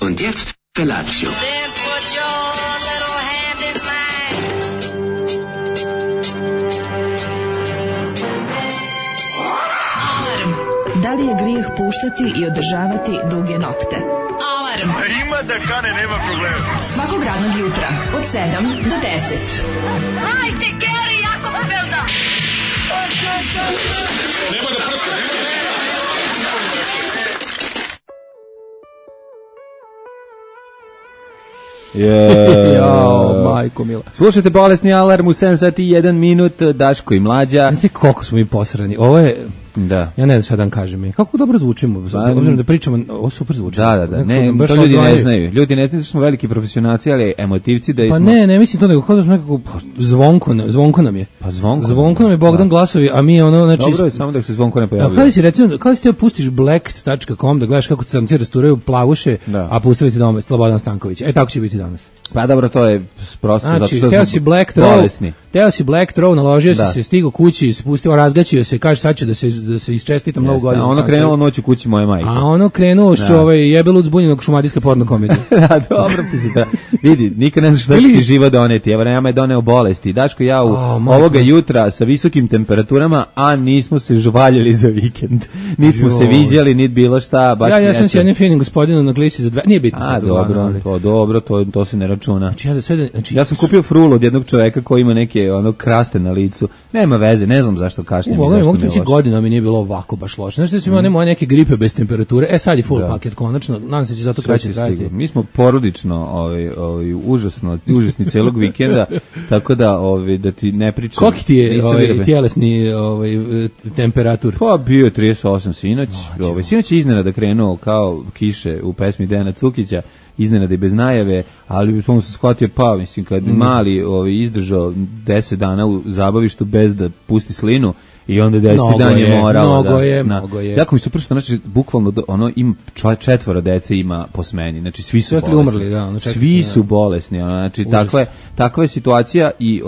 Und jetzt Felatio. Then put your little hand in mine. Alarm. Da li je grijeh puštati i održavati duge nokte? Alarm. Ima da kane, nema problema. Svakog radnog jutra od 7 do 10. Hajde, Geri, jako se velda. Nemoj da prska, Jao, majko mila. Slušajte Bolesni alarm u 7 sati i 1 minut, Daško i Mlađa. Znate koliko smo mi posrani. Ovo je, Da. ja ne znam šta da vam kažem. Kako dobro zvučimo. Obzirom da pričamo, ovo super zvuči. Da. Ne, Baš to ljudi ne odvajaju. znaju. Ljudi ne znaju da smo veliki profesionalci, ali emotivci da Pa smo... ne mislim to, nego kao da smo nekako zvonko nam je. Pa zvonko. Zvonko nam je Bogdan glasovi, a mi ono, znači... Dobro je, samo da se zvonko ne A pojavljuje. kada si recimo, kada si te pustiš blacked.com da gledaš kako crnci rasturaju plavuše, Da. a pustili ti doma Slobodan Stanković. Tako će biti danas. Pa dobro, to je prosto zato Znači, što teo smo si Black Throw, bolesni. naložio Da. si se, stigao kući, spustio, razgaćio se, kaže sad ću da se isčestitam novu Jeste, godinu. a ono krenulo noć u kući moje majke. A ono krenuo što jebelud zbunjenog šumadijska porno komedija. Da, dobro ti se da. Vidi, nikad ne znaš šta će ti život doneti. Evo, nama je doneo bolesti. Daško i ja ovoga jutra sa visokim temperaturama, a nismo se žvaljali za vikend. Niti smo se viđali, niti bilo šta. Baš Ja sam s jednim finim gospodinom na glisi za dve, nije bitno A, sad. dobro, to se ne računa. Znači, ja za sve, znači, Ja sam kupio frulu od jednog čoveka koji ima neke kraste na licu. Nema veze, ne znam zašto kašljem i zašto mogu mi je reći loše. godina mi nije bilo ovako baš loše. Znači da sam imao moje neke gripe bez temperature. Sad je full paket konačno. Nadam se će zato Sve kraće će trajati. stiglo. Mi smo porodično užasni celog vikenda, tako da da ti ne pričam. Koliki ti je Nisam vidio. tjelesni temperatur? Pa bio je 38 sinoć. Sinoć je iznenada krenuo kao kiše u pesmi Dejana Cukića, iznenada i bez najave, ali sam se shvatio mislim kad mali izdržao 10 dana u zabavištu bez da pusti slinu i onda 10. dan je morao. Mnogo je. Jako mi su pršto, znači bukvalno ima 4 dece ima po smeni, znači svi su bolesni. Umrli, da, svi su bolesni, znači takva je situacija i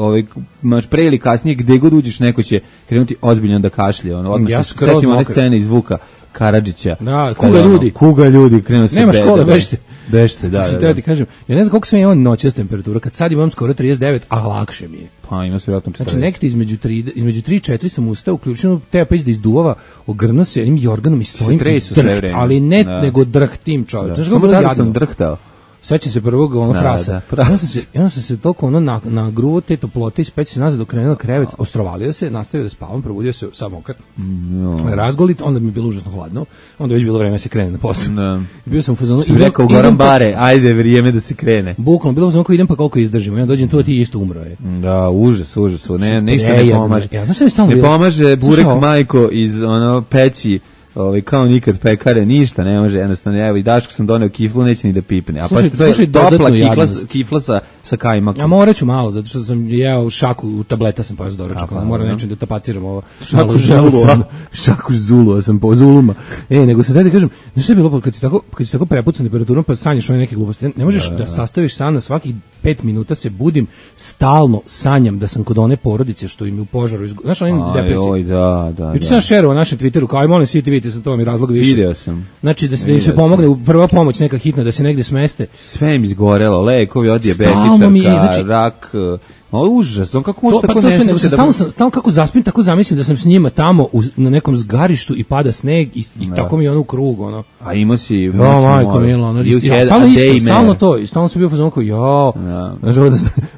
pre ili kasnije gde god uđeš neko će krenuti ozbiljno da kašlje, odmah se setimo one scene iz Vuka Karadžića. Da, kuga ljudi, krenuo se nema škole, bežite, da. Da ti kažem, ja ne znam koliko sam imao noćas temperatura, kad sad imam skoro 39, a lakše mi je. Pa ima se vjerojatno 40. Znači nekde između 3 i 4 sam ustao, uključeno teba pa da izduvava, ogrnuo se jednim jorganom i stojim ali ne nego drhtim čovječ. Znaš kako da sam drhtao? Sećam se prvog frasa. Ja sam se toliko na gruvo te toplote i speć se nazad dok krenuo krevet, ostrovalio se, nastavio da spavam, probudio se sam mokar. Razgolit, onda mi je bilo užasno hladno. Onda već bilo vreme da se krene na posao. Bio sam u fazonu i rekao Goran Bare, ajde vrijeme da se krene. Bukvalno bilo sam idem pa koliko izdržimo. Ja dođem tu ti isto umro je. Da, užas. Ništa ne pomaže. Ja znaš šta mi stalno ne pomaže burek majko iz peći. Kao nikad pekare, ništa ne može, jednostavno, evo i Daško sam doneo kiflu, neće ni da pipne. A slušaj, to je topla kifla sa kajmakom. Ja morat ću malo, zato što sam jeo šaku tableta sam pojao s doručkom, moram nečem da tapaciram ovo. Šaku zulua sam po zuluma. Nego se da kažem, znaš šta je bilo, kad si tako prepucan temperaturom, pa sanjaš one neke gluposti, ne možeš da sastaviš san na svakih 5 minuta se budim, stalno sanjam da sam kod one porodice što im je u požaru znaš, oni iz depresije. Da. Juče sam šerovao na našem Twitteru, kao aj molim svi ti vidite, sam to mi razlog više. Video sam. Znači da im se pomogne, prva pomoć neka hitna, da se negde smeste. Sve im izgorelo, lekovi od dijabetičarka, rak... užas, kako može tako nešto... Stalno kako zaspim, tako zamislim da sam s njima tamo na nekom zgarištu i pada sneg i tako mi je ono u krug, ono. A imao si... majko milo, stalno to, i stalno sam bio fazon kao,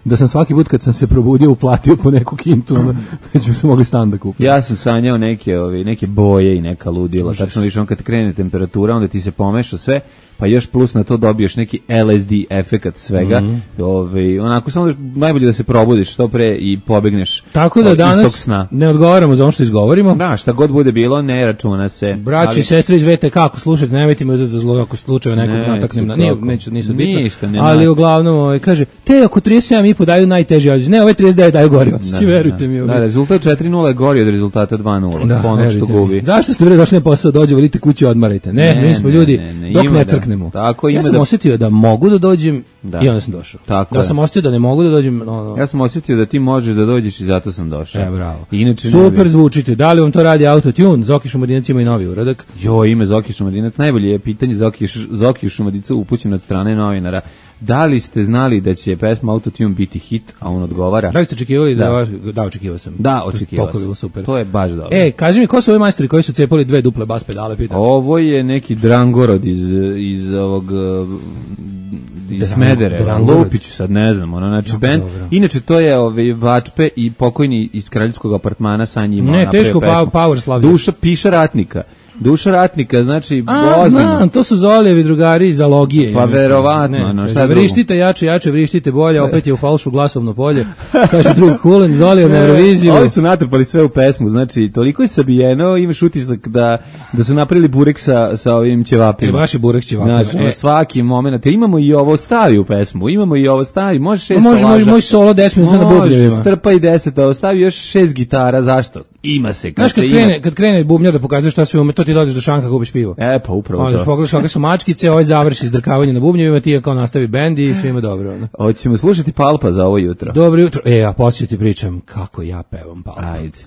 da sam svaki put kad sam se probudio uplatio po neku kintu, već bi se mogli stan da kupiti. Ja sam sanjao neke boje i neka ludila, tačno više on kad krene temperatura, onda ti se pomeša sve, pa još plus na to dobiješ neki LSD efekat svega, onako samo najbolje da se probudiš što pre i pobegneš. Tako da danas ne odgovaramo za ono što izgovorimo. Da, šta god bude bilo, ne računa se. Braći i sestre iz VTK, ako slušate, nemojte me uzeti za zlo, ako slučajno nekog nataknem na... Nisu bitno. Ali uglavnom, kaže, te ako 37,5 daju najteži odjeći, ne, ove 39 daju gori odjeći, verujte mi. Da, rezultat 4-0 je gori od rezultata 2-0. Da, verujte mi. Zašto ste došli na posao, dođe, volite kući, odmarajte. Ne, mi smo ljudi, dok ne crkne. maknemo. Tako, ja sam osjetio da mogu da dođem i onda sam došao. Tako ja sam osjetio da ne mogu da dođem. Ja sam osjetio da ti možeš da dođeš i zato sam došao. Bravo. Inače, super zvučite. Da li vam to radi Autotune? Zoki Šumadinac ima i novi uradak. Ime Zoki Šumadinac. Najbolje je pitanje Zoki Šumadinaca upućeno od strane novinara. Da li ste znali da će pesma Autotune biti hit, a on odgovara? Da li ste očekivali da očekivao sam. Da, očekivao sam. Bilo super. To je baš dobro. Kaži mi, ko su ovi majstori koji su cepali 2 duple bas pedale, pitam? Ovo je neki Drangorod iz ovog iz Smedereva. Lupiću sad, ne znam, znači bend. Inače to je Vačpe i pokojni iz kraljevskog apartmana sa njima. Ne, teško power slavlja. Duša ratnika, znači znam, to su Zolijevi drugari iz Alogije. Pa verovatno, šta vrištite jače, vrištite bolje, opet je u falšu glasovno polje. Kaže drug Kulen, Zolijev na Euroviziju. Ovi su natrpali sve u pesmu, znači toliko je sabijeno, imaš utisak da su napravili burek sa ovim ćevapima. Baš je burek ćevapima. Znači, svaki moment, imamo i ovo stavi u pesmu, može 6 solaža. Može moj solo 10 minuta na bubnjevima. Strpa i 10, a ostavi još 6 gitara, zašto? Ima se. Kad krene bubnjar da pokazuje šta sve ume, to ti dođeš do šanka kupiš pivo. Pa upravo to. Onda pogledaš kakve su mačkice, ovaj završi izdrkavanje na bubnjevima, ti kao nastavi bend i svima dobro. Hoćemo slušati Palpa za ovo jutro. Dobro jutro. Ja poslije ti pričam kako ja pevam Palpa. Ajde.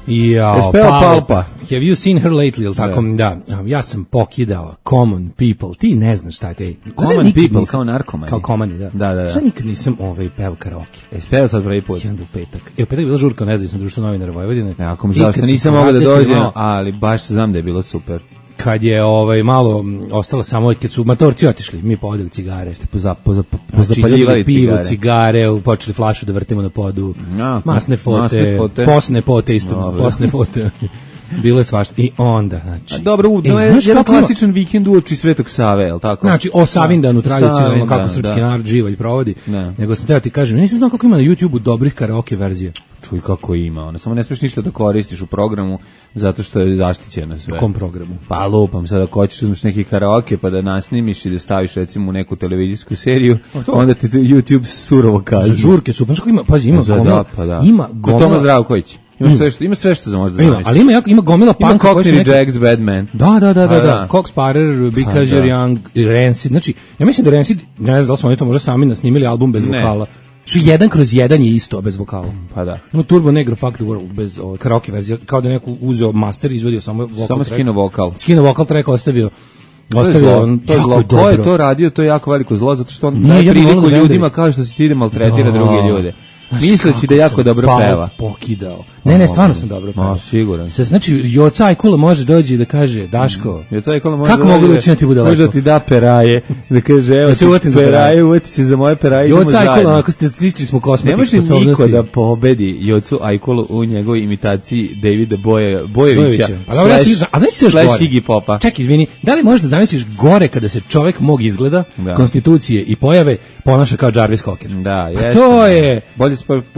Jao, Palpa. Have you seen her lately, ili tako? Da. Ja sam pokidao Common People. Ti ne znaš šta je te. Common People, kao narkomani. Kao komani, da. Šta nikad nisam pevao karaoke. Pevao sad prvi put. I onda u petak. U petak je bila žurka o nezavisnom društvu novinara Vojvodine. Ako mi žao što nisam mogao da dođem, ali baš znam da je bilo super. Kad je malo ostalo samo kad su matorci otišli, mi povodili cigare, pozapaljivali pivo, cigare, počeli flašu da vrtimo na podu, masne fote, posne fote isto, posne fote. Bilo je svašta. I onda, znači... Dobro, jedan klasičan vikend uoči Svetog Save, je li tako? Znači, o Savindanu tradicionalno, kako srpski narod živa i provodi. Nego sam teo ti kažem, nisam znao kako ima na YouTube-u dobrih karaoke verzija. Čuj kako ima, samo ne smiješ ništa da koristiš u programu, zato što je zaštićeno sve. U kom programu? Pa lupam, sad ako hoćeš uzmeš neki karaoke pa da nasnimiš i da staviš recimo u neku televizijsku seriju, onda ti YouTube surovo kazni. Žurke su, paš kako ima, pazi, ima gomila. Ima gomila. Tomas Zdravković. Ima sve što za možda zamisliš. Ali ima gomila panka koji su neki... Jack's Bad Man. Da. Cox Parer, Because You're Young, Rancid. Znači, ja mislim da Rancid, ne znam da li su oni to možda sami nasnimili album bez vokala. Što 1/1 je isto bez vokala. Pa da. Ima Turbo Negro Fuck the World bez karaoke verzije, kao da neko uzeo master i izvodio samo vokal. Samo skino vokal. Skino vokal track ostavio. To je to radio, to je jako veliko zlo, zato što on daje priliku ljudima kao što se ti ide maltretira druge ljude. Misleći da jako dobro peva. Pokidao. Ne, stvarno sam dobro pevao. Siguran. Znači, Joca Ajkula može doći i da kaže, Daško, Joca Ajkula može kako mogu da učiniti bude lepo? Može da ti da peraje, da kaže, evo ti peraje, uveti se za moje peraje, idemo zajedno. Joca Ajkula, ako ste sličili smo kosmetik sposobnosti. Ne može niko da pobedi Jocu Ajkulu u njegovoj imitaciji Davida Bojevića. A znaš se još gore? Iggy Popa. Ček, izvini, da li možeš da zamisliš gore kada se čovek mog izgleda, konstitucije i pojave, ponaša kao Jarvis Cocker? Da, jeste. To je...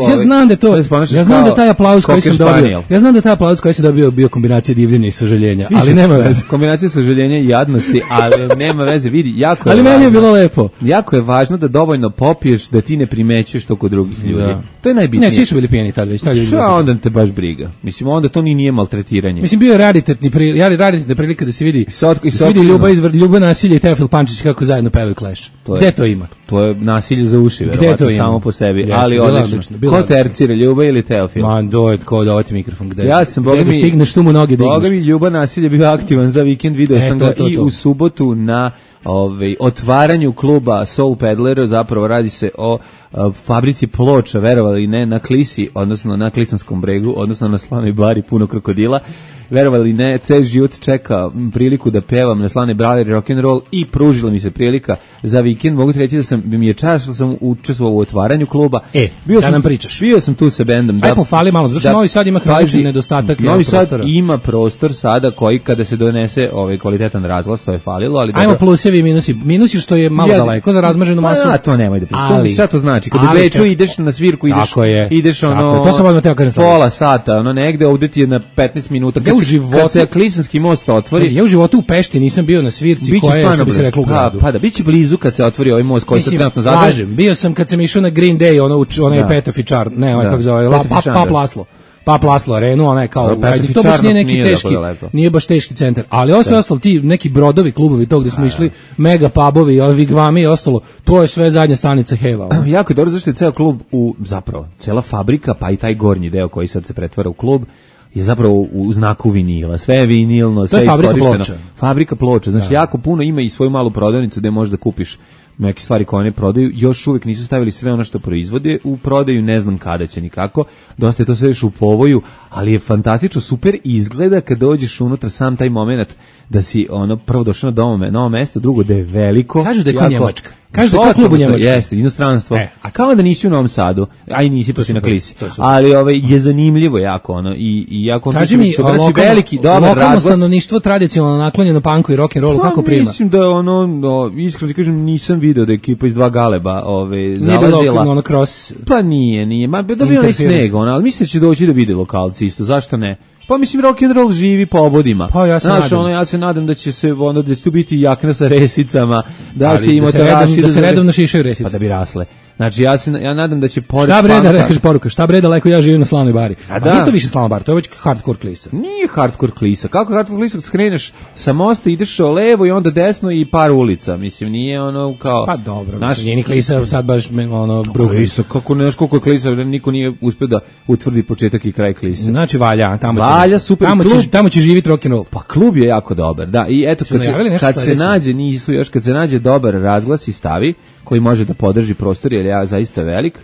Ja znam da to, ja znam da taj aplauz koji sam dobio, ja znam da taj aplauz koji sam dobio bio kombinacija divljenja i sažaljenja, ali nema veze. Kombinacija sažaljenja i jadnosti, ali nema veze, vidi, jako je. Ali meni je bilo lepo. Jako je važno da dovoljno popiješ da ti ne primećuješ to kod drugih ljudi. To je najbitnije. Ne, svi su bili pijeni tad već, onda te baš briga. Mislim, onda to nije maltretiranje. Mislim, bio je raritetna prilika da se vidi Ljuba Nasilje i Teofil Pančić kako zajedno pevaju Clash. Gde to ima? To je nasilje za uši, verovatno, samo po sebi, ali odlično. Ko tercira, Ljuba ili Teofil? Ko da ovati mikrofon gde? Ja sam, gde stigneš tu mu noge digneš. Boga mi, Ljuba Nasilje bio aktivan za vikend, video sam ga i u subotu na otvaranju kluba Soul Peddler, zapravo radi se o fabrici ploča, verovali ne, na Klisi, odnosno na Klisanskom bregu, odnosno na Slanoj bari puno krokodila. Verovali ne, ceo život čeka priliku da pevam na Slanoj bari rock'n'roll i pružila mi se prilika za vikend. Mogu ti reći da mi je čast što sam učestvovao u otvaranju kluba. Nam pričaš. Bio sam tu sa bendom. Aj pofali malo, zato što Novi Sad ima hronični nedostatak. Novi Sad ima prostor sada koji kada se donese kvalitetan razglas, to je falilo, ali ajmo plusevi i minusi. Minusi što je malo daleko za razmaženu masu. To nemoj da pričaš. Šta to znači? Kad u Beču ideš na svirku, ideš to sam odmah teo kažem pola sata, negde, ovde ti je na 15 minuta. Kad se Klisanski most otvori. Ja u životu u Pešti nisam bio na svirci koja je, što bi se reklo, u gradu. Pa da, biće blizu kad se otvori ovaj most koji se trenutno zadrži. Bio sam kad sam išao na Green Day, onaj Petofičar, ne, kako zove, Pap Laslo. pa Laslo Arenu, ona je kao, Petrović to baš nije neki nije teški, lepo. nije baš teški centar, ali ovo sve ostalo, ti neki brodovi, klubovi tog gde smo išli, mega pubovi, vigvami i ostalo, to je sve zadnja stanica Heva. Jako je dobro zašto je ceo klub zapravo, cela fabrika, pa i taj gornji deo koji sad se pretvara u klub, je zapravo u znaku vinila. Sve je vinilno, sve je iskorišteno. Fabrika ploča. Znači, jako puno ima i svoju malu prodavnicu gde možeš da kupiš neke stvari koje oni prodaju. Još uvijek nisu stavili sve ono što proizvode u prodaju, ne znam kada će nikako. Dosta je to sve još u povoju, ali je fantastično, super izgleda kad dođeš unutra, sam taj moment da si prvo došao na novo mesto, drugo da je veliko. Kažu da je kao Njemačka. Kažu da je kao klub u Njemačkoj. Jeste, inostranstvo. A kao da nisi u Novom Sadu, a i nisi pa si na Klisi. Ali je zanimljivo jako i jako kaži mi, veliki dobar razglas. Lokalno stanovništvo tradicionalno naklonjeno punku i rock and rollu, kako prima? Mislim da iskreno ti kažem, nisam video da ekipa iz Dva Galeba zalazila. Nije bilo cross. Pa nije. Ma dobio je sneg, ali mislim da će doći da vide lokalci isto. Zašto ne? Pa mislim rock and roll živi po obodima. Pa ja se nadam. Ja se nadam da će se da će tu biti jakna sa resicama, da ali će imati da se redovno šišaju resice. Pa da bi rasle. Znači ja nadam da će pored šta bre da rekaš poruka, šta bre daleko ja živim na Slavnoj bari. A nije to više Slavna bar, to je već hardcore klisa. Nije hardcore klisa. Kako hardcore klisa, skreneš sa mosta, ideš levo i onda desno i par ulica. Mislim nije ono kao pa dobro, nije ni klisa sad baš klisa, kako ne znaš koliko je klisa, niko nije uspeo da utvrdi početak i kraj klise. Znači valja, valja, super klub. Tamo će živjeti rock and roll. Pa klub je jako dobar. Da, i eto kad se nađe dobar razglas i stavi koji može da podrži prostor, jer je zaista velik.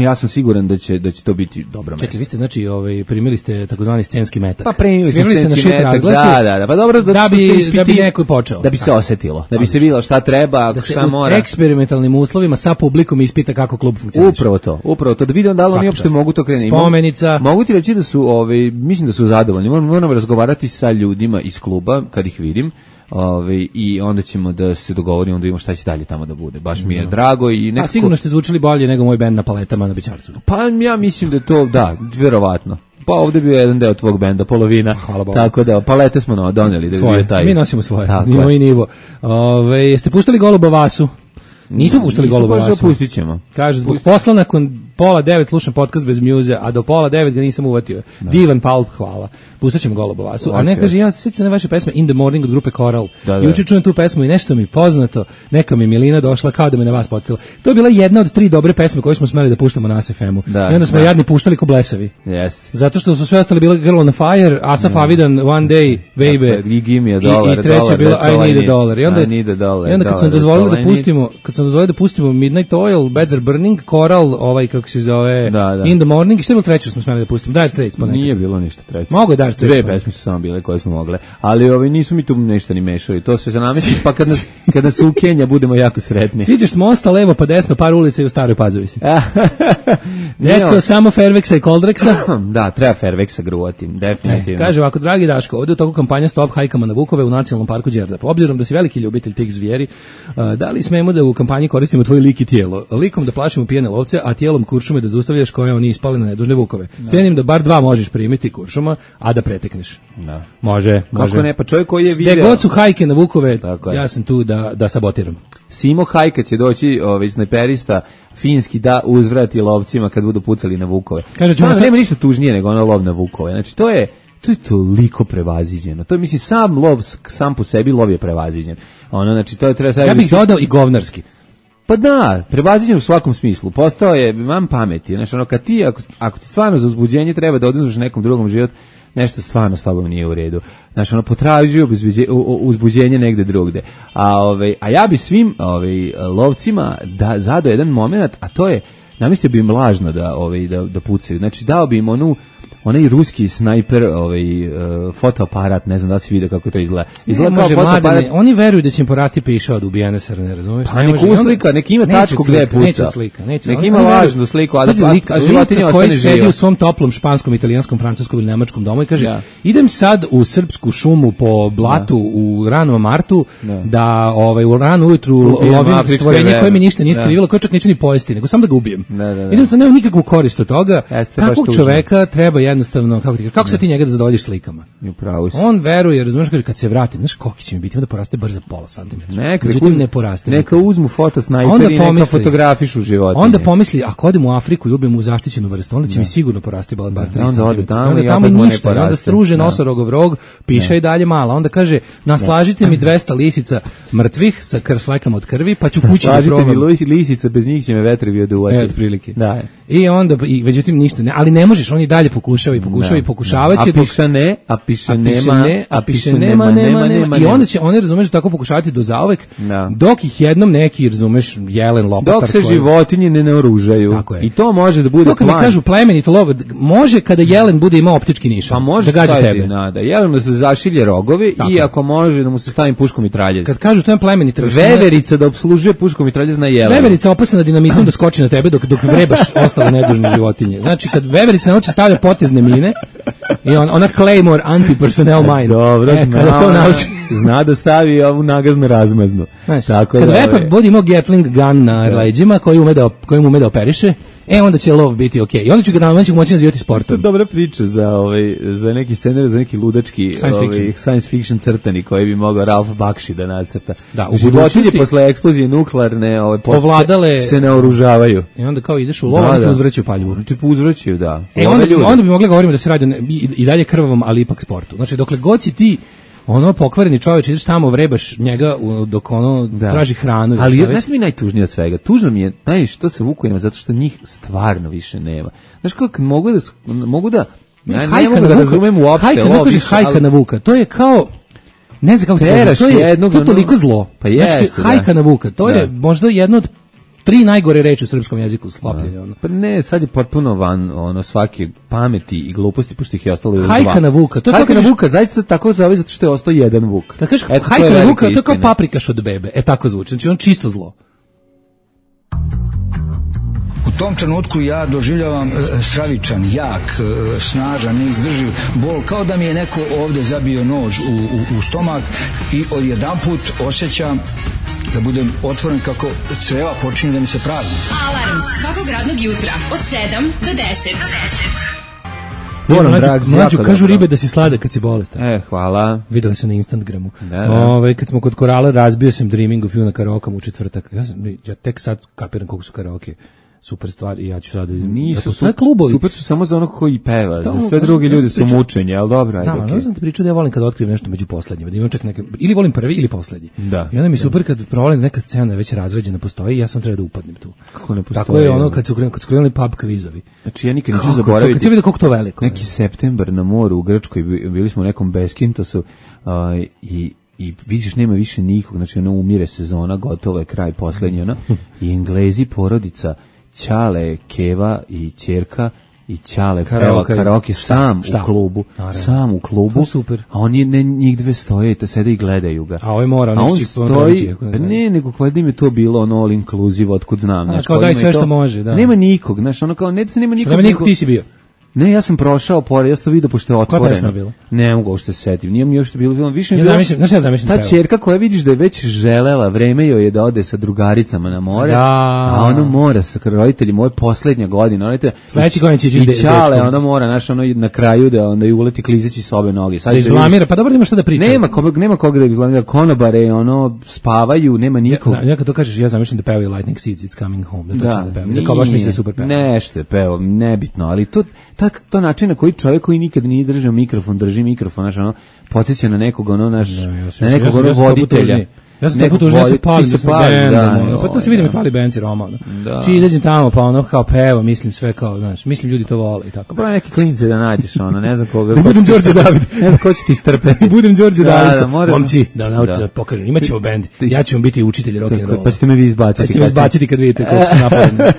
Ja sam siguran da će to biti dobro mesto. Čekaj, vi ste znači primili ste takozvani scenski metak. Pa primili ste na šut razglasu. Da, pa dobro da bi neko počeo. Da bi se osetilo, da bi se videlo šta treba, šta mora. Da se u eksperimentalnim uslovima sa publikom ispita kako klub funkcioniše. Upravo to da vidim da li oni uopšte mogu to krenuti. Spomenica. Mogu ti reći da su mislim da su zadovoljni. Moramo razgovarati sa ljudima iz kluba kad ih vidim. I onda ćemo da se dogovorimo, onda vidimo šta će dalje tamo da bude. Baš mi je drago i nekako... A sigurno ste zvučili bolje nego moj bend na Paletama na Bećarcu. Pa ja mislim da to, da, vjerovatno. Pa ovdje je bio jedan deo tvog benda, polovina. Hvala Bogu. Tako da, palete smo doneli da bi bio taj... Mi nosimo svoje, nivo i nivo. Jeste puštali Goluba Vasu? Nismo puštali Goluba Vasu. Pustit ćemo. Kaže, zbog posla nakon 8:30 slušam podcast bez mjuze, a do 8:30 ga nisam uvatio. Da. Divan Paul, hvala. Pustit ćemo Goluba Vasu. A ne, kaže, ja se sjećam na vaše pesme In the Morning od grupe Coral. Juče čujem tu pesmu i nešto mi poznato. Neka mi Milina došla kao da me na vas podsjetila. To je bila jedna od 3 dobre pesme koje smo smeli da puštamo na SFM-u. I onda smo jadni puštali ko blesavi. Zato što su sve ostale bile Girl on Fire, Asaf Avidan, One Day, Baby. Give me a dollar. I treća bila I Need a Dollar. I onda kad sam dozvolio da pustimo Midnight Oil, Beds Are Burning, Coral, kako se zove, In the Morning, i što je bilo treće smo smeli da pustimo? Dire Straits ponekad. Nije bilo ništa treće. Mogu je Dire Straits. 2 pesme su samo bile koje smo mogle, ali nisu mi tu nešto ni mešali. To se zanameti, pa kad nas u Kenja budemo jako sretni. Siđeš s mosta levo pa desno par ulica i u Staroj Pazovi si. Deco, samo Fairvexa i Coldrexa. Da, treba Fairvexa gruvati, definitivno. Kaže ovako, dragi Daško, ovdje u toku kampanja Stop hajkama na Vukove u Nacionalnom parku Đerdap. Obzirom da si veliki ljubitelj tih zvijeri, da li smemo da u kampanji koristimo tvoj lik i tijelo? Likom da plašimo pijene lovce, a tijelom kuršume da zaustavljaš koje oni ispali na nedužne vukove. Cenim da bar 2 možeš primiti kuršuma, a da pretekneš. Da. Može. Kako ne, pa čovjek koji je video... Gde god su hajke na vukove, ja sam tu da sabotiram. Simo Hajka će doći, snajperista finski, da uzvrati lovcima kad budu pucali na vukove. Nema ništa tužnije nego ono lov na vukove. Znači, to je toliko prevaziđeno. To je, mislim, sam lov, sam po sebi lov je prevaziđen. Znači, to je treba... Ja bih dodao i govnarski. Pa da, prevaziđen u svakom smislu. Postao je, imam pameti. Znači, kad ti, ako ti stvarno za uzbuđenje treba da oduzmeš nekom drugom život, nešto stvarno s tobom nije u redu. Znači, potražuje uzbuđenje negde drugde. A ja bi svim lovcima zadao jedan moment, a to je, namislio bi im lažno da pucaju. Znači, dao bi im onaj ruski snajper, fotoaparat, ne znam da si vidio kako to izgleda. Izgleda kao fotoaparat. Oni veruju da će im porasti piša od ubijene srne, razumiješ? Pa nek uslika, nek ima tačku gde je puca. Neće slika. Nek ima lažnu sliku, a životinja ostane koji sedi u svom toplom španskom, italijanskom, francuskom ili nemačkom domu i kaže, idem sad u srpsku šumu po blatu u ranom martu, da u ranu ujutru lovim stvorenje koje mi ništa nije skrivilo, koje čak neću ni pojesti, nego samo da ga ubijem. Idem sad, nemam nikakvu korist od toga. Takvog čoveka treba jednostavno, kako se ti njega da zadovoljiš slikama? Upravo si. On veruje, razumiješ, kaže, kad se vratim, znaš koliki će mi biti, onda poraste bar za pola santimetra. Međutim, ne poraste. Neka uzmu fotosnajper i neka fotografišu životinje. Onda pomisli, ako odem u Afriku i ubijem u zaštićenu vrstu, onda će mi sigurno porasti bar 3 cm. Onda tamo ništa, onda struže nosorogov rog, piša i dalje mala. Onda kaže, naslažite mi 200 lisica mrtvih sa fлекama od krvi, pa ću kući da probam. Slažite mi lisica, bez njih će me vetrovi oduvati. Otprilike. Da. I onda, međutim, ništa, ali ne možeš, on i dalje pokušava i pokušavaće. A piše nema. I onda će oni, razumeš, tako pokušavati do zauvek, dok ih jednom neki, razumeš, jelen lopatar. Dok se životinje ne naoružaju. I to može da bude plan. To kad mi kažu plemenito lov, može kada jelen bude imao optički nišan. Pa može da gađa tebe. Da jelen da se zašilje rogovi i ako može da mu se stavi puškom mitraljez. Kad kažu to je plemenito. Veverica da opslužuje puškom mitraljez na jelen. Veverica opasna dinamitom da skoči na tebe dok vrebaš ostale nedužne životinje. Znači kad veverica nauči stavlja potezne mine i ona Claymore anti-personnel mine. Dobro, kada to nauči. Zna da stavi ovu nagazno razmaznu. Tako kad vepa bude imao Gatling gun na leđima koji ume da operiše, onda će lov biti okej. I onda ću ga moći nazivati sportom. Dobra priča za neki scenarij, za neki ludački science fiction crtani koji bi mogao Ralph Bakshi da nacrta. Da, u budućnosti posle eksplozije nuklearne ovladale se naoružavaju. I onda kao ideš u lov, oni ti uzvraćaju paljivu. Ti uzvraćaju, da. Onda bi mogli govoriti da se radi i dalje krvavom, ali ipak sportu. Znači dokle god si ti pokvareni čovjek, ideš tamo, vrebaš njega dok traži hranu. Ali znaš mi najtužnije od svega? Tužno mi je, znaš što se vukujemo, zato što njih stvarno više nema. Znaš kako mogu da ne mogu da razumem uopšte. Ne kažeš hajka na vuka, to je kao, ne znam kako to je toliko zlo. Pa jeste, hajka na vuka, to je možda jedno od 3 najgore reči u srpskom jeziku sklopljenje. Pa ne, sad je potpuno van svake pameti i gluposti, pošto ih je ostalo još 2. Hajka na vuka. Hajka na vuka, zaista se tako zove zato što je ostao jedan vuk. Da kažeš hajka na vuka, to je kao paprikaš od bebe. Tako zvuči, znači on čisto zlo. U tom trenutku ja doživljavam stravičan, jak, snažan, neizdrživ bol, kao da mi je neko ovde zabio nož u stomak i odjedanput osjećam da budem otvoren kako creva počinju da mi se prazni. Alarm svakog radnog jutra od 7 do 10. Mlađu, kažu ribe da si sladak kad si bolestan. Hvala. Videli su na Instagramu. Kad smo kod Korala, razbio sam Dreaming of You na karaokama u četvrtak. Ja tek sad kapiram koliko su karaoke super stvar i ja ću sad... Nisu super su samo za onog koji peva, za sve drugi ljudi su mučenje, ali dobro, ajde. Znam, sam ti pričao da ja volim kad otkrijem nešto među poslednjima, da imam čak neke, ili volim prvi ili poslednji. Da. I onda mi super kad provalim neka scena već razređena postoji i ja sam treba da upadnem tu. Kako ne postoji? Tako je kad su krenuli pub kvizovi. Znači ja nikad neću zaboraviti. Kad se vidi koliko to veliko. Neki septembar na moru u Grčkoj, bili smo u nekom Beskintosu i vidiš nema više nikog, znači umire sezona, gotovo je kraj poslednji, i Englezi porodica Ćale, Keva i ćerka i Ćale peva karaoke sam u klubu, super. A oni njih dve stoje i sede i gledaju ga. A ovaj mora, on stoji, ne, nego valjda im je to bilo all inclusive, otkud znam. Kao daj sve što može, da. Nema nikog, znaš, kao nema nikog. Nema nikog, ti si bio. Ne, ja sam prošao pored, ja sam to vidio pošto je otvoreno. Koja pesma bila? Ne mogu uopšte se setim, nije mi još bilo više. Ja zamišljam ta ćerka koja vidiš da je već želela, vreme joj je da ode sa drugaricama na more, a ono mora sa roditeljima, ovo je poslednja godina, sledeći godin će ići i Ćale, ona mora, znaš, ono na kraju da onda i uleti klizeći s obe noge. Da izblamira, pa dobro, nema šta da priča. Nema koga da izblamira, konobare, spavaju, nema nikog. Ja kad to kažeš, ja zamišljam da pevaju Lightning Seeds, It's Coming Home, da točno da pevaju. Kao baš mi se super peva. Nešto je pevao, nebitno, ali to način na koji čovjek koji nikad nije držao mikrofon, drži mikrofon, znaš, podsjeća na nekog, na nekog voditelja. Ja sam tako tužio, ja se palim sa bendom, pa to se vidi mi fali Benci Roma, Či izađem tamo, pa ono kao peva, mislim sve kao, znaš, mislim ljudi to vole i tako. Pa neki klince da nađeš, ne znam koga. Da budem Đorđe David. Ne znam ko će ti strpeti. Budem Đorđe David. Momci, da naučite da pokažem, imat ćemo bend, ja ću vam biti učitelj rock'n'rolla. Pa ćete me vi izbaciti. Pa ćete me izbaciti kad vidite kako se napadne.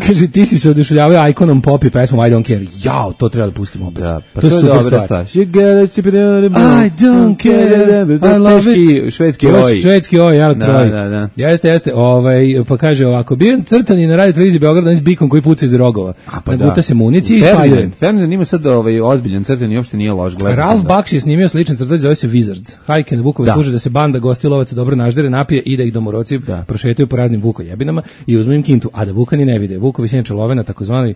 Kaže, ti si se oduševljavao ikonom pop i pesmom I Don't Care. Jao, to treba da pustimo opet. To je super stvar. I don't care, I love it. Švedski ja troj. Jeste. Pa kaže ovako, bio crtani na radio televiziji Beograda, on s bikom koji puca iz rogova. Naguta se munici i spaljuje. Ferdinand ima sad ozbiljan crtani, uopšte nije loš. Ralph Bakshi je snimio sličan crtani, zove se Wizards. Hajke na vukove služe da se banda gostilovaca dobro naždere, napije i da ih domoroci prošetaju po raznim vukojebinama i uzmu im kintu, a da vukani ne vide. Vukovi se inače love na takozvani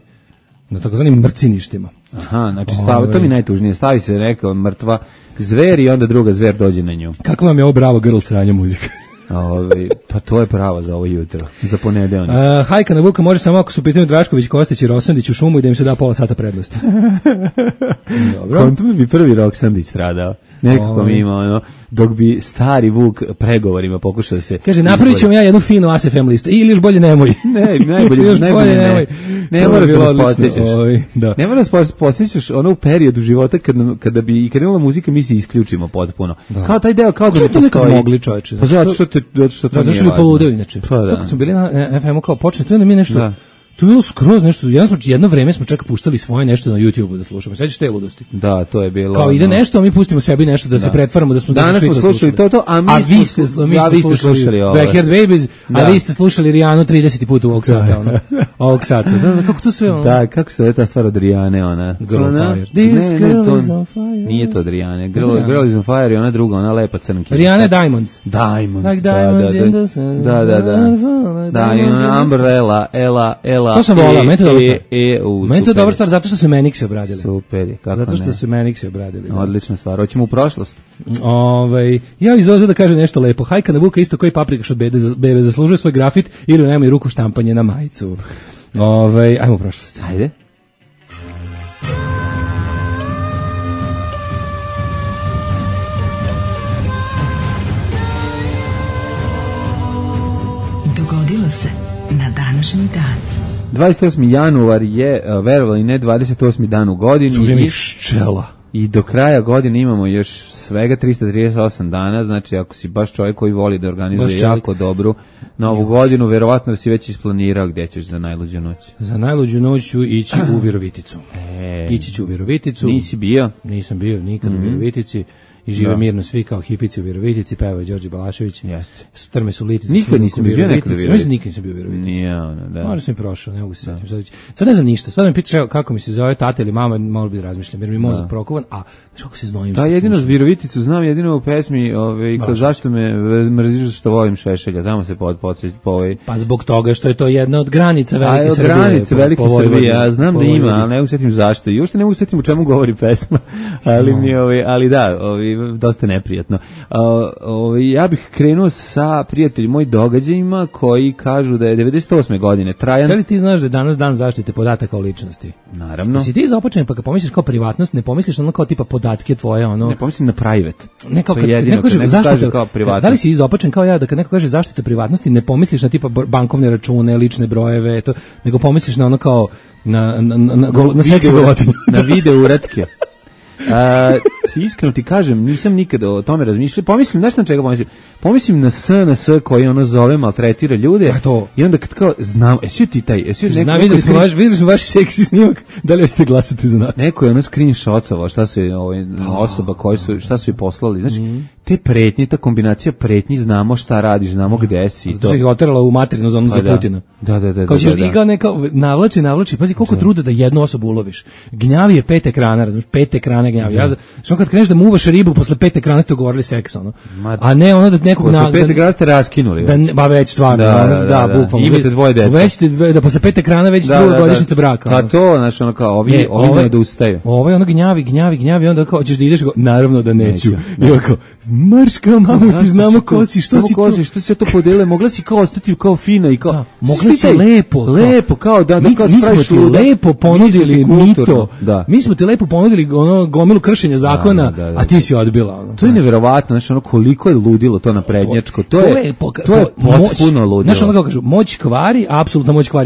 na takozvanim mrciništima. Aha, znači to mi najtužnije. Stavi se, rekao, mrtva zver i onda druga zver dođe na nju. Kako vam je ovo bravo girl sranja muzika? Pa to je pravo za ovo jutro, za ponedeljak. Hajka na Vuka može samo ako su pitanje Drašković, Kostić i Roksandić u šumu i da im se da pola sata prednosti. Dobro. Kontum bi prvi Roksandić stradao. Nekako mi ima dok bi stari Vuk pregovorima pokušao da se... Kaže, napravit ćemo ja jednu finu ASFM listu. Ili još bolje nemoj. Najbolje nemoj. Ne moraš da nas podsjećaš. Ne moraš da podsjećaš ono u periodu života kada bi i kad imala muzika mi se isključimo potpuno. Kao taj deo, kao da ne postoji. Kako mogli, čoveče? Pa zato što to nije važno. Zato što bi poludeo inače. Kako smo bili na FM-u kao počne, to je na mi nešto... To je bilo skroz nešto, jedno vreme smo čak puštali svoje nešto na YouTube-u da slušamo. Sećaš te ludosti? Da, to je bilo. Kao ide nešto, a mi pustimo sebi nešto da se pretvaramo da smo danas smo slušali to, a vi ste slušali Backyard Babies, a vi ste slušali Rijanu 30 puta ovog sata, ovog sata. Da, kako to sve ono? Da, kako se ta stvar od Rijane, ona. Girl on Fire. This girl is on fire. Nije to od Rijane. Girl is on fire i ona druga, ona lepa crnka. Rijana je Diamonds. Diamonds. Da, Umbrella, Ela. To sam volao, meni to dobra stvar. Meni to dobra stvar, zato što su Meniksi obradili. Super, kako ne. Zato što su Meniksi obradili. Odlična stvar, hoćemo u prošlost. Ja iz Oza da kažem nešto lepo. Hajka na Vuka isto koji paprikaš od bebe zaslužuje svoj grafit ili nema i ruku štampanje na majicu. Ajmo u prošlost. Ajde. Dogodilo se na današnji dan. 28. januar je, verovali ne, 28. dan u godini. Curi ščela. I do kraja godine imamo još svega 338 dana, znači ako si baš čovjek koji voli da organizuje jako dobru novu godinu, verovatno da si već isplanirao gdje ćeš za najluđu noć. Za najluđu noć ću ići u Viroviticu. Ići ću u Viroviticu. Nisi bio? Nisam bio nikad u Virovitici. I žive mirno svi kao hipici u Virovitici, pevao je Đorđe Balašević. Jeste. Strme su litice. Nikad nisam bio nekada u Virovitici. Nikad nisam bio u Virovitici. Nije ono, da. Možda sam prošao, ne mogu se sjetiti. Sad ne znam ništa. Sad me pitaš kako mi se zove tata ili mama, malo bi da razmišljam, jer mi je mozak prokovan, a znaš kako se znojim. Da, jedino Viroviticu znam, jedino u pesmi, zašto me mrziš što volim Šešelja, tamo se Pa zbog toga što je to jedna od granica Velike Srbije. Granice Velike Srbije, ja znam da ima, ali ne mogu sjetim zašto. I uopšte ne mogu sjetim u čemu govori pesma, ali da, dosta neprijatno. Ja bih krenuo sa prijatelji moj događajima koji kažu da je 98. godine trajan. Da li ti znaš da je danas dan zaštite podataka o ličnosti? Naravno. Si ti započen pa kad pomisliš kao privatnost, ne pomisliš ono kao tipa podatke tvoje, ono. Ne pomislim na private. Ne kao kad neko kaže zaštita kao privatnost. Da li si izopačen kao ja da kad neko kaže zaštita privatnosti, ne pomisliš na tipa bankovne račune, lične brojeve, to, nego pomisliš na ono kao na seksi golovotinu. Na video uratke. Iskreno ti kažem, nisam nikada o tome razmišljao. Pomislim, znaš na čega pomislim? Pomislim na SNS koji ono zove, maltretira ljude. I onda kad kao, znam, videli smo vaš seksi snimak, da li ste glasati za nas? Neko je ono screenshotovao šta su osoba koji su, šta su je poslali. Znači, te pretnje, ta kombinacija pretnji, znamo šta radiš, znamo gde si. Zato se ih oterala u materinu zonu za Putina. Da. Kao ćeš i kao neka, navlači, pazi koliko truda da jednu osobu uloviš. Gnjavi je 5 ekrana, razumiješ, 5 ekrana gnjavi. Što kad kreneš da muvaš ribu, posle 5 ekrana ste ugovorili seks, ono. A ne ono da nekog posle 5 ekrana ste raskinuli. Ba već stvarno, bukvalno. Imate dvoje dece. Već da posle 5 ekrana već druga godišnjica braka. Pa to, znači ono kao, ovi ne dostaju. Ovo je ono gnjavi, onda kao ćeš da ideš, naravno da neću. I ovako, marška, mamo, ti znamo ko si, što si to podele, mogla si kao ostati kao fina i kao, mogla si lepo, kao da kao mi smo ti lepo ponudili mito, mi smo ti lepo ponudili ono gomilu kršenja zakona, a ti si odbila. To je neverovatno, znači ono koliko je ludilo to naprednjačko, to je potpuno ludilo. Znači ono kao kažu, moć kvari,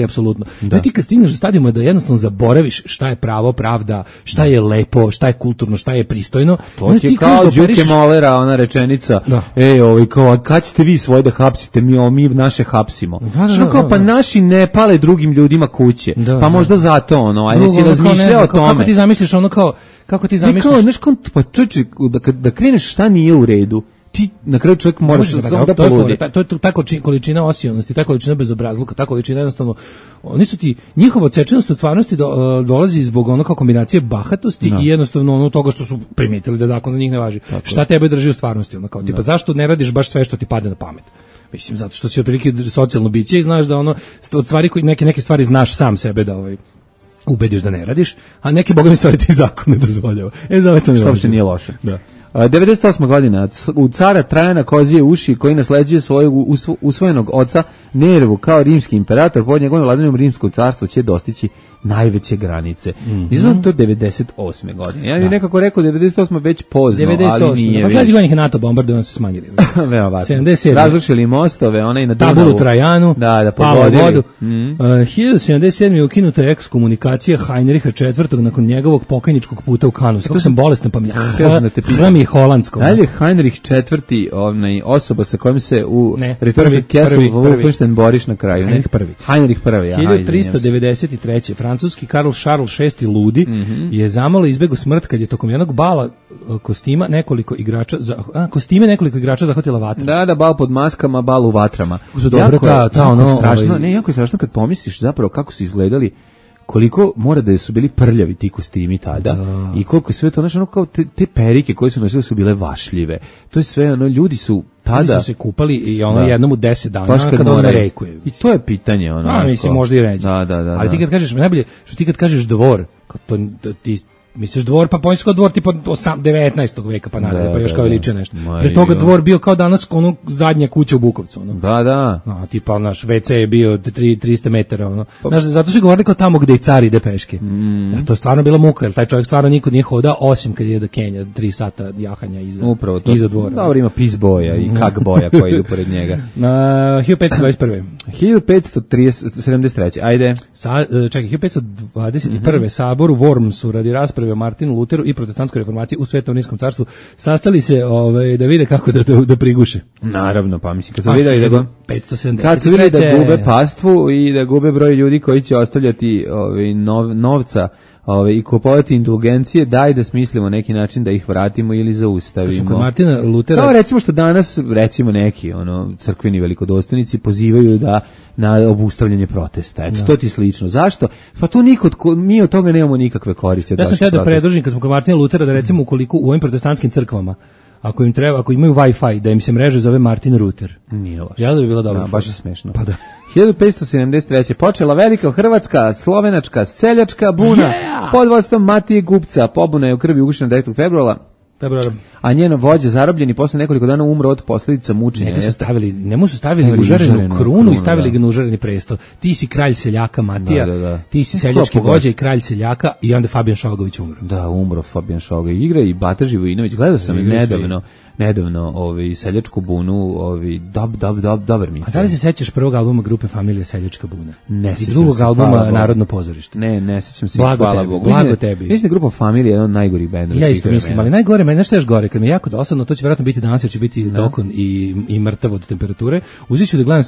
apsolutno. Ti kad stigneš do stadijuma da jednostavno zaboraviš šta je pravo, pravda, šta je lepo, šta je kulturno, šta je pristojno. To ti kao Đuke Molera, ona rečenica, kao, kad ćete vi svoje da hapsite, mi naše hapsimo. Pa naši ne pale drugim ljudima kuće, pa možda zato ono, ajde si razmišljao o tome. Kako ti zamisliš ono kao, kako ti zamisliš? Pa čovječe, da kreneš šta nije u redu, ti na kraju čovjek moraš da poludi. To je ta količina osijonosti, ta količina bezobrazluka, ta količina jednostavno, oni su ti, njihova odsečenost od stvarnosti dolazi zbog ono kao kombinacije bahatosti i jednostavno ono toga što su primetili da zakon za njih ne važi. Šta tebe drži u stvarnosti? Ono kao, tipa, zašto ne radiš baš sve što ti padne na pamet? Mislim, zato što si otprilike socijalno biće i znaš da ono, od stvari, neke stvari znaš sam sebe da ubediš da ne radiš, a neke boga mi stvari ti zakon ne dozvoljava. Za to što uopšte nije loše. Da. 98. godina u cara Trajana Kozije uši koji nasleđuje svojeg usvojenog oca Nervu kao rimski imperator pod njegovim vladavinom rimsko carstvo će dostići najveće granice. Izgleda to 98. godine. Ja bih nekako rekao 98. već pozno, 98. ali nije. Pa sledećih godina je NATO bombardovano se smanjili. 77. Razrušili mostove, ona i na Dunavu. Tabulu Trajanu, da palo vodu. 1077. je ukinuta ekskomunikacija Heinricha IV. Nakon njegovog pokajničkog puta u Kanu. Kako sam bolestan, pa mi je holandsko. Dalje Heinrich IV. Osoba sa kojom se u Return of Castle Wolfenstein boriš na kraju. Heinrich I. 1393. Francuski Karl Charles VI. Ludi je zamalo izbegao smrt kad je tokom jednog bala kostime nekoliko igrača zahvatila vatra. Da, bal pod maskama, bal u vatrama. Jako je strašno kad pomisliš zapravo kako su izgledali, koliko mora da su bili prljavi ti kostimi tada i koliko sve to, znači kao te perike koje su nosili su bile vašljive. To je sve, ljudi su tada su se kupali i jednom u 10 dana kada on rekuje. I to je pitanje, mislim možda i ređe. Da. Ali ti kad kažeš, najbolje, što ti kad kažeš dvor, to ti misliš dvor, pa pomisliš kao dvor tipa 19. veka, pa nadalje, pa još kao liče nešto. Pre toga dvor bio kao danas zadnja kuća u Bukovcu. Da. Tipa naš WC je bio 300 metara. Znaš, zato su govorili kao tamo gde i car ide peške. To je stvarno bila muka, jer taj čovjek stvarno nikud nije hodao, osim kad je da Kenja 3 sata jahanja iza dvora. Dobro, ima pis boja i kak boja koji idu pored njega. 1521. 1573. Ajde. Čekaj, 1521. Sabor u Wormsu radi rasprave o Martinu Luteru i protestantskoj reformaciji u Svetom Rimskom carstvu sastali se da vide kako da priguše. Naravno, pa mislim kad su videli da 573. Kad su videli da gube pastvu i da gube broj ljudi koji će ostavljati novca i kupovati indulgencije, daj da smislimo neki način da ih vratimo ili zaustavimo. Kod Martina Lutera... Kao recimo što danas, recimo neki crkveni velikodostojnici pozivaju na obustavljanje protesta. Eto, to ti slično. Zašto? Pa to mi od toga nemamo nikakve koristi. Ja sam htio da predložim kad smo kod Martina Lutera da recimo ukoliko u ovim protestantskim crkvama ako imaju Wi-Fi, da im se mreže zove Martin Router. Nije loše. Ja da bi bilo dobro. Baš je smešno. Pa da. 1573. počela velika hrvatska, slovenačka, seljačka buna pod vodstvom Matije Gupca. Pobuna je u krvi ugušena 9. februara. A njeno vođa zarobljen i posle nekoliko dana umro od posljedica mučenja. Njemu su stavili užarenu krunu i stavili ga na užareni presto. Ti si kralj seljaka Matija, ti si seljački vođa i kralj seljaka i onda Fabijan Šogović umro. Da, umro Fabijan Šogović. Igra i Bata Živojinović. Gledao sam nedavno seljačku bunu, dobar mi. A da li se sećaš prvog albuma grupe Familija Seljačka buna? Ne sećam se. I drugog albuma Narodno pozorište? Ne sećam se. Hvala Bogu. Blago tebi. Mislim da grupa Familija je jedan od najgorih bendova. Ja isto mislim, ali najgore, meni nešto još gore, kad mi je jako dosadno, to će vjerojatno biti danas, jer će biti dokon i mrtav od temperature. Uzet ću da gledam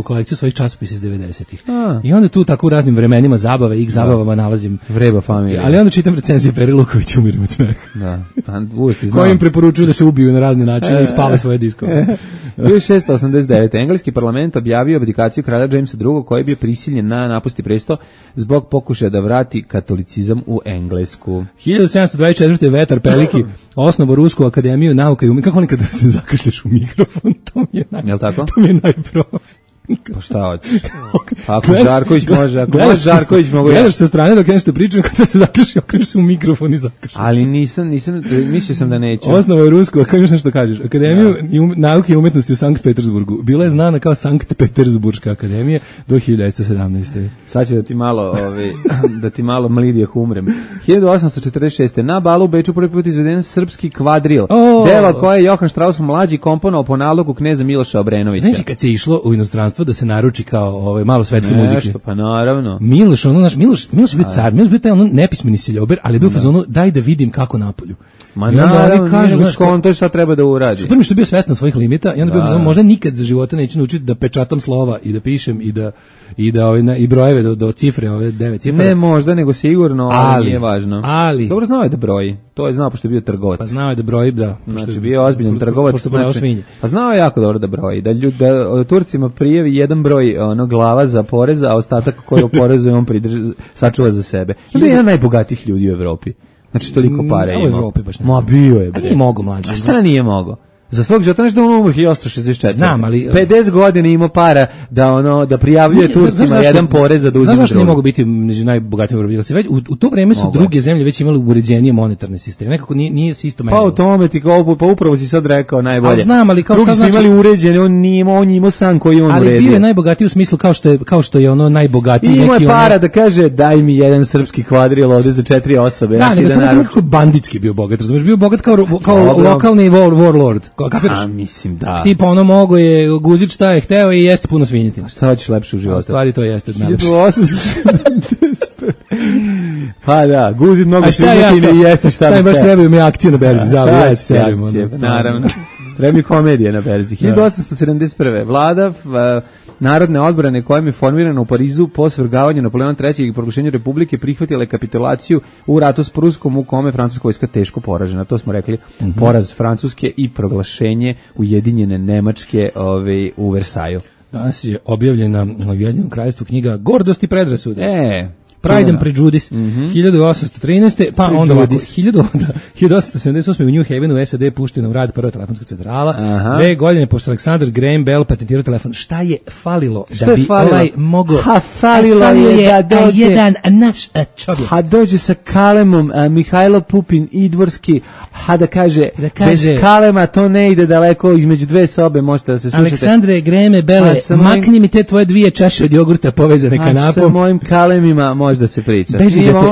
kolekciju svojih časopisa iz 90-ih. I onda tu tako u raznim vremenima zabave, zabavama nalazim Vreba Familija. Ali onda čitam recenzije Peri Lukovića, umirim od smeha. Da, uvijek znam. Koji im preporučuju da se ubiju na razne načine i spale svoje diskove. 1689. Engleski parlament objavio abdikaciju kralja Jamesa II. Koji je bio prisiljen na napusti presto zbog pokušaja da vrati katolicizam u Englesku. 1724. Vetar Peliki osnovo Rusku akademiju nauka i umjetnosti. Kako nekada se zakašlješ u mikrofon? To mi je najprofi. Pa šta hoćeš? Ako Žarković može, Žarković mogu ja. Gledaš sa strane dok nešto pričam, kada se zakašljaš, okreneš se u mikrofon i zakašljaš. Ali nisam, mislio sam da neću. Osnova je Rusku, kako još nešto kažeš? Akademiju nauke i umjetnosti u Sankt Petersburgu. Bila je znana kao Sankt Petersburška akademija do 1917. Sad ću da ti malo mlidijeh umrem. 1846. Na balu u Beču prvi put izveden srpski kvadril. Delo koje je Johan Strauss mlađi komponovao po nalogu kneza Miloša Obrenovića. Znači kad se išlo u inostranstvo da se naruči kao malo svetske muzike. Pa naravno. Miloš je bio car, Miloš bio taj nepismeni seljober, ali je bio u fazonu daj da vidim kako napolju. Ma naravno, kažu, to je šta treba da uradi. Super mi što je bio svestan svojih limita i onda bio fazonu možda nikad za života neću naučiti da pečatam slova i da pišem i brojeve do cifre, ove 9 cifara. Ne možda, nego sigurno, ali nije važno. Ali dobro znao je da broji. To je znao pošto je bio trgovac. Pa znao je da broji, da. Znači bio ozbiljan trgovac. Pa znao je jako dobro da broji. Da Turcima prijavi jedan broj glava za porez, a ostatak koji oporezuje on sačuva za sebe. To je jedan najbogatijih ljudi u Evropi. Znači toliko para ima. U Evropi baš ne. Ma bio je. A nije mogo mlađe. A šta nije mogo? za svog žetona da on umro 1864. Znam, ali 50 godina ima para da prijavljuje Turcima jedan porez za da uzima. Znaš zašto ne mogu biti među najbogatijim u Evropi? Već u to vreme su druge zemlje već imale uređenije monetarne sisteme. Nekako nije se isto menjalo. Pa o tome ti pa upravo si sad rekao najbolje. A znam, ali kao drugi šta znači? Drugi su imali uređene, on je imao san koji on uredio. Ali bio je najbogatiji u smislu kao što je ono najbogatiji neki. Ima je para da kaže daj mi jedan srpski kvadril ovde za 4 osobe. Da, nego to je nekako banditski bio bogat, razumiješ, bio bogat kao lokalni warlord. A mislim da. Tipa ono mogo je guzić šta je hteo i jeste puno svinjetine. Šta hoćeš lepše u životu? Stvari to jeste najlepše. Pa da, guzić mnogo svinjetine i jeste šta. Sad baš trebaju mi akcije na berzi, naravno. Treba mi komedije na berzi. 1871. Vlada Narodne odbrane kojom je formirana u Parizu po svrgavanju Napoleona III i proglašenju Republike prihvatila kapitulaciju u ratu s Pruskom u kome francuska vojska teško poražena. To smo rekli, poraz Francuske i proglašenje Ujedinjene Nemačke u Versaju. Danas je objavljena u Ujedinjenom kraljevstvu knjiga Gordost i predrasude. Pride and Prejudice, 1813. Pa onda ovako, 1878. u New Havenu u SAD puštena u rad prva telefonska centrala. 2 godine pošto Alexander Graham Bell patentirao telefon. Šta je falilo da bi ovaj mogao? Falilo je da dođe jedan naš čovjek. Dođe sa kalemom Mihajlo Pupin Idvorski, da kaže bez kalema to ne ide daleko, između dve sobe možete da se slušate. Aleksandre Grahame Belle, makni mi te tvoje 2 čaše od jogurta povezane kanapom. Sa mojim kalemima da se priča.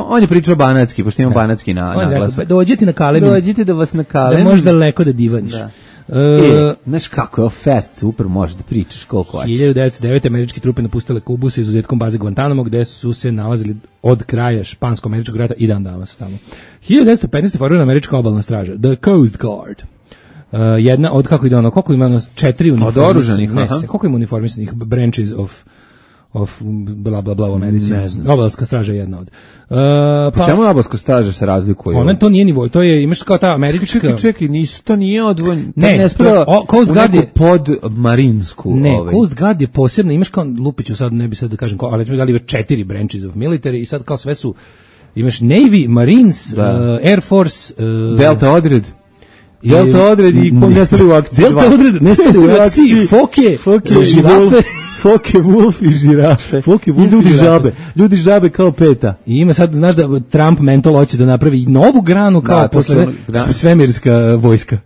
On je pričao banatski, pošto ima banatski na glasu. Dođite na kalemi. Dođite da vas na kalemi. Da možda daleko da divaniš. Znaš kako je fest, super, možeš da pričaš koliko hoćeš. 1909. američke trupe napustile Kubu sa izuzetkom baze Guantanamo, gde su se nalazili od kraja špansko-američkog rata i dan danas tamo. 1915. formirana američka obalna straža, The Coast Guard. Jedna od, kako ide ono, koliko ima 4 uniformisanih, koliko ima uniformisanih branches of bla bla bla u Americi. Ne znam. Obalska straža je jedna od. Pa čemu obalska straža se razlikuje? Ona to nije nivo, to je imaš kao ta američka. Čekaj, to nije odvojeno. Ne, Coast Guard je pod marinsku. Ne, Coast Guard je posebno, imaš kao Lupiću, sad ne bi sad da kažem, ali recimo dali 4 branches of military i sad kao sve su, imaš Navy, Marines, Air Force, Delta odred. Delta odred i nestali u akciji. Delta odred, nestali u akciji, foke, žirafe. Foke, Wolf i žirafe. Ljudi žabe kao peta. I ima sad, znaš da Trump mentol hoće da napravi novu granu kao posle svemirska vojska.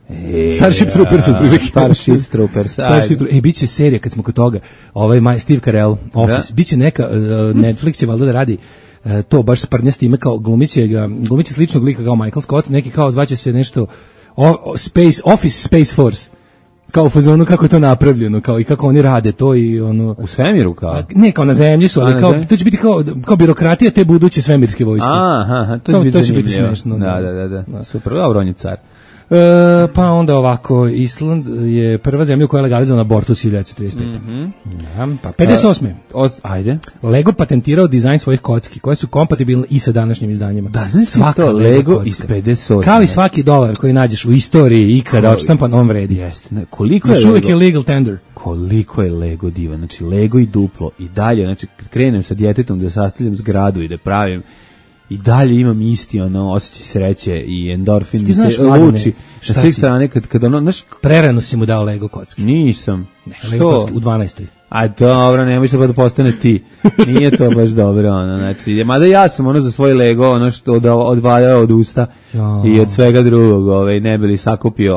Starship Troopers otprilike. Starship Troopers. Biće serija kad smo kod toga. Steve Carell, Office. Biće neka, Netflix će valjda da radi to baš sprnjasti ime kao glumiće sličnog lika kao Michael Scott, neki kao zvaće se nešto Office Space Force. Kao u fazonu kako je to napravljeno, kao i kako oni rade to i ono u svemiru kao. Ne, kao na zemlji su, ali kao to će biti kao birokratija te buduće svemirske vojske. To će biti smešno. Da. Super, dobro, on je car. Pa onda ovako, Island je prva zemlja u kojoj je legalizovan abortus 1935. Pa 58. Ajde. Lego patentirao dizajn svojih kocki koje su kompatibilne i sa današnjim izdanjima. Da, znaš to, Lego iz 58. Kao i svaki dolar koji nađeš u istoriji ikada odštampan, on vredi. Jeste. Koliko je Lego? Uvijek je legal tender. Koliko je Lego divan. Znači, Lego i duplo. I dalje, znači, kad krenem sa djetetom da sastavljam zgradu i da pravim, i dalje imam isti osjećaj sreće i endorfin mi se luči na svih strane kad ono, znaš, prerano si mu dao Lego kocki. Nisam. Lego kocki u 12. A dobro, nemoj se pa da postane ti. Nije to baš dobro, znači, mada ja sam za svoj Lego, što odvaljao od usta i od svega drugog, ne bi li sakupio,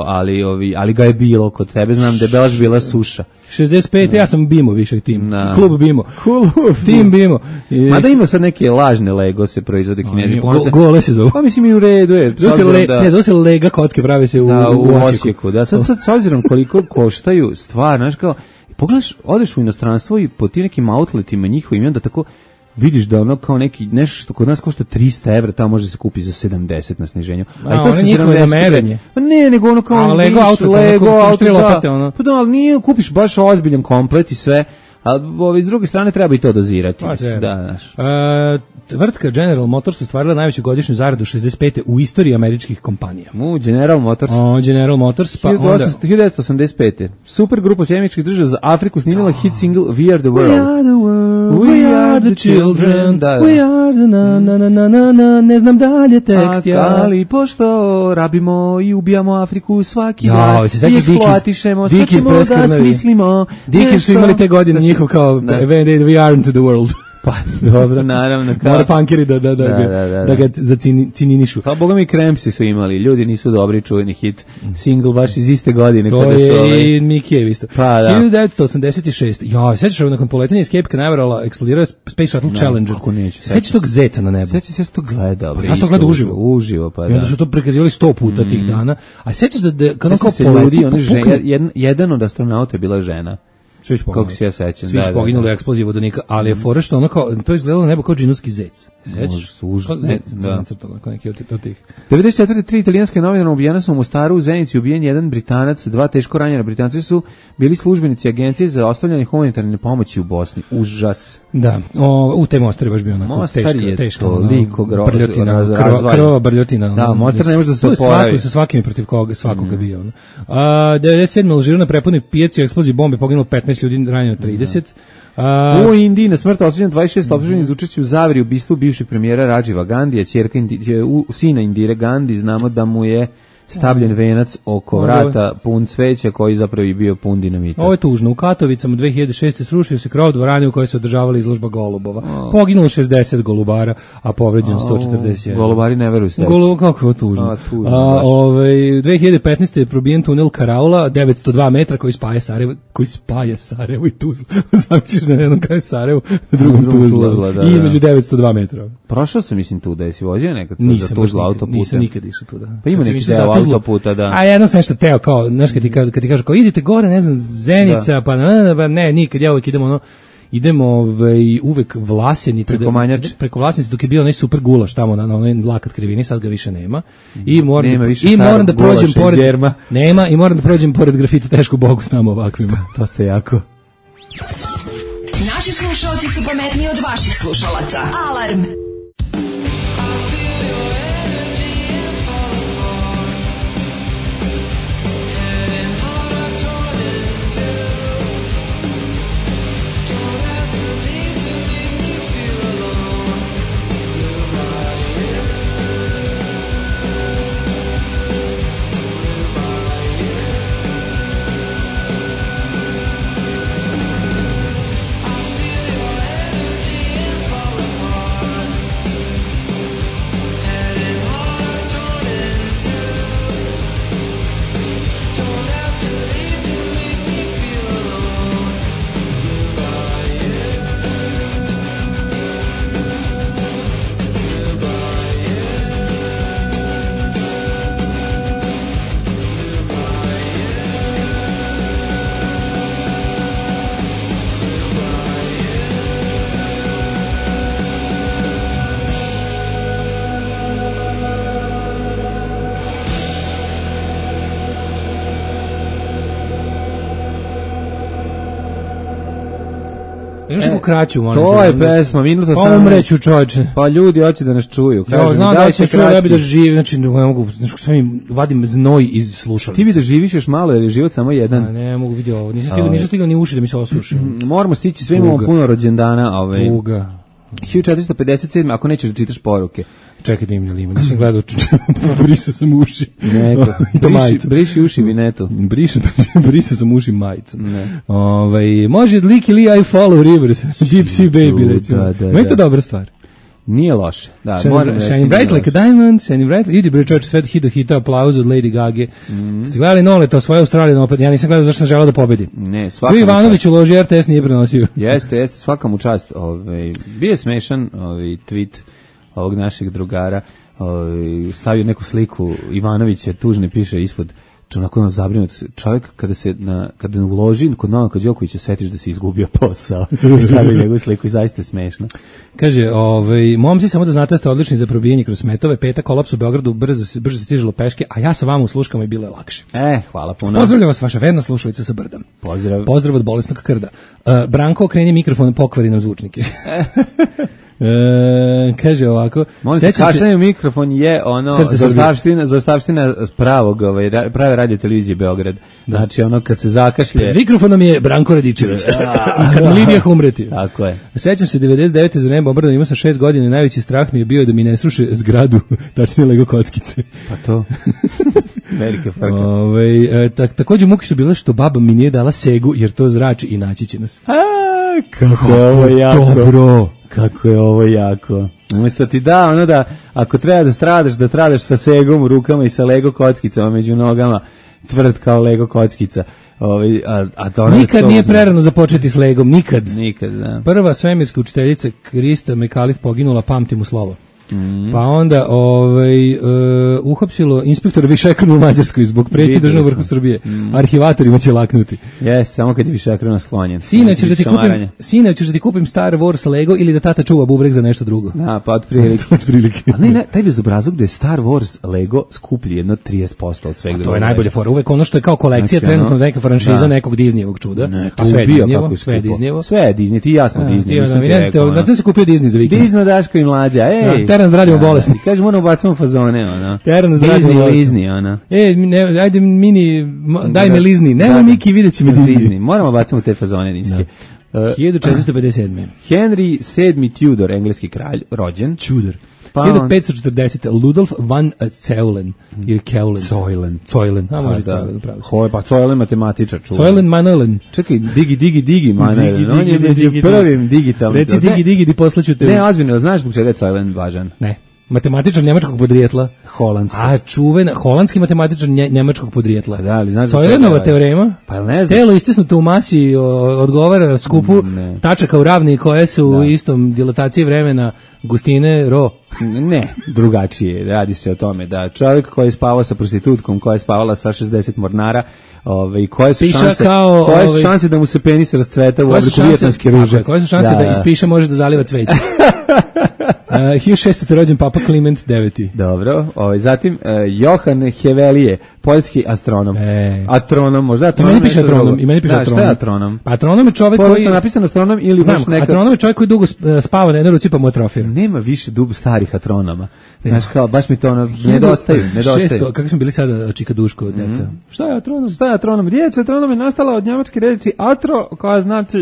ali ga je bilo kod tebe, znam da je baš bila suša. 65. Ja sam Bimo više tim. Klub Bimo. Tim Bimo. Mada ima sad neke lažne Lego se proizvode kinezi. Gole se zove. Pa mislim i u redu je. Zove se Lega kocke, pravi se u Osijeku. Da, sad s obzirom koliko koštaju stvar, znaš kao, pogledaš, odeš u inostranstvo i po tim nekim outletima njihovim i onda tako vidiš da ono kao nešto što kod nas košta 300 evra, tamo može se kupi za 70 na sniženju. A to je njihovo namerenje. Pa ne, nego ono kao Lego auto, pa da, ali nije, kupiš baš ozbiljan komplet i sve, Ali s druge strane treba i to dozirati. Pa, mislim, treba. da, znaš. Tvrtka General Motors ostvarila najveću godišnju zaradu 65. u istoriji američkih kompanija. General Motors. General Motors, pa onda... 1985. Super grupa sjemičkih država za Afriku snimila hit single We Are The World. We are the world, we are the children, we are the na, ne znam dalje tekst, ali pošto rabimo i ubijamo Afriku svaki dan, i eksploatišemo, sad ćemo da smislimo. Dickens su imali te godine njihov kao We aren't the world. Pa, dobro, naravno. Mora punkeri da ga zacininišu. Pa, boga mi Crampsi su imali, ljudi nisu dobri, čuveni hit, single baš iz iste godine. To je i Mikijev isto. Pa, da. 1986. Sećaš nakon poletanja iz Cape Canaverala eksplodirao Space Shuttle Challenger. Kako neću. Sećaš tog zeca na nebu? Sećaš se to gledao. Ja sam to gledao uživo. Uživo, pa da. I onda su to prikazivali 100 puta tih dana. A sećaš da kada kao poleti, jedan od astronauta je bila žena. Kako se ja sećam. Svi su poginuli u eksploziji vodonika, ali je fora što ono kao, to izgledalo nebo kao džinovski zec. Sećaš? Zec, kao neki od tih. 94. 3 italijanske novinara ubijena su u Mostaru, u Zenici ubijen jedan Britanac, 2 teško ranjena. Britanci su bili službenici agencije za ostavljanje humanitarne pomoći u Bosni. Užas. Da, u te Mostar je baš bio onako teška brljotina, krvava brljotina. Da, Mostar ne može da se oporavi. Sa svakim protiv svakoga bio. 97. u Alžiru na prepunoj pijaci u eksploziji bombe poginulo 15 ljudi, ranjeno 30. U Indiji na smrt osuđeno 26 optuženih za učešće u zaveri ubistvu bivšeg premijera Rajiva Gandija, ćerka sina Indire Gandhi, znamo da mu je stavljen venac oko vrata pun cveća koji zapravo je bio pun dinamita. Ovo je tužno. U Katovicama 2006. srušio se krov dvorane u kojoj se održavala izložba golubova. Poginulo 60 golubara, a povređeno 141. Golubari ne veruju sveći. Kako je tužno. 2015. je probijen tunel Karaula, 902 metra koji spaja Sarajevo i Tuzlu. Zamisliš da na jednom kraju Sarajevo, na drugom Tuzla. I između 902 metra. Prošao sam, mislim, tu da je si vozio nekad za Tuzla autoputem. Nisam nikad išao tu da. Pa ima neki deo autoputa, da. A jedno sam nešto teo, kao, znaš, kad ti kažu, kao, idite gore, ne znam, Zenica, pa ne, nikad, ja uvijek idemo uvek Vlasenice, preko Vlasenice, dok je bio onaj super gulaš tamo na onaj lakat krivini, sad ga više nema. I moram da prođem pored nema i moram da prođem pored grafita Tešku Bogu s nama ovakvima. To ste jako. Naši slušalci su pametniji od vaših slušalaca. Alarm. Imaš neku kraću, moram. To je pesma, minuta 18. Pa umreću, čovječe. Pa ljudi hoće da nas čuju. Ja znam da će čuju, ja bi da živim, znači ne mogu, znači sve mi vadim znoj iz slušalice. Ti bi da živiš još malo, jer je život samo jedan. Ne mogu vidjeti ovo, nisam stigao ni uši da mi se osuši. Moramo stići, sve imamo puno rođendana. Tuga. 1457, ako nećeš da čitaš poruke. Čekaj da im ima, nisam gledao, brisao sam uši. Briši uši vinetu. Brisao sam uši majicu. Može Licky Lee I Follow Rivers, Deep Sea Baby, recimo. Meni to dobra stvar. Nije loše. Da, Shining Bright Like a Diamond, Shining Bright, idi bre čovječe, sve hita aplauz od Lady Gage. Ste gledali Nole, to svoje Australijan opet, ja nisam gledao zašto sam želeo da pobedi. Ne, svaka mu čast. Ivanović uloži, RTS nije prenosio. Jeste, svaka mu čast. Bio je smešan tweet ovog našeg drugara, stavio neku sliku Ivanovića, tužne piše ispod onako zabrinut čovjek kada uloži kod Novaka Đokovića setiš da se izgubio posao. Stavio njegovu sliku i zaista smešno. Kaže, momci, samo da znate, ste odlični za probijanje kroz smetove, petak kolaps u Beogradu, brže se stižilo peške, a ja sa vama u sluškama i bilo je lakše. Hvala puno. Pozdravljam vas, vaša verna slušalica sa Brda. Pozdrav od bolesnog krda. Branko, okreni mikrofon, pokvari nam zvučnike. Kaže ovako, kašljanje mikrofon je ono zaostavština prave radio televizije Beograd. Znači ono kad se zakašlje. Mikrofonom je Branko Radičević. Kad na linijah umreti. Tako je. Sećam se 99. za nebo obrdan, imao sam 6 godina i najveći strah mi je bio da mi ne sruše zgradu, tačnije Lego kockice. Pa to. Velika frka. Takođe muke su bile što baba mi nije dala segu jer to zrači i naći će nas. Kako je ovo jako. Dobro. Kako je ovo jako. Umjesto ti da ako treba da stradaš sa segom u rukama i sa Lego kockicama među nogama, tvrd kao Lego kockica. Nikad nije prerano započeti s Legom, nikad. Nikad, da. Prva svemirska učiteljica Krista Mekalif poginula, pamtim u slovo. Pa onda uhapsilo inspektora Višekrona u Mađarskoj zbog pretnje državnog vrhu Srbije. Arhivatorima će laknuti. Samo kad je Višekrona sklonjen. Sine, ćeš da ti kupim Star Wars Lego ili da tata čuva bubreg za nešto drugo? Da, pa otprilike. Ali ne, taj bezobrazluk da je Star Wars Lego skuplji jedno 30% od svega. To je najbolje fora. Uvek ono što je kao kolekcija, trenutno neka franšiza nekog Disneyevog čuda. A sve je Disneyevo. Sve je Disney, ti jasno Disney. Da se kupio Disney za vikend. Disney, Daško i Mlađa, Teran zdravljamo bolesti. Kaže, moramo bacamo fazone, ona. Teran zdravljamo bolesti. Lizni, ona. Ajde mini, daj me lizni. Nemo Miki, vidjet će mi Disney. Moramo bacamo te fazone niske. 1457. Henry VII Tudor, engleski kralj, rođen. Tudor. 1540. Ludolf van Zeulen ili Keulen. Zoilen. A može Zoilen, pravo. Pa Zoilen matematičar. Zoilen Manuelen. Čekaj, digi Manuelen. On je među prvim digitalnim. Reci digi, poslaću te. Ne, ozbiljno, znaš zbog čega je Zoilen važan? Ne. Matematičar njemačkog podrijetla. Holandski. A čuvena, holandski matematičar njemačkog podrijetla. Da, ali znaš Zoilenova teorema. Pa ne znaš. Telo istisnuto u masi odgovara skupu tačaka u ravni koje su u istom dilataciji vremena gustine rho. Ne, drugačije. Radi se o tome da čovjek koji je spavao sa prostitutkom, koja je spavala sa 60 mornara, koje su šanse da mu se penis rascveta u obliku vijetnamske ruže? Koje su šanse da ispiše može da zaliva cveće? 1600. rođen Papa Kliment IX. Dobro, zatim Johan Hevelije, poljski astronom. Atronom, možda atronom. Ima ne piše atronom. Šta je atronom? Pa atronom je čovjek koji... je napisan astronom ili baš neka... Atronom je čovjek koji dugo spava na jednoj ruci pa mu atrofira. Nema više starih atronoma. Znaš kao, baš mi to nedostaju. Kako smo bili sada Čika Duško, deca? Šta je atronom? Riječ atronom je nastala od njemačke reči atro, koja znači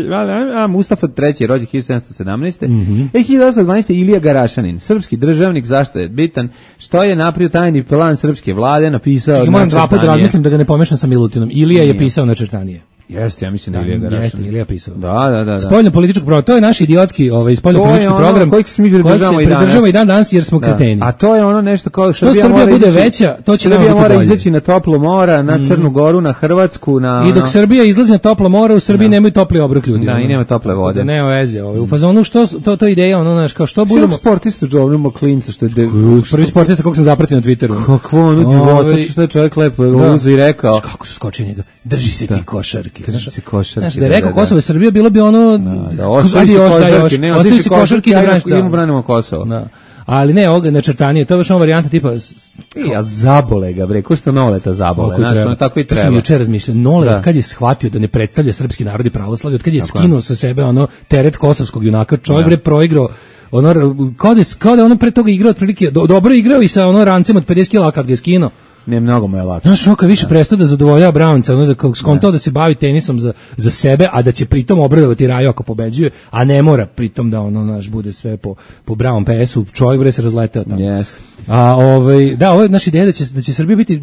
Mustafa III, rođen 1717. 1812. Ilija Garašanin, srpski državnik, zašto je bitan, što je napravio tajni plan srpske vlade, napisao... Moram dva puta razmislim da ga ne pomešam sa Milutinom. Ilija je pisao načrtanje. Jeste, ja mislim da je Ilija Garašanin. Jeste, Ilija pisao. Da. Spoljno politički program, to je naš idiotski spoljno politički program kojeg se mi pridržavamo i dan danas jer smo kreteni. A to je ono nešto kao što Srbija bude veća, to će nam biti bolje. Mora izaći na toplo mora, na Crnu Goru, na Hrvatsku, na... I dok Srbija izlazi na toplo more, u Srbiji nemaju topli obrok ljudi. Da, i nema tople vode. Nema veze. U fazonu što to ideja, znaš, kao što budemo... Sportistu džovnimo klinca, što je... Prvi sportista kog sam zapratio na Twitteru. Kakvo ono divota, što je čovjek lepo uzu i rekao. Kako su skočili njega. Drži se ti košarke. Znaš, da je rekao Kosovo i Srbija, bilo bi ono... Ostavi si košarke, idemo branimo Kosovo. Ali ne, ovog načrtanje, to je baš ona varijanta tipa... Ja zabole ga, bre, ko što Noleta zabole, znaš, ono tako i treba. To sam jučer razmišljao, Nolet, kad je shvatio da ne predstavlja srpski narod i pravoslavlje, od kad je skinuo sa sebe teret kosovskog junaka, čovjek bre proigrao, kao da ono pre toga igrao otprilike, dobro igrao i sa rancem od 50 kila, kad ga je skinuo. Ne, mnogo mu je lakše. Znaš, kad više prestao da zadovoljava Brownca, da kao skontao da se bavi tenisom za sebe, a da će pritom obradovati Raju ako pobeđuje, a ne mora pritom da bude sve po Brown PS-u, čovjek bre se razletao tamo. Yes. Ovo je naša ideja da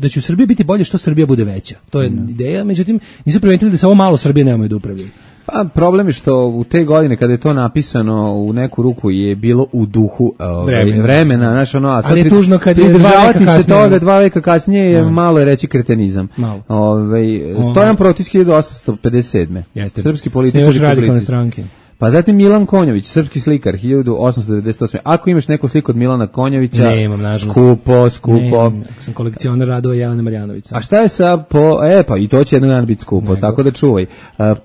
će u Srbiji biti bolje što Srbija bude veća. To je ideja, međutim, nisu primetili da se ovo malo Srbije nemaju da upravljaju. Pa problem je što u te godine kada je to napisano u neku ruku je bilo u duhu vremena, znaš a sad ali je tužno kad je dva veka kasnije je malo reći kretenizam. Stojan Protis 1857. Jeste. Srpski političar i publicist. Pa zatim Milan Konjović, srpski slikar, 1898. Ako imaš neku sliku od Milana Konjovića, nemam, nažalost. skupo. Nemam, sam kolekcioner radova Jelene Marjanovića. A šta je sa pa i to će jednog dana biti skupo, tako da čuvaj.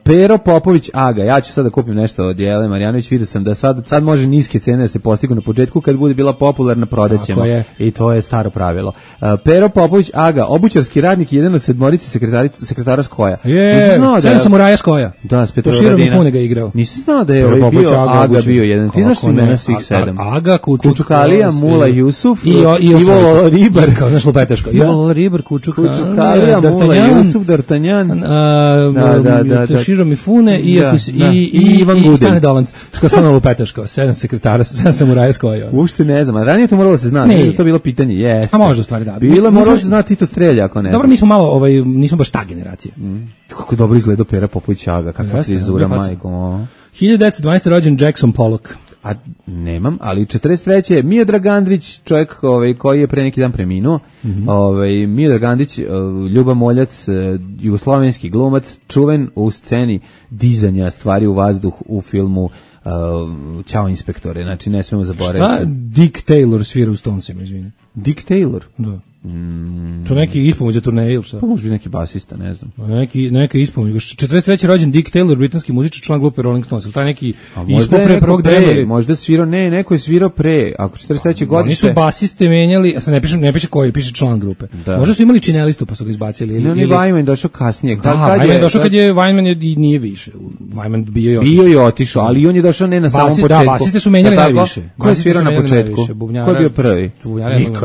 Pero Popović Aga, ja ću sad da kupim nešto od Jelene Marjanović, vidio sam da sad može niske cene da se postignu na početku, kad bude bila popularna prodaćemo. I to je staro pravilo. Pero Popović Aga, obućarski radnik, jedan od sedmorice sekretara Skoja. Sedam samuraja Skoja. Da, s Petrovaradina. To Širom Fune ga igrao. Nisi znao da je bio Aga bio jedan. Ti znaš imena svih 7. Aga, Kučukalija, Mula Jusuf, Ivo Ribar. Kao znaš Lupeteško. Ivo Ribar, Kučukalija, Mula Jusuf, D'Artagnan. Širom Fune i Ivan Gudin. Stane Dolanc. Kao sam Lupeteško. 7 sekretara, 7 samuraja Skoja. Uopšte ne znam. Ranije to moralo se znati. Nije to bilo pitanje. Jeste. A može u stvari da. Bilo moralo se znati Tito Strelja ako ne. Dobro, mi smo malo, nismo baš ta generacija. Kako dobro izgleda Pera Popović Aga, kakva frizura, majko. 1912. rođen Jackson Pollock. A nemam, ali 43. Miodrag Andrić, čovjek koji je pre neki dan preminuo. Miodrag Andrić, Ljuba Moljac, jugoslovenski glumac, čuven u sceni dizanja stvari u vazduh u filmu Ćao inspektore, znači ne smemo zaboraviti. Šta Dick Taylor svira u Stonesima, izvini? Dick Taylor? Da. To neki ispomoć turneje ili šta? Pa može biti neki basista, ne znam. Neki ispomoć. 43. rođen Dick Taylor, britanski muzičar, član grupe Rolling Stones. Taj neki ispomoć pre prvog drema. Možda svirao, neko je svirao pre. Ako 43. godište. Oni su basiste menjali, a sad ne piše koji, piše član grupe. Da. Možda su imali činelistu pa su ga izbacili. Ili Wyman došao kasnije. Wyman došao kad je Wyman i nije više. Wyman bio i otišao, ali on je došao ne na samom početku. Da, basiste su menjali najviše. Ko je svirao na početku? Ko je bio prvi?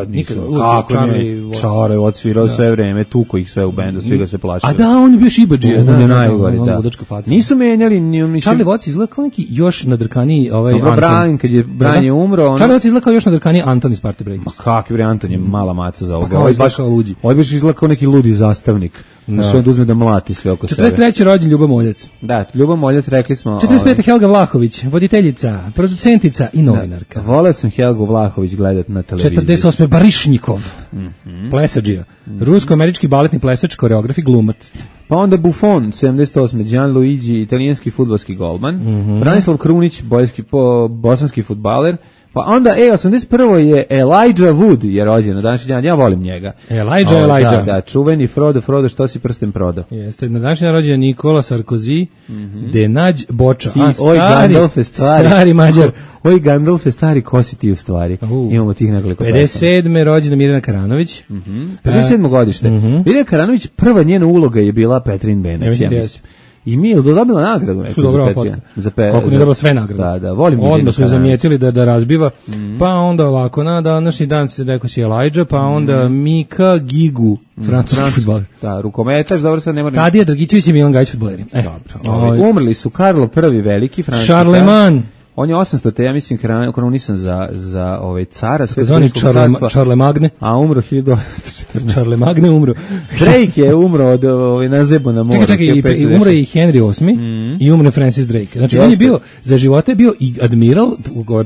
Nikad. Kako ne? Čare odsvirao sve vreme, tuko ih sve u bendu, svi ga se plašili. A da, on je bio šibadžija. On je najgori, da. Nisu menjali. Charlie Watts izgleda kao neki još nadrkaniji Dobro, Brian, kad je Brian je umro. Charlie Watts izgleda kao još nadrkaniji Anton iz Party Breakers. Kakvi bre, Anton je mala maca za ovoga. Ovo je baš kao luđi. Ovo je baš izgleda kao neki ludi zastavnik. Znači on uzme da mlati sve oko sebe. 43. rođen Ljuba Moljac. Da, Ljuba Moljac, rekli smo. 45. Helga Vlahović, voditeljica, producentica i novinarka. Voleo sam Helgu Vlahović gledat na televiziji. 48. Barišnikov, plesađija, rusko-američki baletni plesač, koreograf i glumac. Pa onda Buffon, 78. Gianluigi, italijanski fudbalski golman. Branislav Krunić, bosanski fudbaler. Pa onda, 81. je Elijah Wood je rođen na današnji dan, ja volim njega. Elijah. Da, čuveni Frodo, što si prsten prodao? Jeste, na današnji dan rođen Nikola Sarkozy, Denađ Boča, stari Mađar. Oj, Gandalf je stari, ko si ti u stvari? Imamo tih nekoliko 57. rođena Mirjana Karanović. 57. godište. Mirjana Karanović, prva njena uloga je bila Petrin Benac, ja mislim. I mi je dobila nagradu neku za kako nije dobila sve nagrade. Da, volim Mirjana. Onda su je zamijetili da razbiva. Pa onda ovako, na današnji dan se rekao si Elijah, pa onda Mika Gigu, francuski fudbaler. Da, rukometaš, dobro sad ne moram. Tadija Dragićević i Milan Gajić fudbaleri. Dobro. Umrli su Karlo I veliki, francuski. Charlemagne. On je 800. ja mislim kronisan za cara zvani Charlemagne, a umro 1814. Charlemagne umro. Drake je umro od nazebo na moru. Čekaj, umro i Henry VIII i umro Francis Drake. Znači on je bio za života bio i admiral,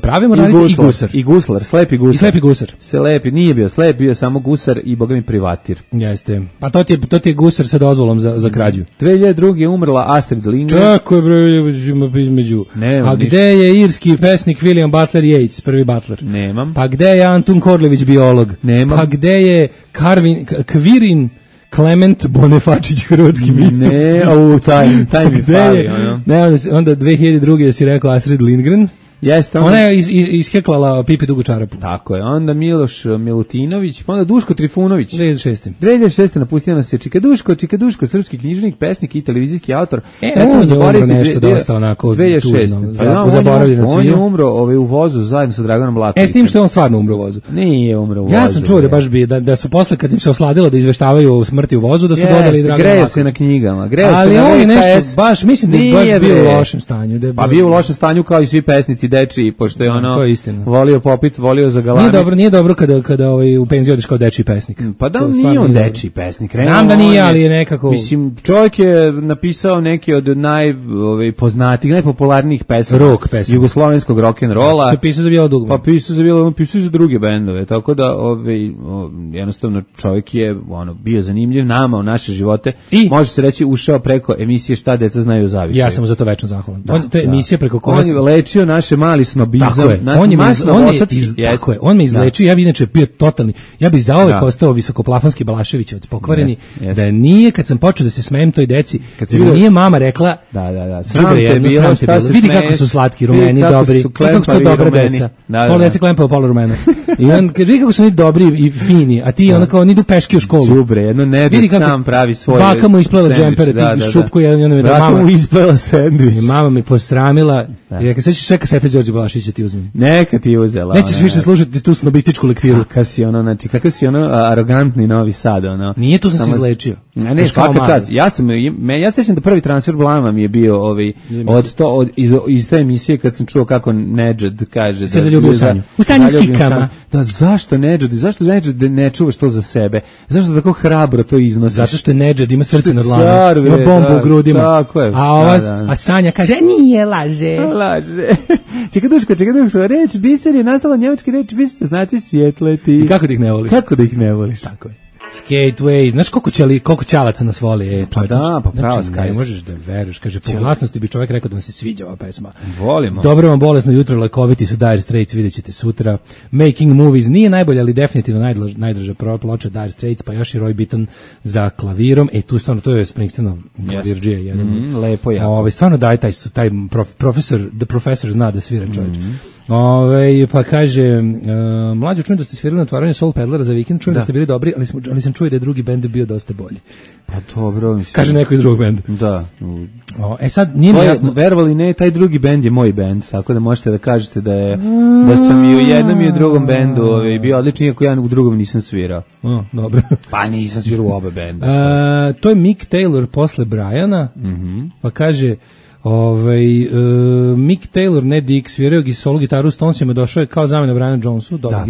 pravi mornarica i gusar. I guslar, slepi gusar. I slepi gusar. Slepi, nije bio slep, bio samo gusar i bogami privatir. Jeste. Pa to ti je gusar sa dozvolom za krađu. 2002. je umrla Astrid Lindgren. Tako je bre između. A gde je irski pesnik William Butler Yeats, prvi Butler? Nemam. Pa gde je Antun Korlević, biolog? Nemam. Pa gde je Kvirin Klement Bonefačić, hrvatski biskup? Taj mi fali. Onda 2002. si rekao Astrid Lindgren. Jeste, ona je isheklala Pipi dugu čarapu. Tako je. Onda Miloš Milutinović, pa onda Duško Trifunović. 2006. napustio nas je Čika Duško, srpski književnik, pesnik i televizijski autor. On je umro nešto dosta onako 2006. On je umro u vozu zajedno sa Draganom Blakovićem. S tim što je on stvarno umro u vozu. Nije umro u vozu. Ja sam čuo da baš da su posle kad im se osladilo da izveštavaju o smrti u vozu, da su dodali Dragana Blakovića. Greje se na knjigama. Ali on je nešto baš, mislim da je baš bio u lošem stanju. Pa bio u lošem stanju kao i svi pesnici dečiji, pošto je ono to je istina. volio popit, volio za galame. Nije dobro kada u penziju odeš kao dečiji pesnik. Pa da, nije on dečiji pesnik. Znam da nije, ali je nekako... Mislim, čovjek je napisao neke od najpoznatijih, najpopularnijih pesama jugoslovenskog rock'n'rolla. Što je pisao za Bijelo dugme. Pa pisao za Bijelo, pisao i za druge bendove, tako da jednostavno čovjek je bio zanimljiv nama u naše živote. I može se reći ušao preko emisije Šta deca znaju o zavičaju. Ja sam mu za to večno zahvalan. To je emisija preko koje on je lečio naše mali snobizam. On me izlečio, ja bi inače bio totalni. Ja bi zauvek ostao visokoplafonski Balaševićevac pokvareni, da nije kad sam počeo da se smejem toj deci, kad nije mama rekla sram te bilo, vidi kako su slatki rumeni, dobri, kako su to dobra deca. Pola deca klempava, pola rumena. I on kaže, vidi kako su oni dobri i fini, a ti onako, oni idu peški u školu. Đubre, jedno nedjed sam pravi svoje. Baka mu isplela džempere, šupku, baka mu isplela sendvič. Mama mi posramila, i rekao, sad ćeš sve kasete Đorđe Balašića ti uzmem. Neka ti uzela. Nećeš više slušati tu snobističku lektiru. Kakav si arogantni Novi Sad, Nije, tu sam se izlečio. Ne, svaka čast. Ja sećam da prvi transfer blama mi je bio iz te emisije kad sam čuo kako Nedžad kaže se zaljubio u sanju. U sanju s kikama. Da, zašto Nedžad ne čuvaš to za sebe? Zašto tako hrabro to iznosiš? Zato što Nedžad ima srce na dlanu, ima bombu u grudima. Tako je. A Sanja kaže, nije, laže. Čekaj duško, reč biser je nastala njemački reč biser, znači svjetleti. I kako da ih ne voliš? Kako da ih ne voliš? Tako je. Skateway, znaš koliko ćalaca nas voli? Pa da, pa prava Sky. Ne možeš da veruješ, kaže, po glasnosti bi čovjek rekao da vam se sviđa ova pesma. Volimo. Dobro vam bolesno jutro, lekoviti su Dire Straits, vidjet ćete sutra. Making Movies nije najbolja, ali definitivno najdrža ploča Dire Straits, pa još i Roy Bittan za klavirom. Tu stvarno, to je Springsteenov klavirđija jedan. Lepo jako. Stvarno daj taj profesor, the professor zna da svira čovječ. Pa kaže, mlađo, čujem da ste svirali na otvaranju Soul Peddlera za vikend, čujem da ste bili dobri, ali sam čuo da je drugi bend bio dosta bolji. Pa dobro, mislim. Kaže neko iz drugog benda. Da. Sad nije mi jasno. Verovali ne, taj drugi bend je moj bend, tako da možete da kažete da sam i u jednom i u drugom bendu bio odličan, iako ja u drugom nisam svirao. Dobro. Pa nisam svirao u oba benda. To je Mick Taylor posle Briana, pa kaže... Mick Taylor, ne Dick, svirao solo gitaru u Stonesima, došao je kao zamena Brianu Jonesu, dobar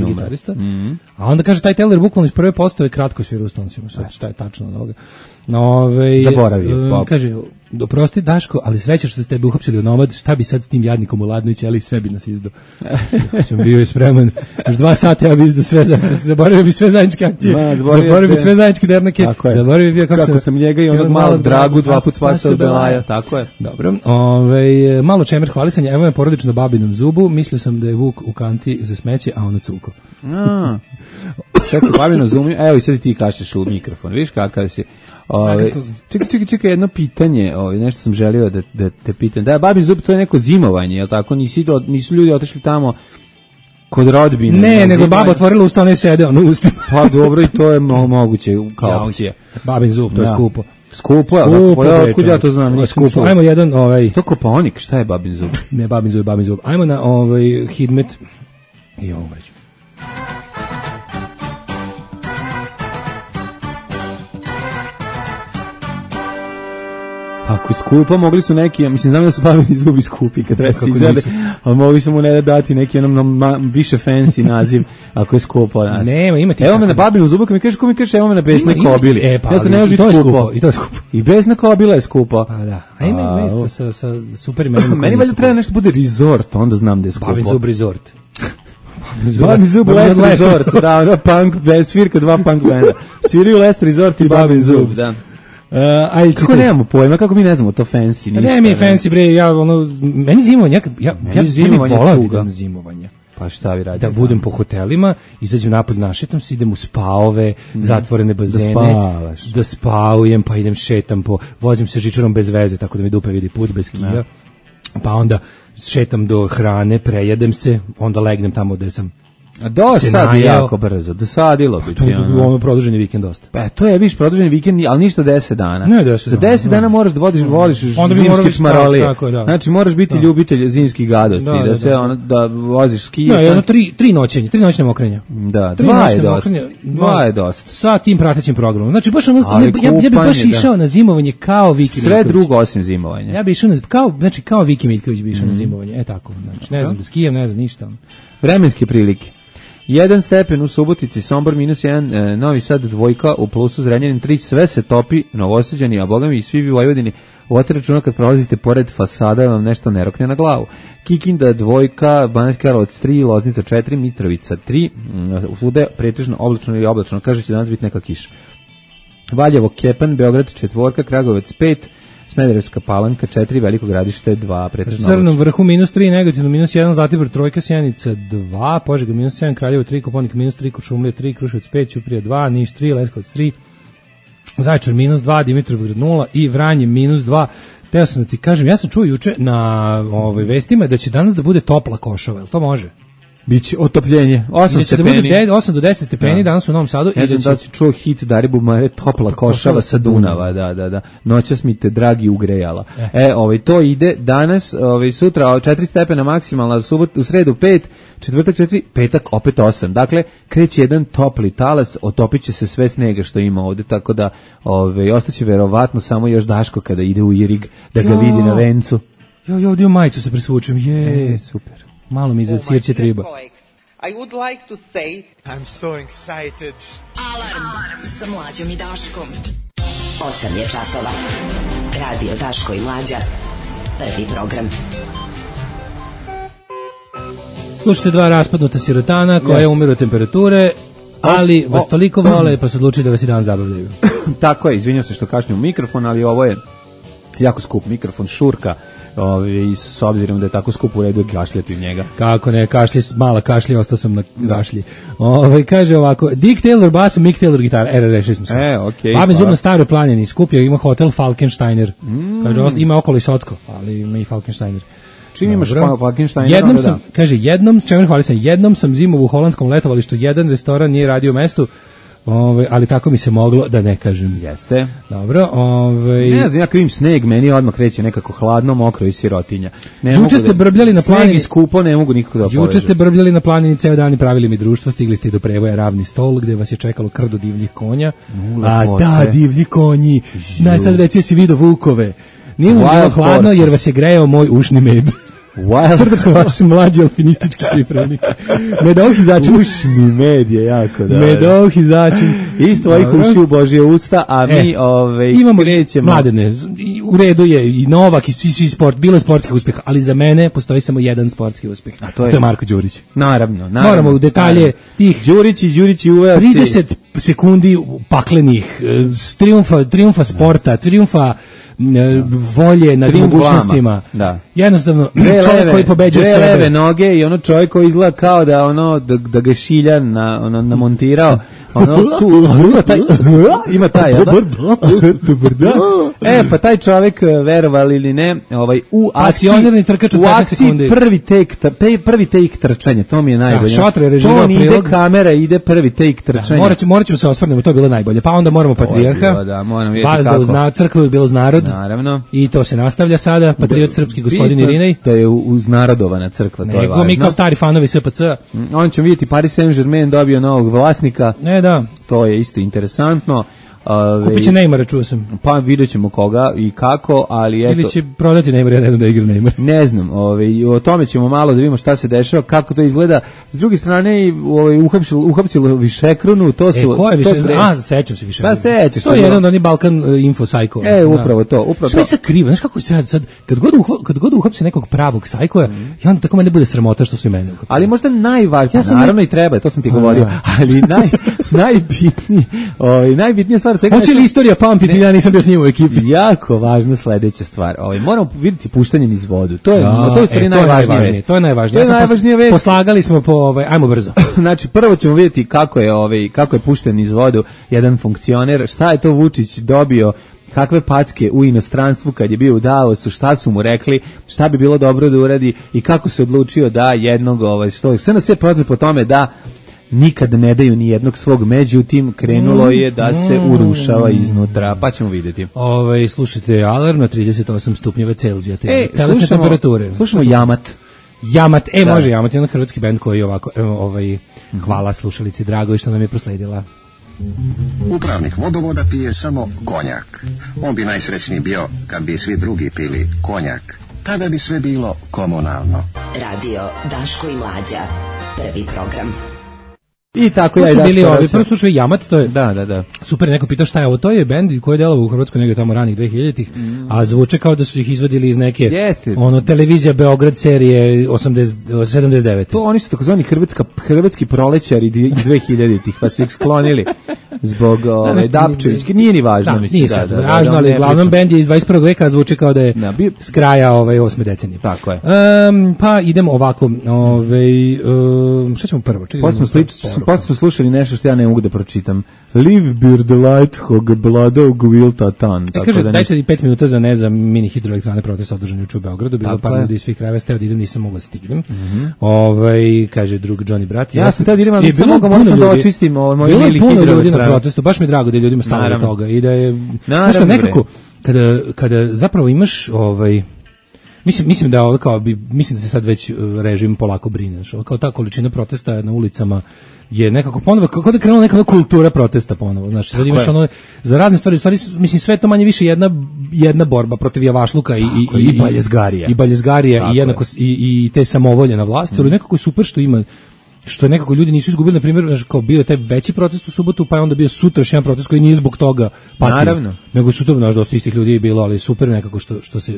gitarista. A onda kaže, taj Taylor bukvalno iz prve postave kratko svirao u Stonesima, šta je tačno od ovoga. Zaboravio. Kaže, oprosti Daško, ali sreća što ste tebe uhapsili u Nomad, šta bi sad s tim jadnikom u Ladnović, ali sve bi nas izdao. Sam bio i spreman, još 2 sata ja bi izdao sve, zaboravio bi sve zajedničke akcije, zaboravio bi sve zajedničke dernake, zaboravio bi kako sam njega i onog malog Dragu 2 put spasao od Belaja, tako je. Dobro, malo čemer hvalisanja, evo je porodično babinom zubu, mislio sam da je Vuk u kanti za smeće, a ono cuko. Čekaj, babino zubu, evo i sad ti kašeš u mikrofon, vidiš kakav si. Čekaj, jedno pitanje, nešto sam želio da te pitam. Da, babin zub, to je neko zimovanje, je li tako? Nisu ljudi otišli tamo kod rodbine. Ne, nego baba otvorila usta, ne sede, ono ustima. Pa dobro, i to je moguće kao opcija. Babin zub, to je skupo. Skupo, kud ja to znam? Skupo. Ajmo jedan, To Kopaonik, šta je babin zub? Ne, babin zub. Ajmo na Hidmet i ovo već. Ako je skupo, mogli su neki, mislim, znam da su babini zubi skupi kad treba se izvede, ali mogli su mu ne dati neki više fancy naziv, ako je skupo. Nema, ima ti. Evo me na babinu zubu, kad mi kažeš, evo me na besne kobili. I to je skupo. I besna kobila je skupo. Pa da, a ima mesta sa super imenom. Meni valjda treba nešto bude resort, onda znam da je skupo. Babin zub resort. Babin zub Lest Resort, da, punk, svirka 2 punk benda. Sviraju Lest Resort i Babin zub, da. Kako nemamo pojma, kako mi ne znamo to fancy ništa. Ne mi je fancy bre, meni zimovanje, ja volim zimovanja. Pa šta vi radite? Da budem po hotelima, izađem napolje, našetam se, idem u spaove, zatvorene bazene, da spavujem, pa idem šetam vozim se žičarom bez veze, tako da mi dupe vidi put bez kija, pa onda šetam do hrane, prejedem se, onda legnem tamo gde sam Do sad jako brzo, dosadilo bi ti. Ono produženi vikend dosta. Pa to je viš produženi vikend, ali ništa 10 dana. Ne 10. Za 10 dana moraš da voliš zimski čmarolije. Znači moraš biti ljubitelj zimskih gadosti, da voziš ski. Da, jedno 3 noćne mokrenja. Da, 2 je dosta. Sa tim pratećim programom. Znači baš ono, ja bih baš išao na zimovanje kao Viki Miljković. Sve drugo osim zimovanja. Ja bih išao kao Viki Miljković bi išao na zimovanje. Tako, znači ne znam, skijem, ne znam ništa. Vremenske prilike. 1 stepen u Subotici, Sombor -1, Novi Sad 2, u plusu Zrenjanin 3, sve se topi, Novosađani, a bogami i svi vi u Vojvodini, vodite računa kad prolazite pored fasada vam nešto ne rokne na glavu. Kikinda 2, Banatski Karlovac 3, Loznica 4, Mitrovica 3, svuda pretežno oblačno ili oblačno, kaže će danas biti neka kiša. Valjevo, Kepan, Beograd 4, Kragujevac 5, Smederevska Palanka 4, Veliko Gradište 2, pretežno Crnom vrhu -3, Negotin -1, Zlatibor 3, Sjenica 2, Požega -7, Kraljevo 3, Koponik -3, Kuršumlija 3, Kruševac 5, Ćuprija 2, Niš 3, Leskovac 3, Zaječar -2, Dimitrovgrad 0 i Vranje -2. Teo sam da ti kažem, ja sam čuo juče na vestima da će danas da bude topla Košava, jel to može? Biće otopljenje, 8 stepeni. Da bude 8 do 10 stepeni danas u Novom Sadu. Ja znam da si čuo hit Daribu Mare, topla Košava sa Dunava, da. Noćas mi te dragi ugrejala. To ide danas, sutra 4 stepena maksimalna, u sredu 5, četvrtak 4, petak opet 8. Dakle, kreće jedan topli talas, otopiće se sve snega što ima ovde, tako da ostaće verovatno samo još Daško kada ide u Irig da ga vidi na vencu. Ovdje u majicu se presvučem, super. Malo mi za sirće triba. I would like to say I'm so excited. Alarm sa Mlađom i Daškom. 8 je časova. Radio Daško i Mlađa. Prvi program. Slušajte 2 raspadnuta sirotana koja umiru od temperature, ali vas toliko vole pa su odlučili da vas i dan zabavljaju. Tako je, izvinjam se što kašljam u mikrofon, ali ovo je jako skup mikrofon, šurka. I s obzirom da je tako skup u redu je kašljati u njega. Kako ne, mala kašlji, ostao sam na kašlji. Kaže ovako, Dick Taylor bas, Mick Taylor gitara, rešili smo se. Okej. Babin zub na Staroj planini, skupio, ima hotel Falkensteiner. Kaže, ima okolo i Socko, ali ima i Falkensteiner. Čim imaš Falkensteiner? Jednom sam zimovu u holandskom letovalištu, jedan restoran nije radio u mestu, ali tako mi se moglo da ne kažem. Jeste. Dobro, ne znam, ja kad vidim sneg, meni odmah kreće nekako hladno, mokro i sirotinja. Juče ste brbljali na planini. Sneg i skupo, ne mogu nikako da povežem. Juče ste brbljali na planini ceo dan i pravili mi društvo, stigli ste i do Prevoja Ravni stol, gde vas je čekalo krdo divljih konja. Da, divlji konji. Sad reci si vidio vukove. Nije mu bilo hladno jer vas je grejao moj ušni med. Srdačno vaši mlađi alpinistički pripravnik. Medovih začin. Ušni med je jako da. Medovih začin. Iz tvojih uši u Božje usta, a mi imamo krećemo. Mladene, u redu je i Novak i svi sport, bilo je sportskih uspeha, ali za mene postoji samo jedan sportski uspeh. A to je Marko Đurić. Naravno. Moramo u detalje tih Đurić i uvelci. 30 sekundi paklenih, triumfa sporta, triumfa volje nad mogućnostima. Da. Jednostavno čovjek koji pobeđuje sebe. Leve noge i ono čovjek koji izgleda kao da ga šilja namontirao. Ima taj. Dobar dan. Pa taj čovjek, verovali ili ne, u akciji prvi take trčanja, to mi je najbolje. To ni ide kamera, ide prvi take trčanja. Morat ćemo se osvrnemo, to je bilo najbolje. Pa onda moramo Patrijarha, Vazda uz crkvu je bilo uz narod. Naravno. I to se nastavlja sada, patriot srpski gospodin Irinej. To je uznarodovana crkva, to je važno. Mi kao stari fanovi SPC. On ćemo vidjeti Paris Saint-Germain dobio novog vlasnika. Da. To je isto interesantno. Kupit će Neymara, čuo sam. Pa vidjet ćemo koga i kako, ali eto. Ili će prodati Neymar, ja ne znam da igra Neymar. Ne znam, o tome ćemo malo da vidimo šta se dešava, kako to izgleda. S druge strane, uhapsilo Višekronu, to su... Ko je sećam se Višekronu. Pa sećaš se. To je jedan od onih Balkan info sajko. Upravo to. Što mi se krivo, znaš kako se sad, kad god uhapsi nekog pravog sajkoja, i onda tako mene bude sramota što su i mene uhapsili. Ali možda najvažnije, naravno i treba, to sam ti govorio, ali najbitnija stvar. Hoće li istorija pamtiti, ja nisam bio s njim u ekipi. Jako važna sledeća stvar. Moramo vidjeti puštanje niz vodu. To je najvažnije. To je najvažnije vest. Poslagali smo ajmo brzo. Znači, prvo ćemo vidjeti kako je pušten niz vodu jedan funkcioner. Šta je to Vučić dobio kakve packe u inostranstvu kad je bio u Davosu, šta su mu rekli, šta bi bilo dobro da uradi i kako se odlučio da jednog, sve na sve poznaje po tome da nikad ne daju ni jednog svog, međutim krenulo je da se urušava iznutra, pa ćemo vidjeti. Slušajte Alarm na 38 stupnjeva Celzija, telesne temperature. Slušamo Jamat. Jamat, može Jamat, jedan hrvatski bend koji je ovako, hvala slušalici drago i što nam je prosledila. Upravnik vodovoda pije samo konjak. On bi najsrećniji bio kad bi svi drugi pili konjak. Tada bi sve bilo komunalno. Radio Daško i Mlađa. Prvi program. I tako ja i Daško. Prvo slušao Jamat, to je da. Super, neko pitao šta je ovo, to je bend koji je delovao u Hrvatskoj negdje tamo ranih 2000-ih, a zvuče kao da su ih izvodili iz neke televizija Beograd serije 79. To oni su takozvani hrvatski prolećari 2000-ih, pa su ih sklonili zbog Dapčevićke, nije ni važno, mislim. Nije sad važno, ali glavnom bend je iz 21. veka, zvuči kao da je s kraja 8. decenije. Tako je. Pa idemo ovako, šta ćemo prvo? Posle smo slušali nešto što ja ne mogu da pročitam. Live Beard Lighthog Bladog Wilta Tan. Kaže, dajte 5 minuta za mini hidroelektrane protesta održani juče u Beogradu. Bilo par ljudi iz svih krajeva, steo da idem, nisam mogla stignem. Kaže drug Johnny Brat. Ja sam tada idem, ali sam moram da očistim moj mili hidroelektrane. Bilo je puno ljudi na protestu, baš mi je drago da je ljudima stalo do toga. I da je, nešto nekako, kada zapravo imaš mislim da mislim da se sad već režim polako brine, kao ta količina protesta na ulicama je nekako ponovo, kako da krenula neka kultura protesta ponovo, znači sad imaš za razne stvari, mislim sve to manje više jedna borba protiv javašluka i baljezgarija i jednako i te samovolje na vlasti, ali nekako super što nekako ljudi nisu izgubili, na primjer, kao bio je taj veći protest u subotu, pa je onda bio sutra još jedan protest koji nije zbog toga patio. Naravno. Nego sutra, dosta istih ljudi je bilo, ali super nekako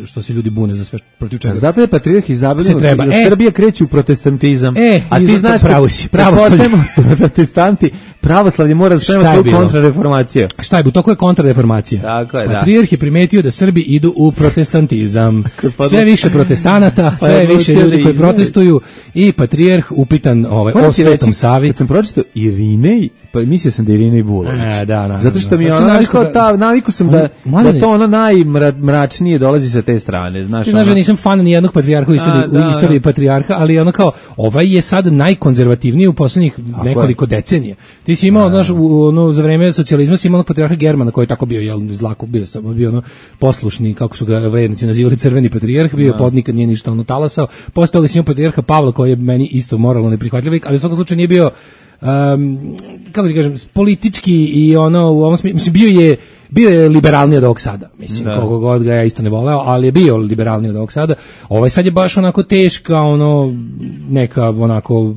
što se ljudi bune za sve protiv čega. Zato je patrijarh izabrao da Srbija kreće u protestantizam. A ti znaš, pravoslavlje. Protestanti, pravoslavlje mora da sprema svoju kontrareformaciju. Šta je bilo? To je kontrareformacija. Tako je, patrijarh je primetio da Srbi idu u protestantizam. Sve više protestanata, sve više ljudi koji protestuju i patrijarh upitan o Svetom Savi. Kad sam pročitao Irinej, pa mislio sam da je Irinej Bulović. Zato što mi je naviku sam da to ono najmračnije dolazi sa te strane. Znaš da nisam fan ni jednog patrijarha u istoriji patrijarha, ali ono kao, ovaj je sad najkonzervativniji u posljednjih nekoliko decenija. Ti si imao, znaš, za vreme socijalizma si imao patrijarha Germana koji je tako bio, bio poslušni, kako su ga vrednici nazivali, crveni patrijarh, bio je podnikad, nije ništa talasao. Posle toga si imao patrijarha Pavla koji je meni isto moralno neprihvatljiv, ali u svakom slučaju nije bio kako ti kažem, politički i u ovom smislu, bio je liberalniji od ovog sada, mislim, koliko god ga ja isto ne voleo, ali je bio liberalniji od ovog sada. Ovaj sad je baš onako teška, neka onako,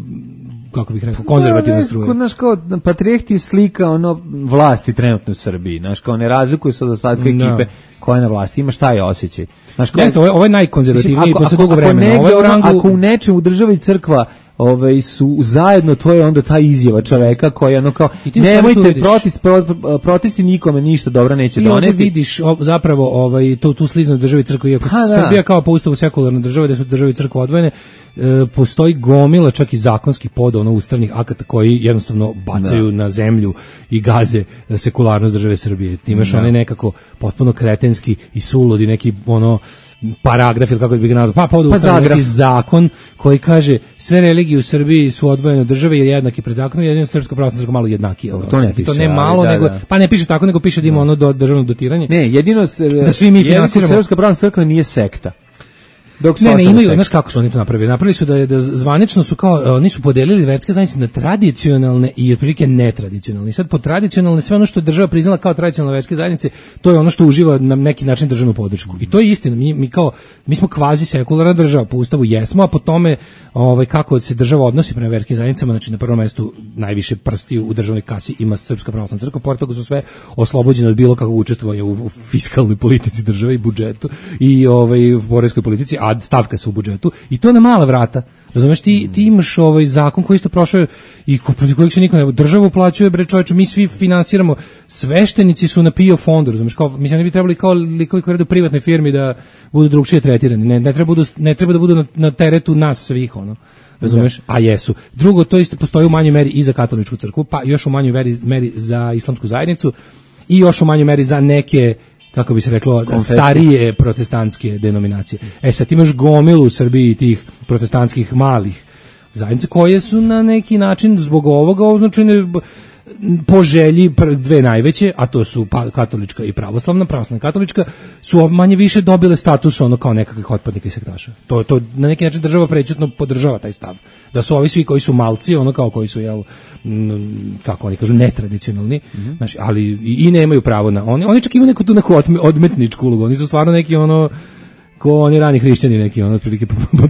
kako bih rekao, konzervativna struja. Znaš, kao patrijarh ti slika vlasti trenutno u Srbiji, znaš, kao ne razlikuje se od ostatka ekipe koja je na vlasti, imaš taj osjećaj. Znaš, ovo je najkonzervativniji posle dugo vremena. Ako u nečem u državi crkva su zajedno, to je onda ta izjava čoveka koja je kao, nemojte protesti nikome ništa dobro neće doneti. I onda vidiš zapravo tu sliznu državi crkve, iako Srbija kao po ustavu sekularna država, da su državi crkve odvojene, postoji gomila čak i zakonskih ustavnih akata koji jednostavno bacaju na zemlju i gaze sekularnost države Srbije. Ti imaš onaj nekako potpuno kretenski i suludi neki paragraf ili kako bi ga nazvao, neki zakon koji kaže sve religije u Srbiji su odvojene od države jer jednaki pred zakonom, jedino srpska pravoslavna crkva malo jednaki. To ne malo, nego pa ne piše tako, nego piše da ima državno dotiranje. Ne, jedino da svi mi finansiramo. Srpska pravoslavna crkva nije sekta. Ne, imaju, znaš kako su oni to napravili? Napravili su da zvanično su kao, oni su podelili verske zajednice na tradicionalne i otprilike netradicionalne. I sad po tradicionalne, sve ono što je država priznala kao tradicionalne verske zajednice, to je ono što uživa na neki način državnu podršku. I to je istina. Mi smo kvazi sekularna država, po ustavu jesmo, a po tome kako se država odnosi prema verskim zajednicama, znači na prvom mjestu najviše prsti u državnoj kasi ima Srpska pravoslavna crkva, pored toga su sve oslobođene od bilo kakvog učestvovanja u fiskalnoj politici države i budžetu i poreskoj politici, a stavka su u budžetu i to na mala vrata. Razumeš, ti imaš zakon koji isto prošao i protiv kojeg se niko ne... Država uplaćuje, bre čoveče, mi svi finansiramo, sveštenici su na PIO fondu, razumeš, mislim, ne bi trebali kao likovi koji rade u privatnoj firmi da budu drugčije tretirani, ne treba da budu na teretu nas svih, razumeš, a jesu. Drugo, to isto postoji u manjoj meri i za katoličku crkvu, pa još u manjoj meri za islamsku zajednicu i još u manjoj meri za neke kako bi se reklo, starije protestantske denominacije. Sad imaš gomilu u Srbiji tih protestantskih malih zajednice koje su na neki način zbog ovoga označene po želji dve najveće, a to su katolička i pravoslavna katolička, su manje više dobile status ono kao nekakvih otpadnika i sektaša. To na neki način država prećutno podržava taj stav. Da su ovi svi koji su malci, ono kao koji su, kako oni kažu, netradicionalni, znači, ali i nemaju pravo na... Oni čak imaju neku odmetničku ulogu, oni su stvarno neki ono... ko oni rani hrišćani neki, ono otprilike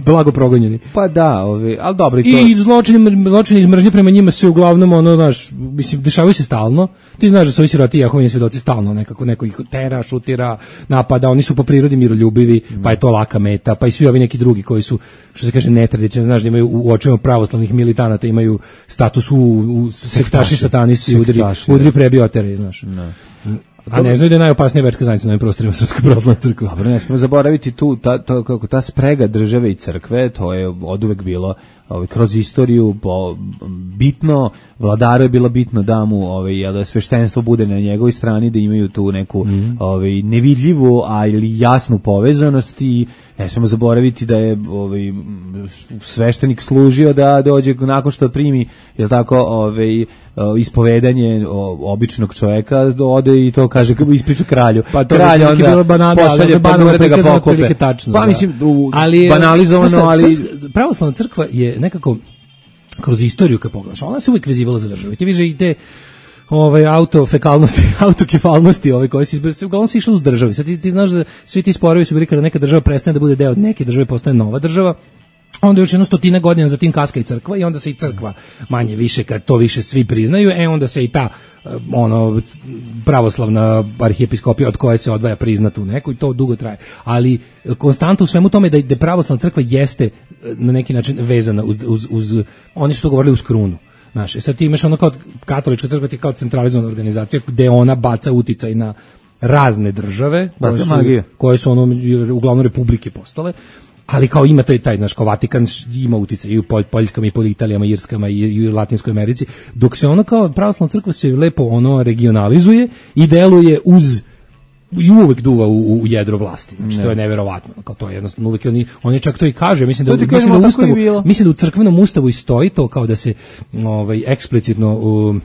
blago progonjeni. Pa da, ali dobro i to. I zločini iz mržnje prema njima se uglavnom ono, znaš, mislim, dešavaju se stalno. Ti znaš da su ovi siroti Jehovini svedoci stalno neko ih tera, šutira, napada, oni su po prirodi miroljubivi, pa je to laka meta, pa i svi ovi neki drugi koji su, što se kaže, netradicionalni, znaš da imaju u očima pravoslavnih militanata imaju status u sektaši, satanisti, udri prebiotere, znaš. A ne znaju da je najopasnija verska zajednica na ovim prostorima Srpska pravoslavna crkva. Dobro, ne smemo zaboraviti tu ta sprega države i crkve, to je oduvek bilo kroz istoriju bitno, vladaru je bilo bitno da mu da sveštenstvo bude na njegovoj strani, da imaju tu neku nevidljivu, ali jasnu povezanost i ne smemo zaboraviti da je sveštenik služio da dođe nakon što primi, je tako, ispovedanje običnog čoveka, ode i to kaže, ispriča kralju. Pa to kralj je bilo banalno prikazano prilike tačno. Pa mislim, banalizovano, ali... Pravoslavna crkva je nekako kroz istoriju kad pogledaš, ona se uvijek vezivala za državu. Ti viže i te autokefalnosti koje se uglavnom se išle uz državi. Sad ti znaš da svi ti sporovi su bili kada neka država prestane da bude deo od neke države, postane nova država. Onda još 100 godina za tim kaska i crkva i onda se i crkva manje više, kad to više svi priznaju, onda se i ta pravoslavna arhijepiskopija od koje se odvaja prizna tu neku i to dugo traje. Ali konstantno u svemu tome da pravoslavna crkva jeste na neki način vezana uz oni su to govorili uz krunu. Znaš, sad ti imaš ono kao katolička crkva ti kao centralizovana organizacija gde ona baca uticaj na razne države koje su ono uglavnom republike postale. Ali kao ima to i taj, znaš, kao Vatikan ima uticaj i u Poljskama i po Italijama, Irskama i u Latinskoj Americi, dok se ono kao pravoslavna crkva se lepo ono regionalizuje i deluje uz i uvek duva u jedro vlasti. Znači to je neverovatno. Kao to je jednostavno uvek oni čak to i kaže, mislim da u crkvenom ustavu i stoji to kao da se eksplicitno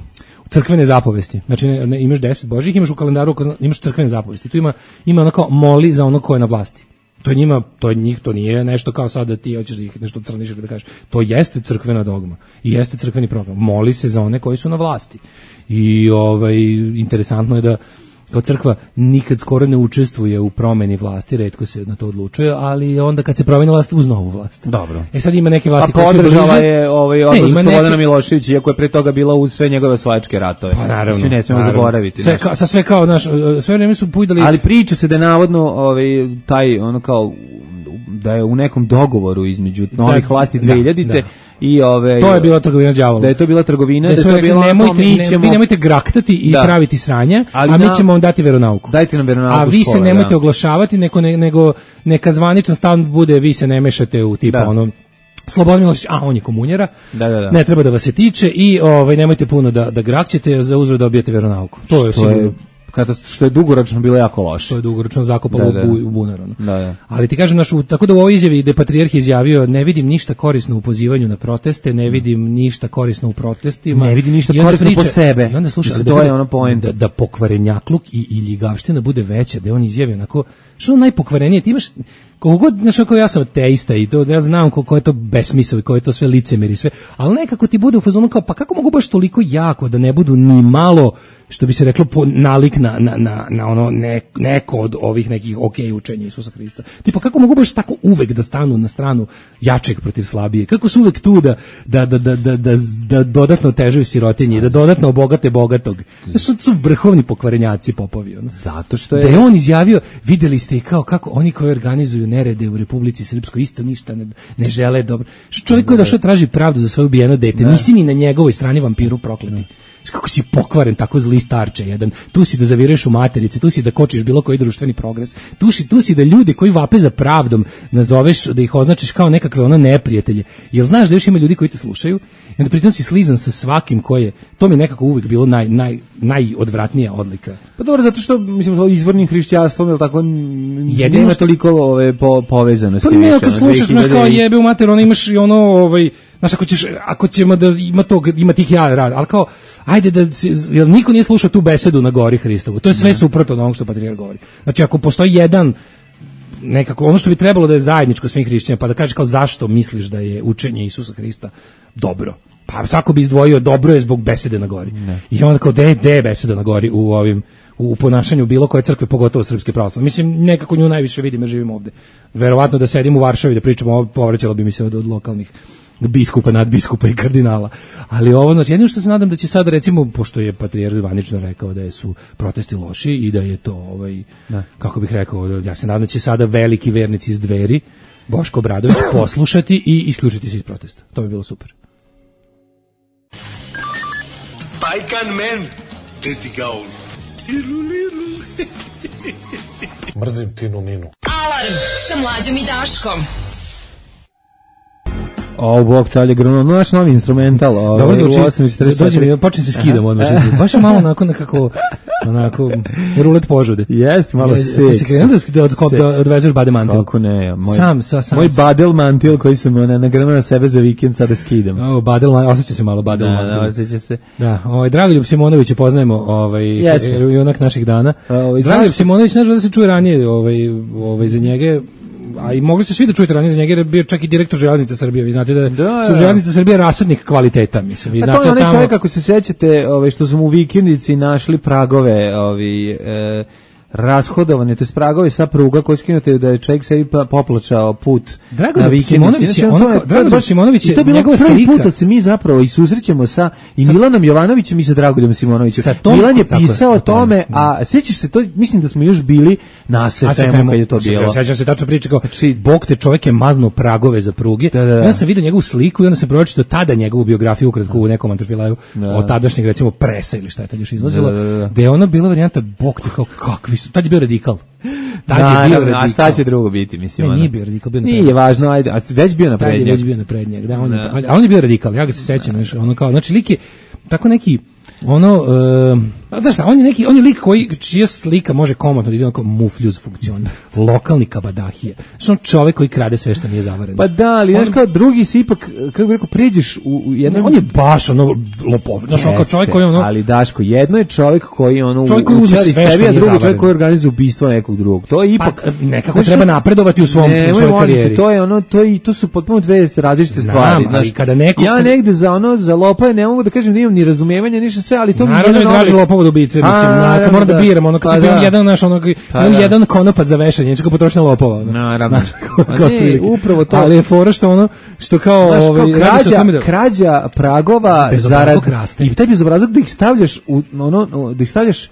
crkvene zapovesti. Znači imaš 10 božjih, imaš u kalendaru, imaš crkvene zapovesti. Tu ima ono kao moli za ono ko je na vlasti. To nije nešto kao sad da ti hoćeš da ih nešto crniš ili da kažeš. To jeste crkvena dogma i jeste crkveni program. Moli se za one koji su na vlasti. I interesantno je da kao crkva nikad skoro ne učestvuje u promeni vlasti, retko se na to odlučuje, ali onda kad se promeni vlast uz novu vlast. Dobro. Sad ima neke vlasti koje su podržala je odlazak Slobodana Miloševića, iako je pre toga bila uz sve njegove osvajačke ratove. Pa naravno. Svi ne smemo zaboraviti. Sve kao sve vreme su pujdali. Ali priča se da je navodno taj ono kao da je u nekom dogovoru između novih vlasti 2000-te i to je bila trgovina s đavolom. Da je to bila trgovina, da je to bila vi nemojte graktati i praviti sranja, a mi ćemo vam dati veronauku. Dajte nam veronauku. A vi se nemojte oglašavati, nego neka zvaničan stav bude vi se ne mešate u tipa ono Slobodan Milošević, on je komunjera, ne treba da vas se tiče i nemojte puno da grakćete, za uzvrat dobijete veronauku. To je sigurno. Što je dugoročno bilo jako loše. To je dugoročno zakopalo u bunar. Ali ti kažem, tako da u ovoj izjavi gde patrijarh izjavio, ne vidim ništa korisno u pozivanju na proteste, ne vidim ništa korisno u protestima. Ne vidim ništa korisno po sebe. I onda slušaj, to je ono poenta. Da pokvarenjakluk i ljigavština bude veća, da on izjavi onako, što najpokvarenije, ti imaš, koliko god, znaš, ako ja sam ateista i to, ja znam koliko je to besmisao i koje je to sve licemjer i sve, ali nekako ti bude u fazonu kao, pa kako mogu baš toliko jako da ne budu ni malo, što bi se reklo, nalik na ono neko od ovih nekih učenja Isusa Hrista. Tipa, kako mogu baš tako uvek da stanu na stranu jačeg protiv slabije? Kako su uvek tu da dodatno otežaju sirotinje, da dodatno obogate bogatog? Su vrhovni pokvarenjaci popovi. Ono. Zato što da je on izjavio, videli ste i kako oni koji organizuju nerede u Republici Srpskoj isto ništa ne žele dobro. Čovjek koji je došao traži pravdu za svoje ubijeno dete, nisi ni na njegovoj strani, vampiru prokleti. kako si pokvaren, tako zli starče jedan. Tu si da zaviruješ u materici, tu si da kočiš bilo koji društveni progres. Tu si da ljudi koji vape za pravdom nazoveš, da ih označiš kao nekakve ono neprijatelje. Jel znaš da još ima ljudi koji te slušaju? I onda pritom si slizan sa svakim koji je, to mi nekako uvijek bilo najodvratnija odlika. Pa dobro, zato što, mislim, sa izvornim hrišćanstvom, je tako, nema toliko povezanosti. Pa ne, kad slušaš, znaš, kao jebe u mater, ono imaš i ono, znaš, ako ćemo da ima tih rad, ali kao, ajde da, jel niko nije slušao tu besedu na gori Hristovu, to je sve suprotno od onog što patrijarh govori. Znači, ako postoji jedan, nekako, ono što bi trebalo da je zajedničko svim hrišćanima, pa da kažeš kao zašto misliš da je učenje Isusa Hrista dobro. Pa svako bi izdvojio dobro je zbog besede na gori. Ne. I onda kao de je beseda na gori u ponašanju bilo koje crkve, pogotovo srpske pravoslavne. Mislim, nekako nju najviše vidim jer živim ovde. Verovatno da sedim u Varšavi da pričamo, povraćalo bi mi se od lokalnih biskupa, nadbiskupa i kardinala. Ali ovo, znači, jedino što se nadam da će sad, recimo, pošto je patrijarh zvanično rekao da su protesti loši i da je to, kako bih rekao, ja se nadam da će sada veliki vernici iz Dveri, Boško Obradović, poslušati i isključiti se iz protesta. To bi bilo super. Pajkan men, ti gaun. Mrzim Tinu Ninu. Alarm sa Mlađom i Daškom. Bog talje grano, naš novi instrumental. Dobro zvuči, počne se skidam odmah. Baš je malo onako rulet požude. Jeste, malo seks. Da odvezeš badel mantil. Kako ne, moj badel mantil koji sam nagrnuo na sebe za vikend, sada skidam. Osjeća se malo badel mantil. Da, osjeća se. Da, Dragoljub Simonovića poznajemo, junak naših dana. Dragoljub Simonović, znaš da se čuje ranije za njega, a i mogli ste svi da čujete ranije za njega, jer je bio čak i direktor Železnice Srbije. Vi znate da su Železnice Srbije rasadnik kvaliteta, mislim. Vi znate, to je onaj čovjek, ako se sećate, što su mu u vikendici našli pragove, rashodovane, to je pragove sa pruga koji skinute da je čovjek sebi poplačao put na vikendici. Dragoljub Simonović je njegova slika. Prvi put da se mi zapravo i susrećemo sa Milanom Jovanovićem i sa Dragoljubom Simonovićem. Milan je pisao o tome, a sjećaš se, to mislim da smo još bili na SFM-u kad je to bilo. Sećam se tačno priče kao, Bog te, čovjek je maznuo pragove za pruge. Ja sam vidio njegovu sliku i onda sam pročitao tada njegovu biografiju ukratko u nekom antrofilaju od tadašnjeg, recimo, Presa ili šta je tad još izlazilo, gde je ono bila varijanta Bog te, kao kakvi su, tad je bio radikal. A šta će drugo biti, mislim? Nije bio radikal, bio nije važno, ajde, a već bio naprednjak. Već bio naprednjak, da, on je bio radikal, ja ga se sećam, ono kao, znači lik je tako neki, znaš šta, on je lik čija slika može komotno da ide onako mufljuz funkciona, lokalni kabadahije, znači on čovek koji krade sve što nije zavareno. Pa da, ali znaš kao drugi si ipak, kako bi rekao, priđeš u jednom... On je baš lopov, znaš on kao čovek koji Ali Daško, jedno je čovek koji učari sebi, a drugi čovek koji organizuje ubistvo nekog drugog. To je ipak... Pa, nekako treba napredovati u svojoj karijeri. To su potpuno dve različite stvari. Ja negde za lopove ne mogu da kažem da imam ni razumevanja, ništa sve, ali to mi je mislim, moram da biram, kad biram jedan konopac za vešanje, neću ga potrošiti na lopova. Naravno. Upravo to. Ali je fora što kao... Krađa pragova zarad... I taj bezobrazluk da ih stavljaš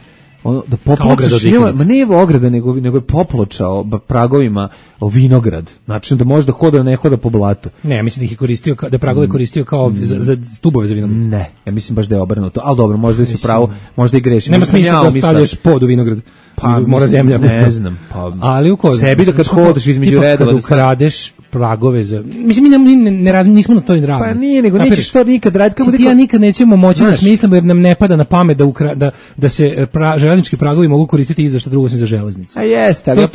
da popločaš, nije ograda, nego je popločao pragovima vinograd, znači da može da hoda, ne hoda po blatu. Ne, mislim da ih je koristio, da pragove koristio kao za stubove za vinograd. Ne, ja mislim baš da je obrnuto, ali dobro, možda si pravo, možda i grešim. Nema smisla da stavljaš pod u vinograd, mora zemlja. Ne znam, ali sebi da kad hodaš između redova, kad ukradeš pragove za... Mislim, mi nismo na toj ravni. Pa nije, nego nećeš to nikad raditi. Ti ja nikad nećemo moći da smislimo, jer nam ne pada na pamet da se železnički pragovi mogu koristiti i za što drugo osim za železnicu. A jeste.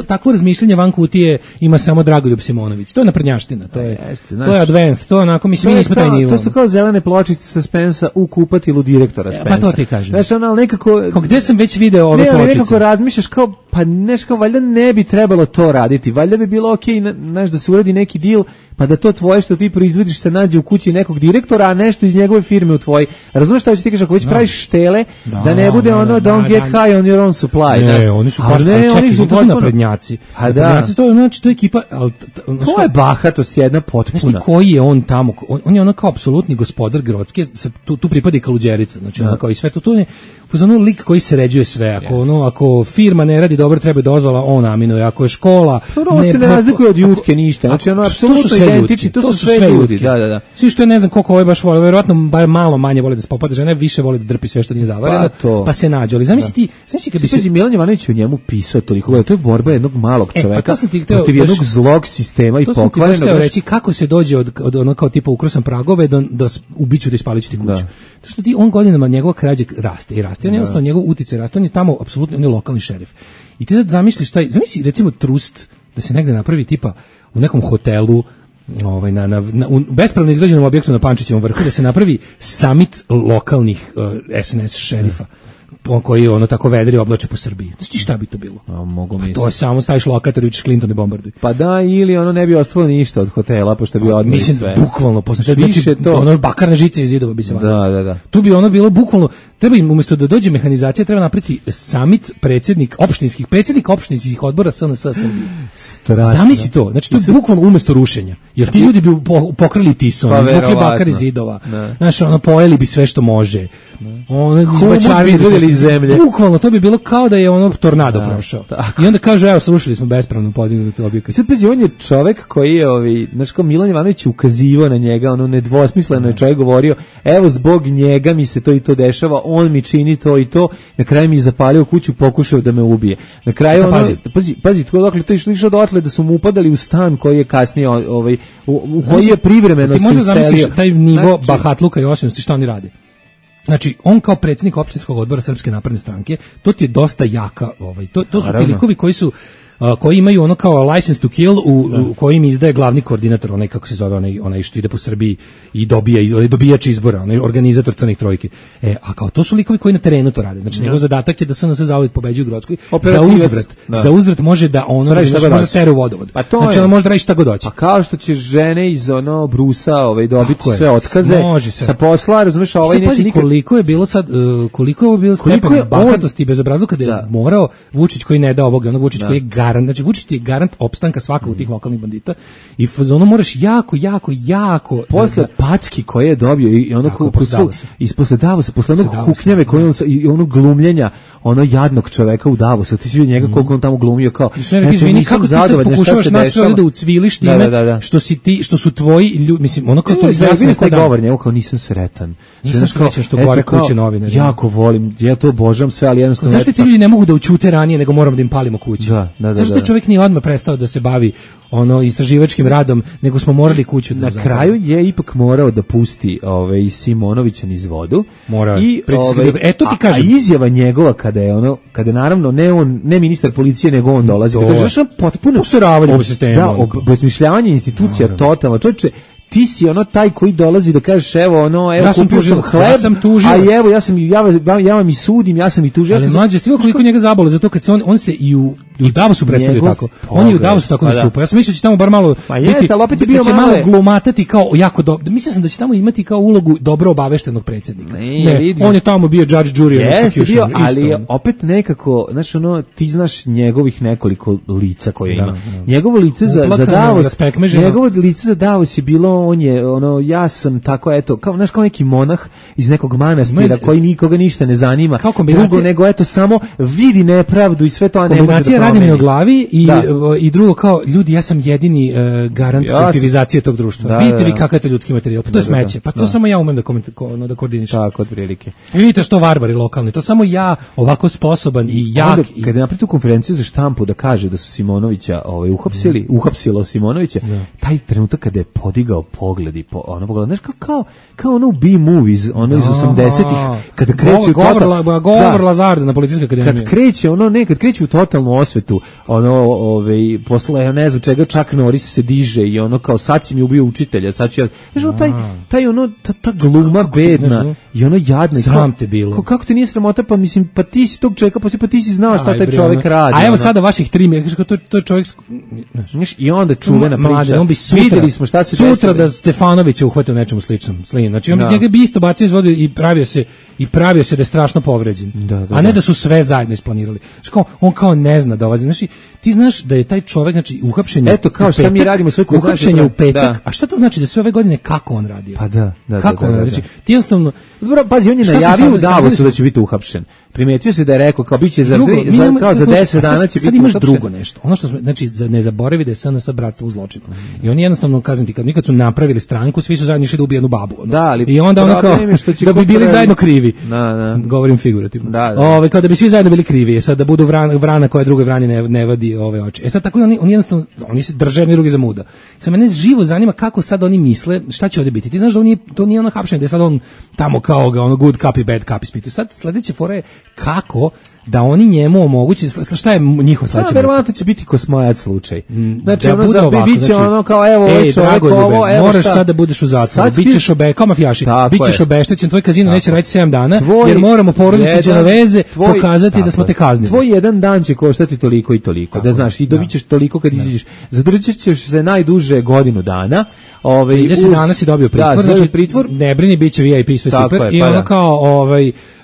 Takvo razmišljanje van kutije ima samo Dragoljub Simonović. To je naprednjaština, to je advanced, to je onako, mislim, mi nismo taj nivo. To su kao zelene pločice sa Spensa u kupatilu direktora Spensa. Pa to ti kažem. Znaš, ono, nekako... Gde sam već video ove pločice? Nekako razmišljaš kao, pa nešto, valjda ne bi trebalo to raditi, valjda bi bilo okej, znaš, da se uradi neki deal, pa da to tvoje što ti proizvodiš se nađe u kući nekog direktora, a nešto iz njegove firme u tvoj. Razumeš šta ću ti kažeš, ako već praviš štele, da ne bude don't get high on your own supply. Ne, oni su baš, čekaj, to su naprednjaci. Naprednjaci, to je ekipa... To je bahatost jedna potpuna. Znaš ti koji je on tamo? On je ono kao apsolutni gospodar Grocke, tu pripada i Kaluđerica, znači ono kao i sve to, fazonu lik koji sređuje sve, ako firma ne radi dobro, treba dozvola, on aminuje, ako je škola on se ne razlikuje od Jutke ništa, znači ono apsolutno identični, to su sve ljudi, da. Svi što je ne znam koliko ovaj baš vole, verovatno bar malo manje voli da se popada, žena više voli da drpi sve što nije zavareno, pa se nađe, ali zamisli kad bi se Milan Jovanović u njemu pisao toliko, to je borba jednog malog čoveka protiv jednog zlog sistema i pokvarenog. To sam ti reći kako se dođe od ono kao tipa ukrosan pragove do ubiću da ispaliću ti kuću. To što ti on godinama njegova krađa raste i raste, on jednostavno njegov uticaj raste, on je tamo apsolutno ne lokalni šerif. I ti sad zamisli recimo trust da se negde napravi tipa u nekom hotelu, u bespravno izgrađenom objektu na Pančićevom vrhu, da se napravi summit lokalnih SNS šerifa koji ono tako vedri oblače po Srbiji. Znači šta bi to bilo? To je samo staviš lokator i učiš Clinton i bombarduj. Pa da, ili ono ne bi ostalo ništa od hotela, pošto bi odmah sve. Mislim, bukvalno, znači ono bakarne žice iz zidova bi se vadilo. Da. Tu bi ono bilo bukvalno, treba im umjesto da dođe mehanizacija, treba napraviti summit predsednik opštinskih odbora SNS Srbije. Zamisli to, znači to je bukvalno umjesto rušenja. Jer ti ljudi bi pokrali Tison, izvukli bakar iz zidova. Znaš, ono, pojeli bi sve što može. Ono, izvačarili iz zemlje. Bukvalno, to bi bilo kao da je ono tornado prošao. I onda kažu, evo, srušili smo bespravno podignuti objekat. Sad pazi, on je čovek koji je, znaš, kao Milan Jovanović ukazivao na njega, ono nedvosmisleno je čovjek govorio, evo, zbog njega mi se to i to dešava, on mi čini to i to, na kraju mi je zapalio kuću, pokušao da me ubije. Na kraju pazi, dokle to išlo dotle da su mu upadali u stan koji je kasnije u koji je privremeno se uselio. Ti možda zamisliš taj nivo bahatluka i osilnosti što oni rade. Znači, on kao predsjednik opštinskog odbora Srpske napredne stranke, to ti je dosta jaka, to su ti likovi koji imaju ono kao license to kill u kojim izdaje glavni koordinator, onaj kako se zove, onaj što ide po Srbiji i dobijač izbora, onaj organizator Crnih trojke. A kao to su likovi koji na terenu to rade. Znači, njegov zadatak je da SNS zauvijek pobeđuje u Grockoj. Za uzvrat može da ono može sere u vodovod. Znači, ono može da radi šta god hoće. Pa kao što će žene iz ono Brusa dobiti sve otkaze sa posla, razumeš, neće nikad. Koliko je bilo stepen bahatosti i bezobrazluka kada je morao Vučić koji ne da ovoga, onog Vučić koji je znači Vučić ti je garant opstanka svakog od tih lokalnih bandita i ono moraš jako posle packi koje je dobio i ono posle Davosa, posle onog huknjave koje on i onog glumljenja ono jadnog čoveka u Davosu, ti si vidio njega koliko on tamo glumio kao izvini, kako ti sad pokušavaš nas sve da ucviliš time što su tvoji ljudi, mislim, ono kao to jasno taj govor njegov kao nisam sretan što gore kuće novinari. Jako volim, ja to obožavam sve, ali jednostavno zašto ti ljudi ne mogu da ućute ranije nego moramo da im palimo kuće? Zašto taj čovjek nije odmah prestao da se bavi istraživačkim radom, nego smo morali kuću da na kraju je ipak morao da pusti i Simonovića niz vodu. I eto ti kažem, a izjava njegova kada naravno ne ministar policije nego on dolazi, da kaže potpuno useravanje po sistemu, obesmišljavanje institucija totalno. Čovječe, ti si taj koji dolazi da kažeš evo kupio sam hleb, a evo ja vam i sudim, ja sam i tužilac. Ali mlađe, stivo koliko njega zabole, zato kad se on se i u Davosu predstavio tako. On je u Davosu tako nastupao. Ja sam mislio da će tamo bar malo biti malo glumatati kao jako dobro. Mislio sam da će tamo imati kao ulogu dobro obaveštenog predsjednika. Ne, on je tamo bio judge, jury, executioner. Ali opet nekako, znaš, ti znaš njegovih nekoliko lica koje ima. Njegovo lice za Davos, njegovo lice za Davos je bilo, on je, ja sam tako, eto, kao neki monah iz nekog manastira koji nikoga ništa ne zanima. Drugo nego, eto, samo vidi nepravdu i sve to, a ne može da radi mi o glavi i drugo kao ljudi, ja sam jedini garant kolektivizacije tog društva. Vidite vi kakav je to ljudski materijal. Pa to je smeće. Pa to samo ja umem da koordinišem. Tako, od prilike. I vidite što barbari lokalni. To samo ja ovako sposoban i jak. Kada je napravio tu konferenciju za štampu da kaže da su Simonovića uhapsilo Simonovića, taj trenutak kada je podigao pogled i znaš kao ono u B-movies, iz 80-ih, kada kreće govor Lazarda na Policijskoj akademiji. Kad kreće u totalnu osvetu, posle ne znam čega, Chuck Norris se diže i kao sad si mi ubio učitelja, sad ću ja, ta gluma bedna i jadna. Sram te bilo. Kako te nije sramota, pa ti si tog čovjeka, pa ti si znao šta taj čovjek radi. A evo sada vaših 3 mjeseca, to je čovjek i onda čuvena priča. On bi sutra da Stefanovića uhvatio nečemu sličnom. Znači on bi njega bi isto bacio iz vode i pravio se da je strašno povređen. A ne da su sve zajedno isplanirali. On kao ne zna da dolazi. Znači, ti znaš da je taj čovjek, znači, uhapšen je. Eto, kao šta mi radimo sve kod nas. Uhapšen je u petak. A šta to znači da sve ove godine kako on radio? Pa da. Kako on radio? Znači, ti jednostavno... Dobro, pazi, on je najavio u Davosu da će biti uhapšen. Primetio se da je rekao kao biće za 10 dana će biti. Sad imaš drugo nešto. Ono što smo, znači, ne zaboravi da je SNS bratstvo u zločinu. I oni jednostavno, kažem ti, nikad su napravili stranku, svi su zajedno išli da ubiju jednu babu. Da, ali i onda ono kao da bi bili zajedno krivi. Govorim figurativno. Kao da bi svi zajedno bili krivi. Sad da budu vrana koja drugoj vrani ne vadi ove oči. E sad tako oni jednostavno oni se drže jedni drugi za muda. Sad mene živo zanima kako sad oni misle šta će ovdje biti. Ti znaš da to nije ono hapšenje, da je sad on tamo kao ga ono good copy bad copy ispituje. Sad sledeće fora je kako da oni njemu omoguće, šta je njihov sledeći? Verovatno će biti Kosmajac slučaj. Znači, ono za biće ono kao, evo, ovaj čovjek, ovo, evo moraš sad da budeš u zatvoru, bićeš kao mafijaši, bićeš obeštećen, tvoj kazino neće raditi 7 dana, jer moramo porodici Đenoveze pokazati da smo te kaznili. Tvoj jedan dan će koštati toliko i toliko, da znaš, i dobit ćeš toliko kad izađeš, zadržat ćeš se najduže godinu dana. 30 dana si dobio pritvor, znači pritvor, ne brini, biće VIP, sve super, i ono kao,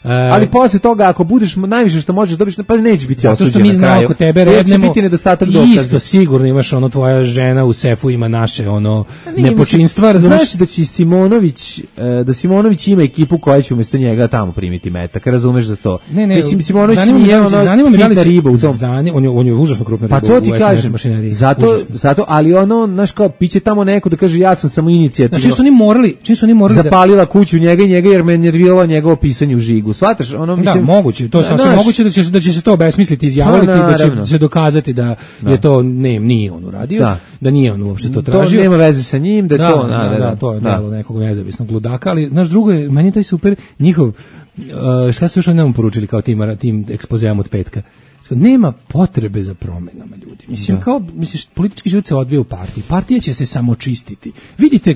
ali posle toga ako budeš najviše što možeš dobiti, pa neće biti osuđen. Zato što mi znamo oko tebe rednemo, biti nedostatak dokaza. Isto sigurno imaš ono, tvoja žena u sefu ima naše ono nepočinstva, razumiješ? Znaš da će Simonović ima ekipu koja će umjesto njega tamo primiti metak, razumeš za to? Ne, mislim Simonović nije ono sitna riba u tom. On je užasno krupna riba. Pa to ti kažem. Zato, ali ono, znaš kao, piće tamo neko da kaže ja sam samo inicijativno. Znači čim su oni morali zapalila kuću njega jer me nerviralo njegovo pisanje u žigu. Shvataš, ono mislim. Da, moguće, to je sasvim moguće da će se to obesmisliti, izjaviti, da će se dokazati da je to nije on uradio, da nije on uopšte to tražio. To nema veze sa njim, da to, to je delo nekog nezavisnog ludaka, ali naš drugo je, meni taj super njihov, šta su još oni nam poručili kao tim ekspozeom od petka? Nema potrebe za promjenama, ljudi. Mislim, politički život se odvija u partiji. Partija će se samo čistiti. Vidite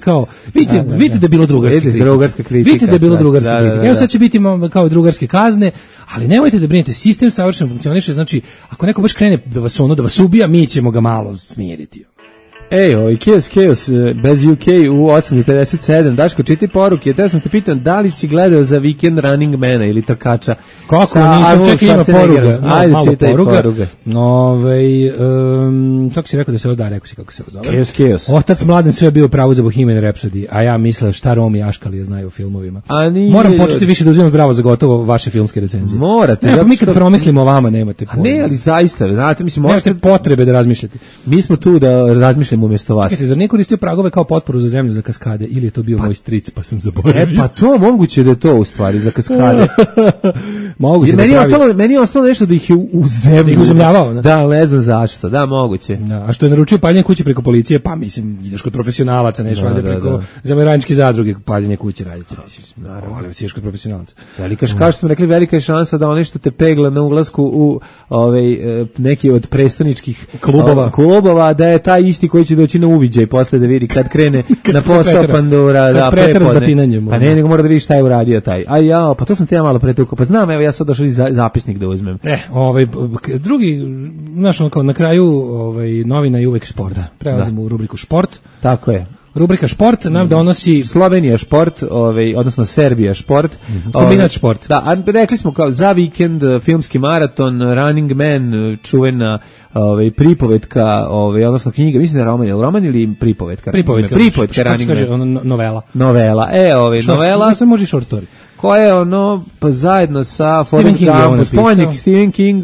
da je bilo drugarska kritika. Vidite da je bilo drugarska kritika. Evo sad će biti kao drugarske kazne, ali nemojte da brinete, sistem savršeno funkcioniše, znači, ako neko baš krene da vas ubija, mi ćemo ga malo smiriti. Ej, Chaos, bez UK u 8:57. Daško, čitaj poruke. Te sam te pitan, da li si gledao za Weekend Running Mana ili trkača? Kako, nisam, čekaj, ima poruga. Ajde, čitaj poruga. Kako si rekao da se ovo rekao si kako se ovo zove? Chaos. Otac Mladen sve bio pravo za Bohemian Rhapsody, a ja mislila šta Romi Aškalije znaju o filmovima. Moram početi više da uzimam zdravo za gotovo vaše filmske recenzije. Morate. Ne, mi kad promislimo o vama nemate pojma. Ne, ali zaista, znate, mislim, možete potrebe da razmišljate. Mi smo tu da razmišljamo umjesto vas. Čekaj se, zar nije koristio pragove kao potporu za zemlju za kaskade ili je to bio moj stric pa sam zaboravio? Pa to moguće da je to u stvari za kaskade. Moguće meni je ostalo nešto da ih je u zemlju. Da ih uzemljavao, ne? Da, ne znam zašto. Da, moguće. Da, a što je naručio paljenje kuće preko policije, pa mislim, ideš kod profesionalaca, neš valjda preko zamerančke zadruge paljenje kuće raditi. Naravno, ali si kod profesionalaca. Kao što smo rekli, velika je šansa da ono što te pegla na ulasku u neki od prestoničkih klubova, da je taj isti koji će doći na uviđaj posle da vidi kad krene na posao Pandora, da prepodne. Pa ne, nego mora da vidi šta je uradio taj. Pa to sam te ja malo pretukao. Pa znam, evo ja sad došao zapisnik da uzmem. Drugi, znaš, kao na kraju novina je uvek sport. Prelazimo u rubriku šport. Tako je. Rubrika šport nam donosi Slovenija šport, odnosno Serbija šport. Kombinat šport. Da, a rekli smo kao za vikend filmski maraton, Running Man, čuvena pripovetka, odnosno knjiga, mislim da je roman ili pripovetka? Pripovetka Running Man. Novela. Novela, novela. Što može short story? Koja je pa zajedno sa Forrest Gumpom, spomenik Stephen King,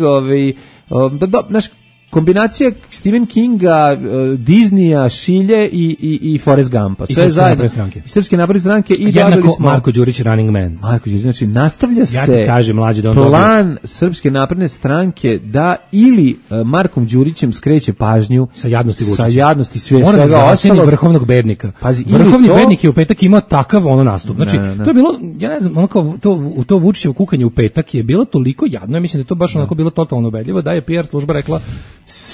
naš kombinacija Stephen Kinga, Disneya, Šilje i Forrest Gumpa. Sve zajedno. Srpske napredne stranke i dobili smo Marko Đurić Running Man. Marko Đurić, znači nastavlja se plan Srpske napredne stranke da ili Markom Đurićem skreće pažnju sa jadnosti Vučića. Sa jadnosti svega ostalog. Vrhovnog bednika. Vrhovni bednik je u petak imao takav nastup. Znači, to je bilo, ja ne znam, to Vučićevo kukanje u petak je bilo toliko jadno, ja mislim da je to baš onako bilo totalno ubedljivo, da je PR služba rekla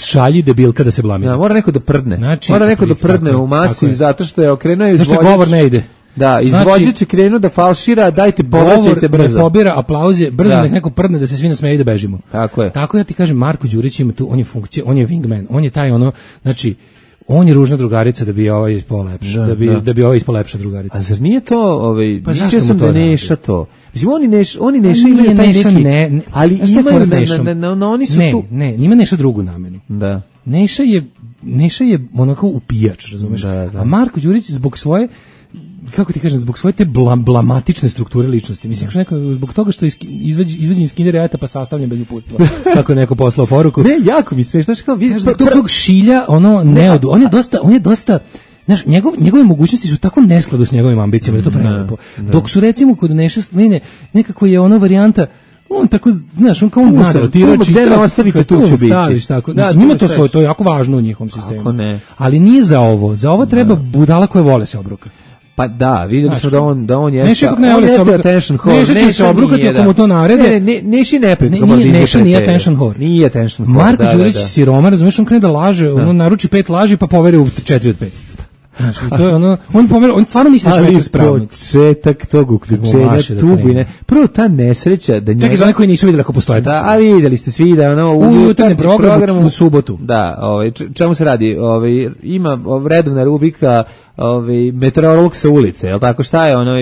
šalji debilka da se blamira. Mora neko da prdne. Znači, mora neko da prdne u masi zato što je okrenuo izvođač. Zašto govor ne ide? Da, izvođač je krenuo da falšira, dajte povraćajte brzo. Govor ne pobira aplauze, brzo nek neko prdne da se svi nasmeju i da bežimo. Tako je. Tako ja ti kažem, Marko Đurić ima tu, on je funkcija, on je wingman, on je taj znači on je ružna drugarica da bi ovaj ispao lepša, da bi ovaj ispao lepša drugarica. A zar nije to, pa mislio sam da Neša to. Mislim, oni Neša imaju taj neki, ali imaju, oni su tu. Ne, njima Neša drugu namenu. Da. Neša je onako upijač, razumeš? Da. A Marko Đurić zbog svoje, kako ti kažem, zbog svoje te blamatične strukture ličnosti. Mislim, zbog toga što je izvađen iz kindereta pa sastavljen bez uputstva. Kako je neko poslao poruku. Ne, jako mi smiješ, znaš kao vidiš. Tog šilja, on je dosta znaš, njegove mogućnosti su tako neskladu s njegovim ambicijama, da je to prelepo. Dok su recimo kod Neša Sline, nekako je ona varijanta, on tako, znaš, on kao on zna da otirači, gde me ostavite, tu ću biti. Staviš, tako. Da, njima to je jako važno u njihovom sistemu. Ali nije za ovo. Za ovo treba budala koje vole se obruka. Pa da, videli smo da on je Neša ne voli se attention whore. Neša će se obrukati ako mu to narede. Neši neprijed. Neša nije attention whore. Nije attention whore. Marko Đurić siroma, razumiješ, on krene da laže, ono naruči 5 laži pa poveri u 4 od 5. Znači, to je ono, on stvarno misli da će neko ispravnik. Ali početak tog uključenja, tugu i ne. Prvo ta nesreća da njega... Čekaj, za one koji nisu vidjeli ako postoje. Da, a vidjeli ste svi da ono... U jutarnjem programu u subotu. Da, čemu se radi? Ima redovna rubrika meteorolog sa ulice, je li tako, šta je ono,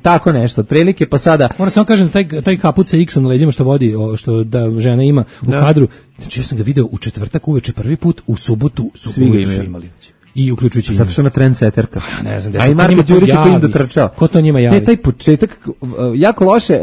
tako nešto, otprilike, pa sada... Moram samo kažem, taj kaput sa X-om na leđima što vodi, što da žena ima u kadru, znači ja sam ga video u četvrtak uveče prvi put, u subotu su imali. I uključujući zato što na trendseterka. Ne znam, a i Marko Đurić koji im dotrčao. Ko to njima javi? Ne, taj početak, jako loše,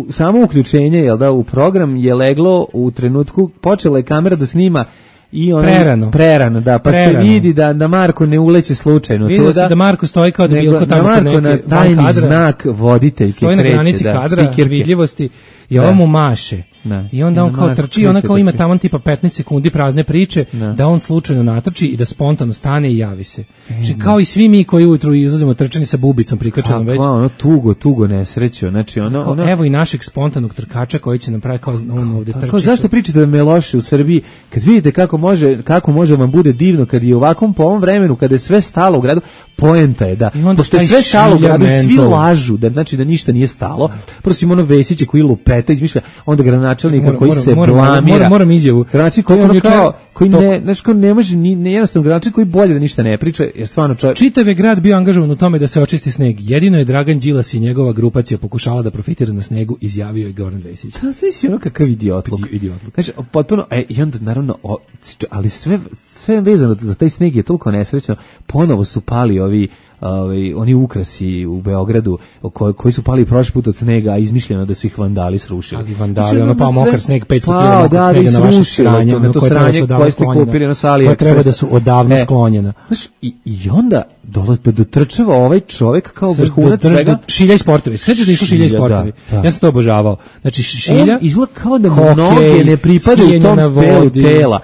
samo uključenje, jel da, u program je leglo u trenutku, počela je kamera da snima i ono prerano, da, pa se vidi da Marko ne uleće slučajno. Vidio se da Marko stoji kao da bilo ko tamo kod neke na tajni znak voditeljke stoji na granici kadra, vidljivosti i ovo mu maše. I onda on kao trči, ona kao ima tamo tipa 15 sekundi prazne priče, da on slučajno natrči i da spontano stane i javi se. Znači kao i svi mi koji ujutru izlazimo trčani sa bubicom prikačenom već. Ono tugo nesreću, znači ono evo i našeg spontanog trkača koji će nam pravi kao on ovde trči. Zašto pričate da me loše u Srbiji kad vidite kako može vam bude divno kad je ovakvom po ovom vremenu kada je sve stalo u gradu, poenta je da pošto je sve stalo u gradu, svi lažu da znači da ništa nije stalo. Prosim ono Vesiće koji lupeta izmišlja, onda gradonačelnika koji se blamira. Moram izjavu. Gradonačelnik koji ne, znači kao ne može ni jednostavno gradonačelnik koji bolje da ništa ne priča, jer stvarno čitav je grad bio angažovan u tome da se očisti sneg. Jedino je Dragan Đilas i njegova grupacija pokušala da profitira na snegu, izjavio je Goran Vesić. Da, znači ono kakav idiotluk. Znači potpuno i onda naravno ali sve vezano za taj sneg je toliko nesrećno. Ponovo su pali oni ukrasi u Beogradu koji su pali prošli put od snega, a izmišljeno da su ih vandali srušili. Ali vandali, ono pa mokar sneg, 500 kg snega na vaše sranje, na to sranje koje ste kupili na sali. Koje treba da su odavno sklonjena. Znaš, i onda dotrčava ovaj čovjek kao vrhunac svega. Šilja i sportovi. Sveđa da išlo Šilja i sportovi. Ja sam to obožavao. Znači, Šilja... On izgleda kao da noge ne pripadaju tom delu tela.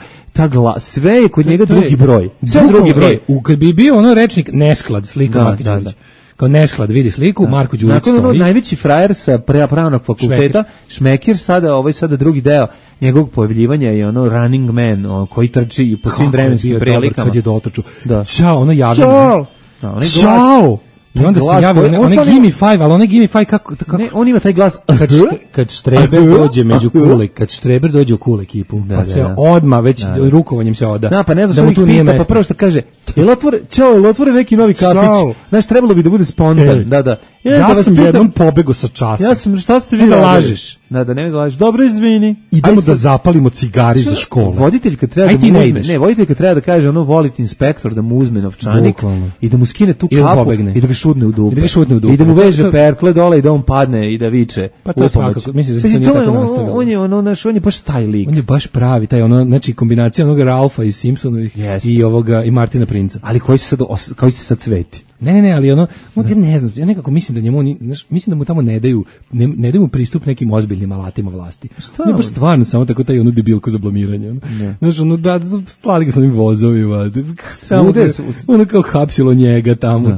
Sve je kod njega drugi broj. Sve drugi broj. Kad bi bio ono rečnik nesklad, slika Marko Đurić. Kao nesklad, vidi sliku, Marko Đurić stoji. Nakon najveći frajer sa pravnog fakulteta, Šmekir, sada drugi deo njegovog pojavljivanja je ono running man, koji trči po svim vremenskim prilikama. Kad je dotrču. Ćao, ono javljeno. Ćao! I onda se javi, onaj Gimme 5, ali onaj Gimme 5 kako... Ne, on ima taj glas... Kad Štreber dođe među kule, kad Štreber dođe u kul ekipu, pa se odmah već rukovanjem se oda. Da, pa ne znaš što ih pita, pa prvo što kaže, jel otvore neki novi kafić? Znaš, trebalo bi da bude spontan, da. Ja sam jednom pobego sa časa. Ja sam, šta ste vi da lažeš? Da, ne da lažeš. Dobro, izvini. Idemo da zapalimo cigari za školu. Voditelj kad treba da mu uzme, voditelj kad treba da kaže ono volite inspektor da mu uzme novčanik i da mu skine tu kapu i da ga šutne u dupe. I da mu veže perkle dole i da on padne i da viče. Pa to svakako, mislim da se nije tako nastavilo. On je baš taj lik. On je baš pravi, taj znači kombinacija onog Ralfa iz Simpsonovih i Martina Princa. Ali koji se sad cveti. Ne, ali ja ne znam, ja nekako mislim da njemu, mislim da mu tamo ne daju mu pristup nekim ozbiljnim alatima vlasti. Ne baš stvarno samo tako taj debilko za blamiranje. Znaš, da, slali ga s onim vozovima, ono kao hapsilo njega tamo.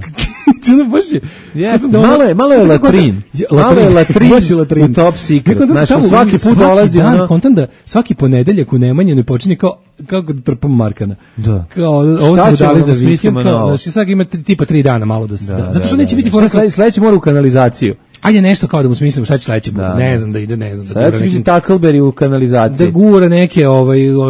Malo je latrin. Malo je latrin u Top Secret. Znaš, svaki put dolazi kontam da svaki ponedeljak u Nemanjinoj počinje kao kako da trpam Markana. Da. Kao, ovo smo dali za vikend, kao, znači sad ima tipa 3 dana malo da se, zato što neće biti fora. Sledeći mora u kanalizaciju. Ajde nešto kao da mu smislimo šta će sledeće bude. Ne znam da ide, ne znam. Sad će biti Tackleberry u kanalizaciji. Da gura neke,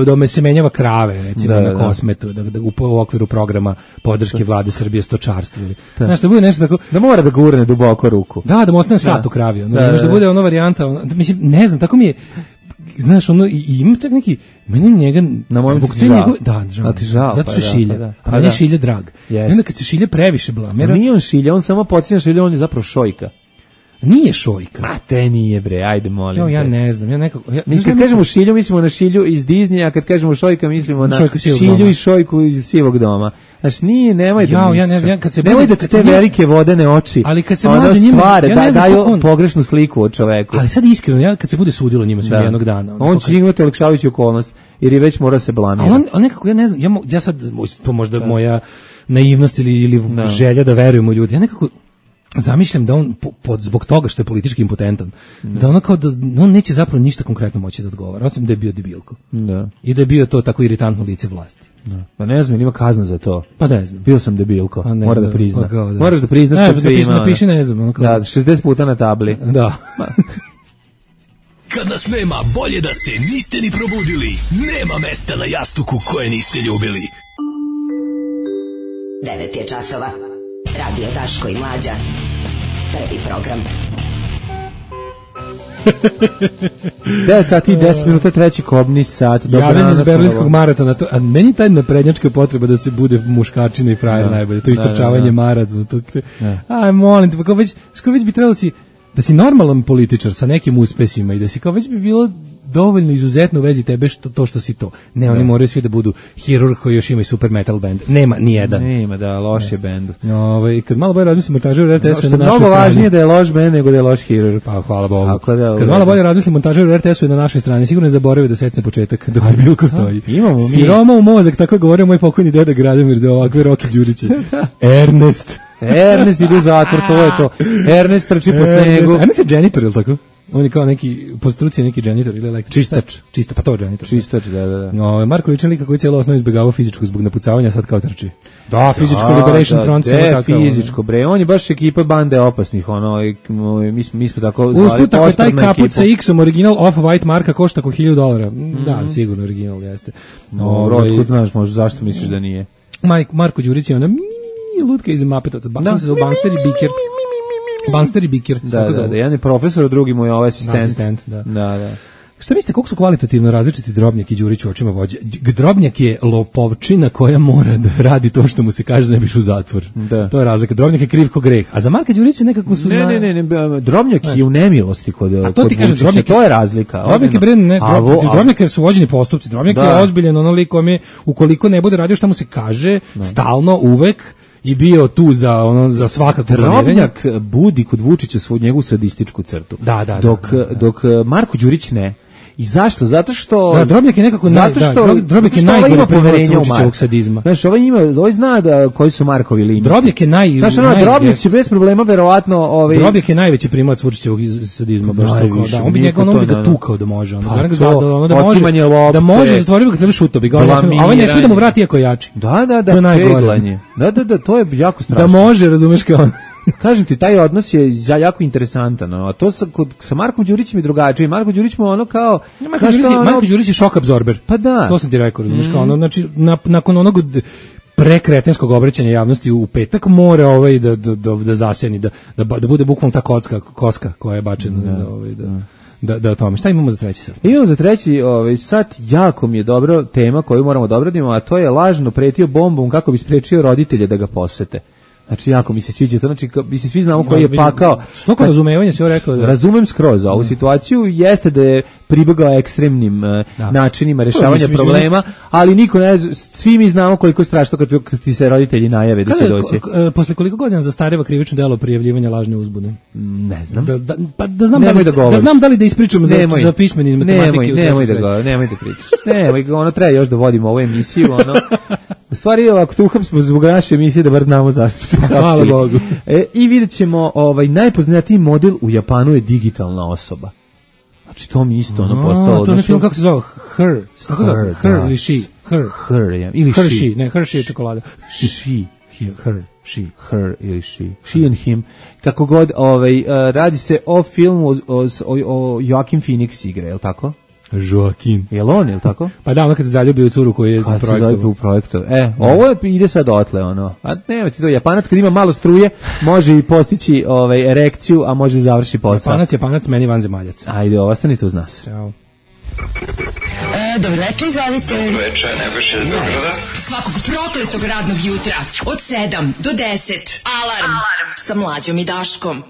da me se menjava krave, recimo na Kosmetu, da u okviru programa podrške vlade Srbije stočarstva. Znaš, da bude nešto tako. Da mora da gurne duboko ruku. Da mu ostane sat u kravi. Znaš, da bude ona varijanta, mislim, ne znam, tako mi je, znaš, ono, i ima čak neki, meni njega, zbog te njegove, žao, zato što je Šilja, a meni je Šilja drag. I onda kad se Šilja previše blamira. Nije on Šilja, on samo podsjeća Šilja, on je zapravo Šojka. Nije Šojka. Ma te nije bre, ajde molim. Ja ne znam, ja nekako... Mi kad kažemo Šilju, mislimo na Šilju iz Disneya, a kad kažemo Šojka, mislimo na Šilju i Šojku iz Sivog doma. Znaš, nemoj da nemoj da te velike vodene oči, ali kad se mlađe njima, daju pogrešnu sliku o čoveku. Ali sad iskreno, kad se bude sudilo njima svim jednog dana. On će imati olakšavajuću okolnost, jer je već mora se blamirati. Ali nekako, ja ne znam, ja sad, to možda moja naivnost ili želja da verujem u ljudi, ja nekako zamišljam da on zbog toga što je politički impotentan, da ono kao da on neće zapravo ništa konkretno moći da odgovara, osim da je bio debilko. Da. I da je bio to tako iritantno lice vlasti. Da. Pa ne znam, ima kazna za to. Pa ne znam. Bio sam debilko, mora da prizna. Moraš da priznaš kad sve ima. Napiši ne znam. Da, 60 puta na tabli. Da. Kad nas nema, bolje da se niste ni probudili. Nema mesta na jastuku koje niste ljubili. 9 je časova. Radio Daško i Mlađa. Prvi program. 9 sati i 10 minuta, treći kobni sat. Javljanje iz berlinskog maratona. A meni taj naprednjačka potreba da se bude muškačina i frajer najbolje. To istrčavanje maratona. Aj, molim te, pa kao već bi trebalo da si normalan političar sa nekim uspesima i da si kao već bi bilo dovoljno izuzetno u vezi tebe što si to. Ne, oni moraju svi da budu hirurg koji još ima i super metal band. Nema ni jedan. Nema, da, loš je bend. Kad malo bolje razmislimo montažeru RTS-u na našoj strani. Mnogo važnije da je loš bend nego da je loš hirurg. Pa hvala Bogu. Kad malo bolje razmislimo montažeru RTS-u na našoj strani, sigurno ne zaboravi da secne početak dok je Bilko stoji. Imamo mi. Siroma u mozak, tako je govorio moj pokojni deda Gradimir za ovakve Roki Đuriće. Ernest ide u zatvor, to je to. Ernest trči po snegu. Ernest je dženitor, je li tako? On je kao neki, po struci neki dženitor ili električar. Čistač, pa to je dženitor. Čistač, da. Marko ličan lika koji je cijelo osnovu izbjegavao fizičku zbog napucavanja, sad kao trči. Da, fizičko Liberation Front. Fizičko, bre. On je baš ekipa bande opasnih, mi smo tako zvali. Usput, ako je taj kaput sa X-om, original Off-White marka košta oko $1,000. Da, sigurno original jeste. Otkud znaš, možda zašto misliš da nije? Marko Đurić je ona lutka iz Mapetovca. On se zove Banster i Biker. Banster i Biker. Da, jedan je profesor, a drugi mu je asistent. Da. Šta mislite, koliko su kvalitativno različiti Drobnjak i Đurić u očima vođe? Drobnjak je lopovčina koja mora da radi to što mu se kaže da ne biš u zatvor. Da. To je razlika. Drobnjak je kriv ko greh. A za Marka Đurića nekako su... Ne. Drobnjak je u nemilosti kod Vučića. To je razlika. Drobnjak je su vođeni postupci. Drobnjak je ozbiljen onoliko kome ukoliko ne bude radio šta mu se kaže, stalno, uvek, i bio tu za svakako planiranje. Drobnjak budi kod Vučića svoju njegovu sadističku crtu. Dok Marko Đurić ne. I zašto? Zato što Drobnjak je nekako Drobnjak je najgore primjerac Vučićevog sadizma. Znaš, ovaj zna da koji su Markovi linije. Drobnjak je Drobnjak će bez problema verovatno Drobnjak je najveći primjerac Vučićevog sadizma, baš tako. Da, on bi ga tukao da može, da može zatvorio kad se šuto bi ga. Ovaj ne sme da mu vrati iako je jači. Da, peglanje. Da, to je jako strašno. Da može, razumeš kao on. Kažem ti, taj odnos je jako interesantan, a to sa Markom Đurićem je drugačije. Marko Đurić mu ono kao... Marko Đurić je šok absorber. Pa da. To sam ti rekao, razumiješ, kao ono, znači, nakon onog prekretenskog obraćanja javnosti u petak mora da zaseni, da bude bukvalno ta koska koja je bačena da o tome. Šta imamo za treći sat? Imamo za treći sat, jako mi je dobro tema koju moramo da obradimo, a to je lažno pretio bombom kako bi sprečio roditelje da ga posete. Znači, jako mi se sviđa to, znači, mi se svi znamo koji je pakao. Stoko razumevanje se rekao. Razumem skroz ovu situaciju, jeste da je pribegao ekstremnim načinima rješavanja problema, ali niko ne zna, svi mi znamo koliko je strašno kad ti se roditelji najave da će doći. Posle koliko godina zastareva krivično delo prijavljivanja lažne uzbune? Ne znam. Da znam da li da ispričam za pismeni iz matematike. Nemoj da pričaš. Nemoj, treba još da vodimo ovu emisiju, u stvari, ako te uhapsimo zbog naše emisije, da bar znamo zašto. Hvala Bogu. I vidjet ćemo, najpoznatiji model u Japanu je digitalna osoba. Znači to mi isto ono postalo. To je film kako se zvao Her. Kako se zove? Her ili She? Her, ja. Ili Her She. Ne, Her She je čokolada. She. Her ili She and him. Kako god, radi se o filmu o Joaquin Phoenix igre, je li tako? Joaquin. Jel on, jel tako? Pa da, ono kad se zaljubi u curu koji je u projektu. Ovo ide sad otle, ono. A nema ti to, Japanac kad ima malo struje, može i postići erekciju, a može i završi posao. Japanac, meni vanzemaljac. Ajde, ostanite uz nas. Ćao. Dobro večer, izvolite. Dobro večer, Nebojša iz Zagrada. Svakog prokletog radnog jutra od 7 do 10. Alarm sa Mlađom i Daškom.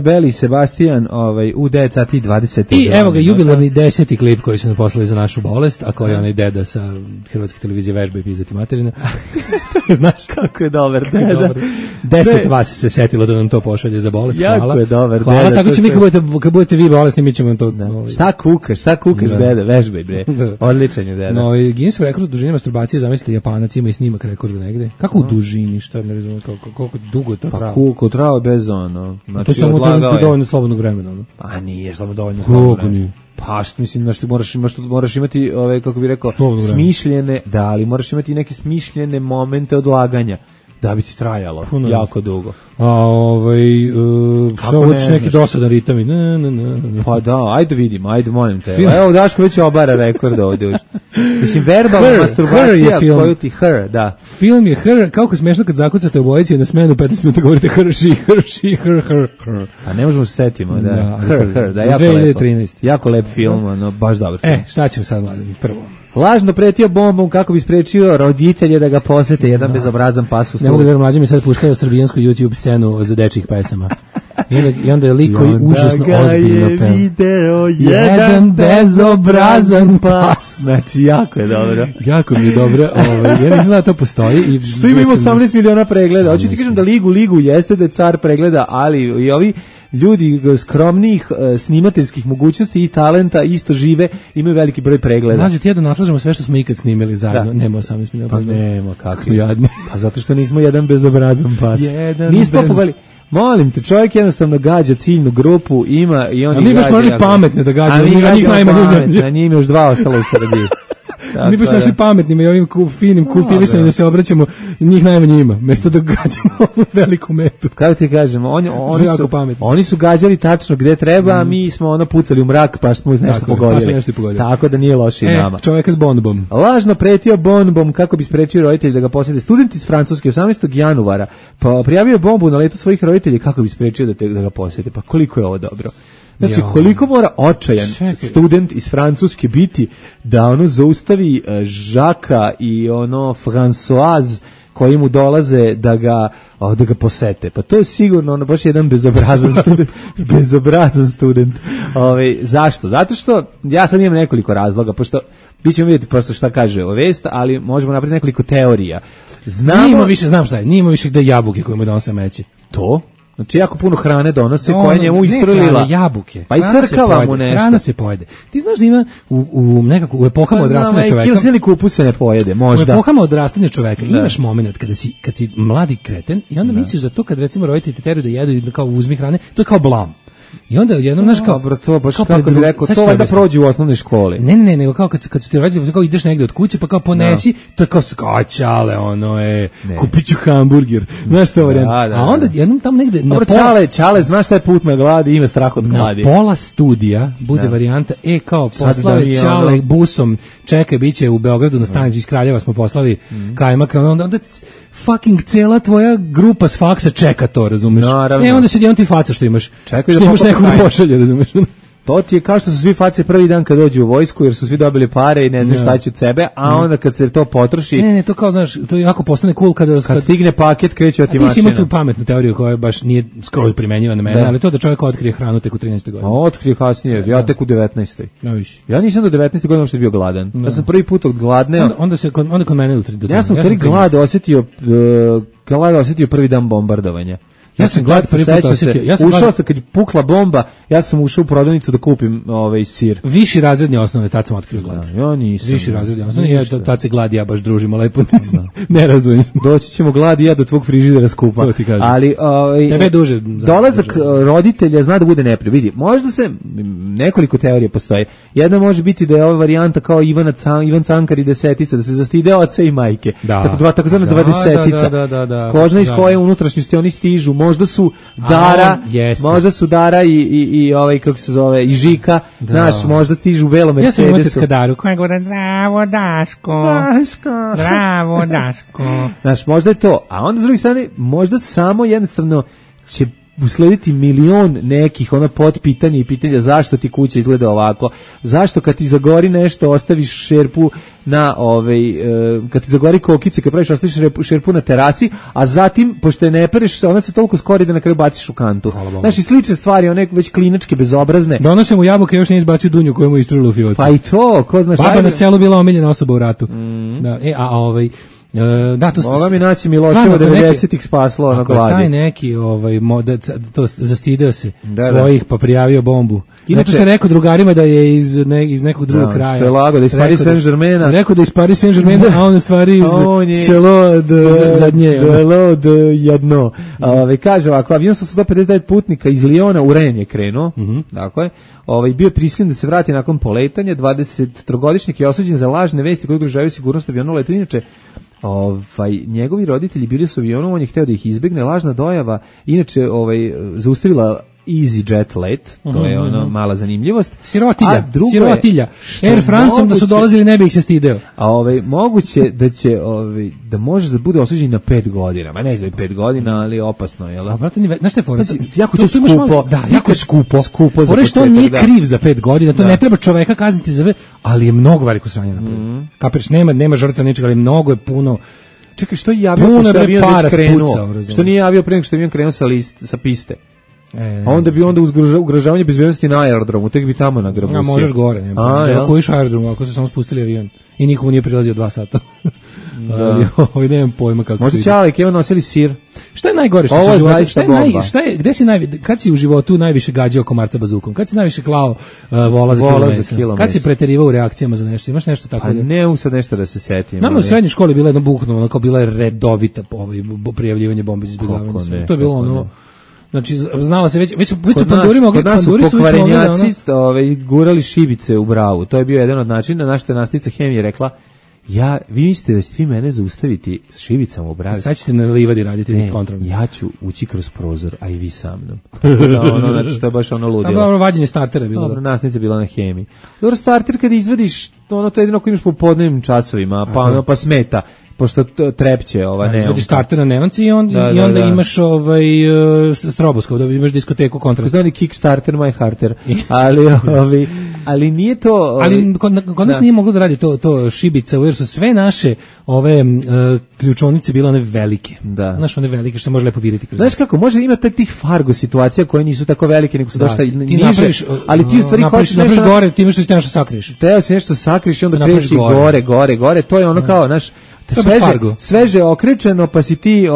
Beli Sebastian, u 9 sati 20. I evo ga jubilarni 10. klip koji su nam poslali za našu bolest, a koji je onaj deda sa Hrvatske televizije vežba i pizdati materina. Znaš kako je dobar deda. 10 vas se setilo da nam to pošalje za bolest. Jako hvala. Je dobar hvala, deda. Tako će mi kad budete vi bolesni, mi ćemo to... Šta kukaš deda, vežbaj bre. Odličan je deda. No, Guinness rekord u dužini masturbacije, zamislite, Japanac ima i snimak rekorda negde. Kako u dužini, šta ne razumijem, koliko dugo to trao? Pa koliko trao bez ono. To je samo dovoljno slobodnog vremena. A nije samo dovoljno slobodnog vremena. Pa mislim da moraš imati kako bih rekao smišljene, ali moraš imati neke smišljene momente odlaganja da bi ti trajalo jako dugo. A što hoćeš neki dosadan ritam? Pa da, ajde vidimo, ajde molim te. Evo Daško već obara rekord ovdje. Mislim, verbalna masturbacija koju ti Her, da. Film je Her, kako smešno kad zakucate obojici na smenu 15 minuta govorite Her, Her. Pa ne možemo se setimo, da. Her, da, jako lepo. 2013. Jako lep film, baš dobar film. Šta ćemo sad, mladim, prvo? Lažno pretio bombom kako bi sprečio roditelje da ga posete, jedan bezobrazan pas u ne mogu da verujem, mlađe mi sad puštaju srbijansku YouTube scenu za dečjih pesama. I onda je lik koji užasno ozbiljno peva. Video jedan bezobrazan pas. Znači, jako je dobro. Jako mi je dobro. Ja nisam znao da to postoji. Što ima 18 miliona pregleda. Hoću ti kažem da ligu jeste da je car pregleda, ali i ovi ljudi skromnih snimateljskih mogućnosti i talenta isto žive, imaju veliki broj pregleda. Znači, ti ja da naslažemo sve što smo ikad snimili zajedno. Nema 18 miliona pregleda. Pa nema, kakvi jadni. Pa zato što nismo jedan bezobrazan pas. Nismo pogledali. Molim te, čovjek jednostavno gađa ciljnu grupu, ima i oni gađa. A mi baš morali pametne da gađa, a njih najmanje u zemlji. A njih još 2 ostalo u Srbiji. Mi baš našli pametnima i ovim finim kultivisanjem da se obraćamo, njih najmanje ima, mjesto da gađamo ovu veliku metu. Kako ti kažemo, oni su gađali tačno gde treba, a mi smo pucali u mrak pa smo nešto pogodili. Tako da nije loše i nama. Čovjeka s bombom. Lažno pretio bombom kako bi sprečio roditelji da ga posete. Student iz Francuske 18. januara pa prijavio bombu na letu svojih roditelja kako bi sprečio da ga posete. Pa koliko je ovo dobro. Znači, koliko mora očajan student iz Francuske biti da zaustavi Žaka i Françoise koji mu dolaze da ga posete. Pa to je sigurno baš jedan bezobrazan student. Zašto? Zato što ja sad imam nekoliko razloga, pošto mi ćemo vidjeti prosto šta kaže vest, ali možemo napraviti nekoliko teorija. Znam šta je, nije imao više gde jabuke koje mu donose meći. To? Znači, jako puno hrane donose koja njemu istrlila. Jabuke. Pa i crkava mu nešto. Hrana se pojede. Ti znaš da ima u epohama odrastanja čoveka. Kilsili kupus se ne pojede, možda. U epohama odrastanja čoveka imaš moment kad si mladi kreten i onda misliš da to kad recimo roditelji te teraju da jedu i kao uzmi hrane, to je kao blam. I onda jednom znaš kao to baš kako bi rekao, to valjda prođe u osnovnoj školi. Ne, nego kao kad su ti roditelji kao ideš negde od kuće pa kao ponesi, to je kao skačale, kupiću hamburger. Znaš što varijanta. A onda jednom tamo negde na pola Čale, znaš šta je put na gladi, ima strah od gladi. Na pola studija bude varijanta kao poslao Čale busom, čekaj biće u Beogradu na stanici iz Kraljeva smo poslali kajmak, onda fucking cela tvoja grupa s faksa čeka to, razumeš? Onda se jedan ti faca što imaš. Čekaj što imaš nekoga pošalje, razumeš? To ti je kao što su svi face prvi dan kad dođu u vojsku jer su svi dobili pare i ne znaju šta će od sebe, a onda kad se to potroši... Ne, to kao, znaš, to je jako postane cool kad stigne paket, kreće otimačina. Ti si imao tu pametnu teoriju koja baš nije skroz primenjiva na mene, ali to da čovjek otkrije hranu tek u 13. godini. Otkrije kasnije, ja tek u 19. Ja nisam do 19. godine uopšte bio gladan. Ja sam prvi put gladneo. Onda kod mene do 13. Ja sam stvari glad osjetio prvi dan bombardovanja. Ja sam glad prvi put osjetio. Ušao sam kad je pukla bomba, ja sam ušao u prodavnicu da kupim sir. Viši razredni osnove, tad sam otkrio glad. Ja nisam. Viši razredni osnove, tad se glad ja baš družimo lepo. Ne razdvojeni smo. Doći ćemo glad i ja do tvog frižidera skupa. To ti kažem. Ali tebe duže. Dolazak roditelja zna da bude neprijatno. Vidi, možda se nekoliko teorija postoji. Jedna može biti da je ova varijanta kao Ivan Cankar i desetica, da se zastide oca i majke. Takozvana dvadesetica. Ko zna iz koje unutrašnjosti oni stižu. Možda su Dara i ovaj kako se zove i Žika, znaš, možda stižu u belom Mercedesu. Ja sam imao tetka Daru koja govore bravo Daško. Znaš, možda je to. A onda s druge strane, možda samo jednostavno će uslediti milion nekih potpitanja i pitanja zašto ti kuća izgleda ovako, zašto kad ti zagori nešto ostaviš šerpu na kad ti zagori kokice, kad praviš ostaviš šerpu na terasi, a zatim pošto je ne pereš, ona se toliko skori da na kraju baciš u kantu. Znaš, i slične stvari, one već klinačke, bezobrazne. Donosimo jabuke, još nije izbacio dunju koju mu istrilo u fioci. Pa i to, ko znaš. Baba na selu bila omiljena osoba u ratu. Da, Moga mi naći Miloševo 90-ih spaslo na gladi. Taj neki to zastideo se svojih pa prijavio bombu. Inače što je rekao drugarima da je iz nekog drugog kraja. Što je lago da iz Paris Saint-Germaina. Rekao da iz Paris Saint-Germaina, a on u stvari iz selo zadnje. Selo jedno. Kaže ovako, avion sa 159 putnika iz Liona u Ren je krenuo. Tako je. Bio prisiljen da se vrati nakon poletanja. 23-godišnjak je osuđen za lažne vesti koje ugrožavaju sigurnost aviona u letu. Inače, njegovi roditelji bili su avionom, on je hteo da ih izbegne, lažna dojava, inače zaustavila EasyJet let, to je mala zanimljivost. Sirotilja. Air Franceom da su dolazili ne bi ih se stideo. A moguće da će da može da bude osuđen na 5 godina. Ma ne znam 5 godina, ali opasno, je l' da? Brate, znaš šta je fora? Jako to skupo. Da, jako je skupo. Fora što on nije kriv za 5 godina, to ne treba čoveka kazniti za ali je mnogo veliko sranje napravio. Kapiraš, nema žrtva ničega, ali mnogo je puno. Čekaj, što je javio pošto je avion već krenuo? Što nije javio pre nego što je avion krenuo sa piste? A onda bi ugrožavanje bezbednosti na aerodromu, tek bi tamo nagrabusio. Možeš gore, nema. Ako iš aerodromu, ako su samo spustili avion i nikomu nije prilazio 2 sata. Ali nemam pojma kako. Možda će Alek, evo nosili sir. Šta je najgore što se životu? Kad si u životu najviše gađao komarca bazukom? Kad si najviše klao vola za kilo mesa? Kad si preterivao u reakcijama za nešto? Imaš nešto tako? Pa ne mogu sad nešto da se setim. Nama u srednjoj školi bila jedna bukno, kao bila je redovita prijavljivanje bombe za izbjegavanje. To je bilo znači znala se već su panduri mogli, panduri su pokvarenjaci gurali šibice u bravu. To je bio jedan od načina. Naša nastavnica hemije rekla: vi mislite da ćete vi mene zaustaviti s šibicama u bravi? Sad ćete na livadi raditi kontrolno. Ja ću ući kroz prozor, a i vi sa mnom. Znači, to je baš ludilo. Dobro, vađenje startera je bilo. Dobro, nastavnica bila na hemiji. Dobro, starter kada izvadiš, to je jedino ako imaš po podnevnim časovima, pa smeta. Pošto trepće neonka. Izvadiš starter na neonci i onda imaš stroboskop, da imaš diskoteku kontrast. Znali Kickstarter, My Hearter. Ali nije to... Ali kod nas nije moglo da radi to šibica, jer su sve naše ove ključonice bile one velike. Da. Znaš, one velike što može lepo viriti kroz. Znaš kako, može imati tih Fargo situacija koje nisu tako velike, nego su dosta niže, ali ti u stvari hoćeš nešto... gore, ti imaš nešto sakriješ. Teo si nešto sakriješ i onda kreći gore. To je ono kao, znaš, sveže okrečeno, pa si ti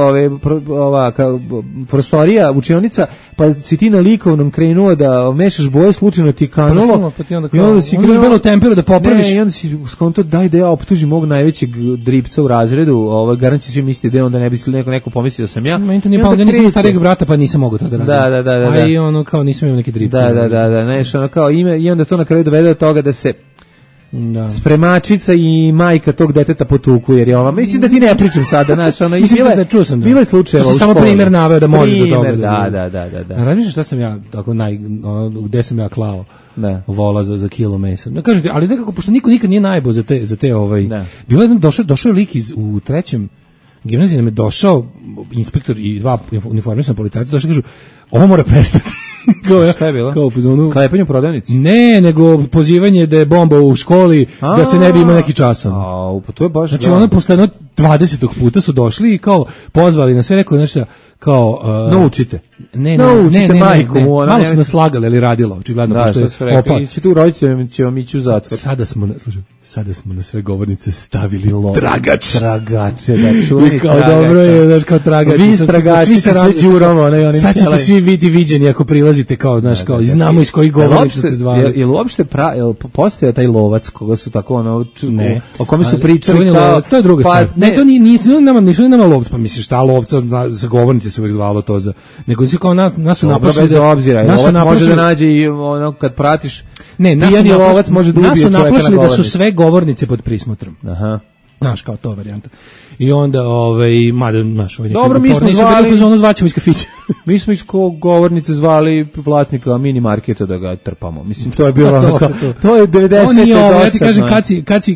prostorija, učionica, pa si ti na likovnom krenuo da mešaš boje, slučajno ti kanulo, pa ti onda si belo temperu da popraviš. Ne, i onda si skonto daj da ja optužim mog najvećeg dripca u razredu, garanti svi misliti da onda ne bi neko pomislio da sam ja. Meni to nije pao, nisam starijeg brata, pa nisam mogao to da radim. Da. A i ono kao nisam imao neki dripca. Da, nešto ono kao i onda to na kraju dovede do toga da se spremačica i majka tog deteta potuku, jer je ova, mislim da ti ne pričam sada, znaš, ono, bilo je slučajeva u školi. Samo primjer naveo da može do toga. Da. Razmišljaš šta sam ja, tako gde sam ja klao vola za kilo mesa. Kažete, ali nekako, pošto niko nikad nije najbo za te bilo je došao je lik u 3. gimnaziji, nam je došao inspektor i 2 uniformisana policajca, došli kažu, ovo mora prestati. Šta je bilo? Kao u fazonu klepanje u prodavnici? Ne, nego pozivanje da je bomba u školi, da se ne bi imao neki časov. Pa to je baš. Znači ono posle 20. puta su došli i kao pozvali na sve, rekao nešto kao naučite. Ne, majku mu, malo su nas slagali, ali radilo, očigledno, pošto je opa. Će tu roditelji će vam ići u zatvor. Sada smo na sve govornice stavili tragač. Tragače, da čuveni kao dobro je, znaš, kao tragač. Vi tragači se sve đurovo. Sad ćete svi biti viđeni ako prilazite, kao, znaš, kao, i znamo iz kojih govornica ste zvali. Jel uopšte postoje taj lovac koga su tako, ono, o kome su pričali kao... To je druga stvar. Ne, to nisu nama lovc, pa misliš, šta lovca, za govornice se uvijek zvalo to za... Nego si kao nas su naplašili... Bez obzira, lovac može da nađe i ono, kad pratiš... Ne, nas su naplašili da su sve govornice pod prismotrom. Aha. Znaš, kao to varijanta. I onda, mada, znaš, dobro, mi smo zvali... zvaćemo iz kafića. Mi smo iz govornice zvali vlasnika mini marketa da ga trpamo. Mislim, to je bilo to je 90. Ja ti kažem,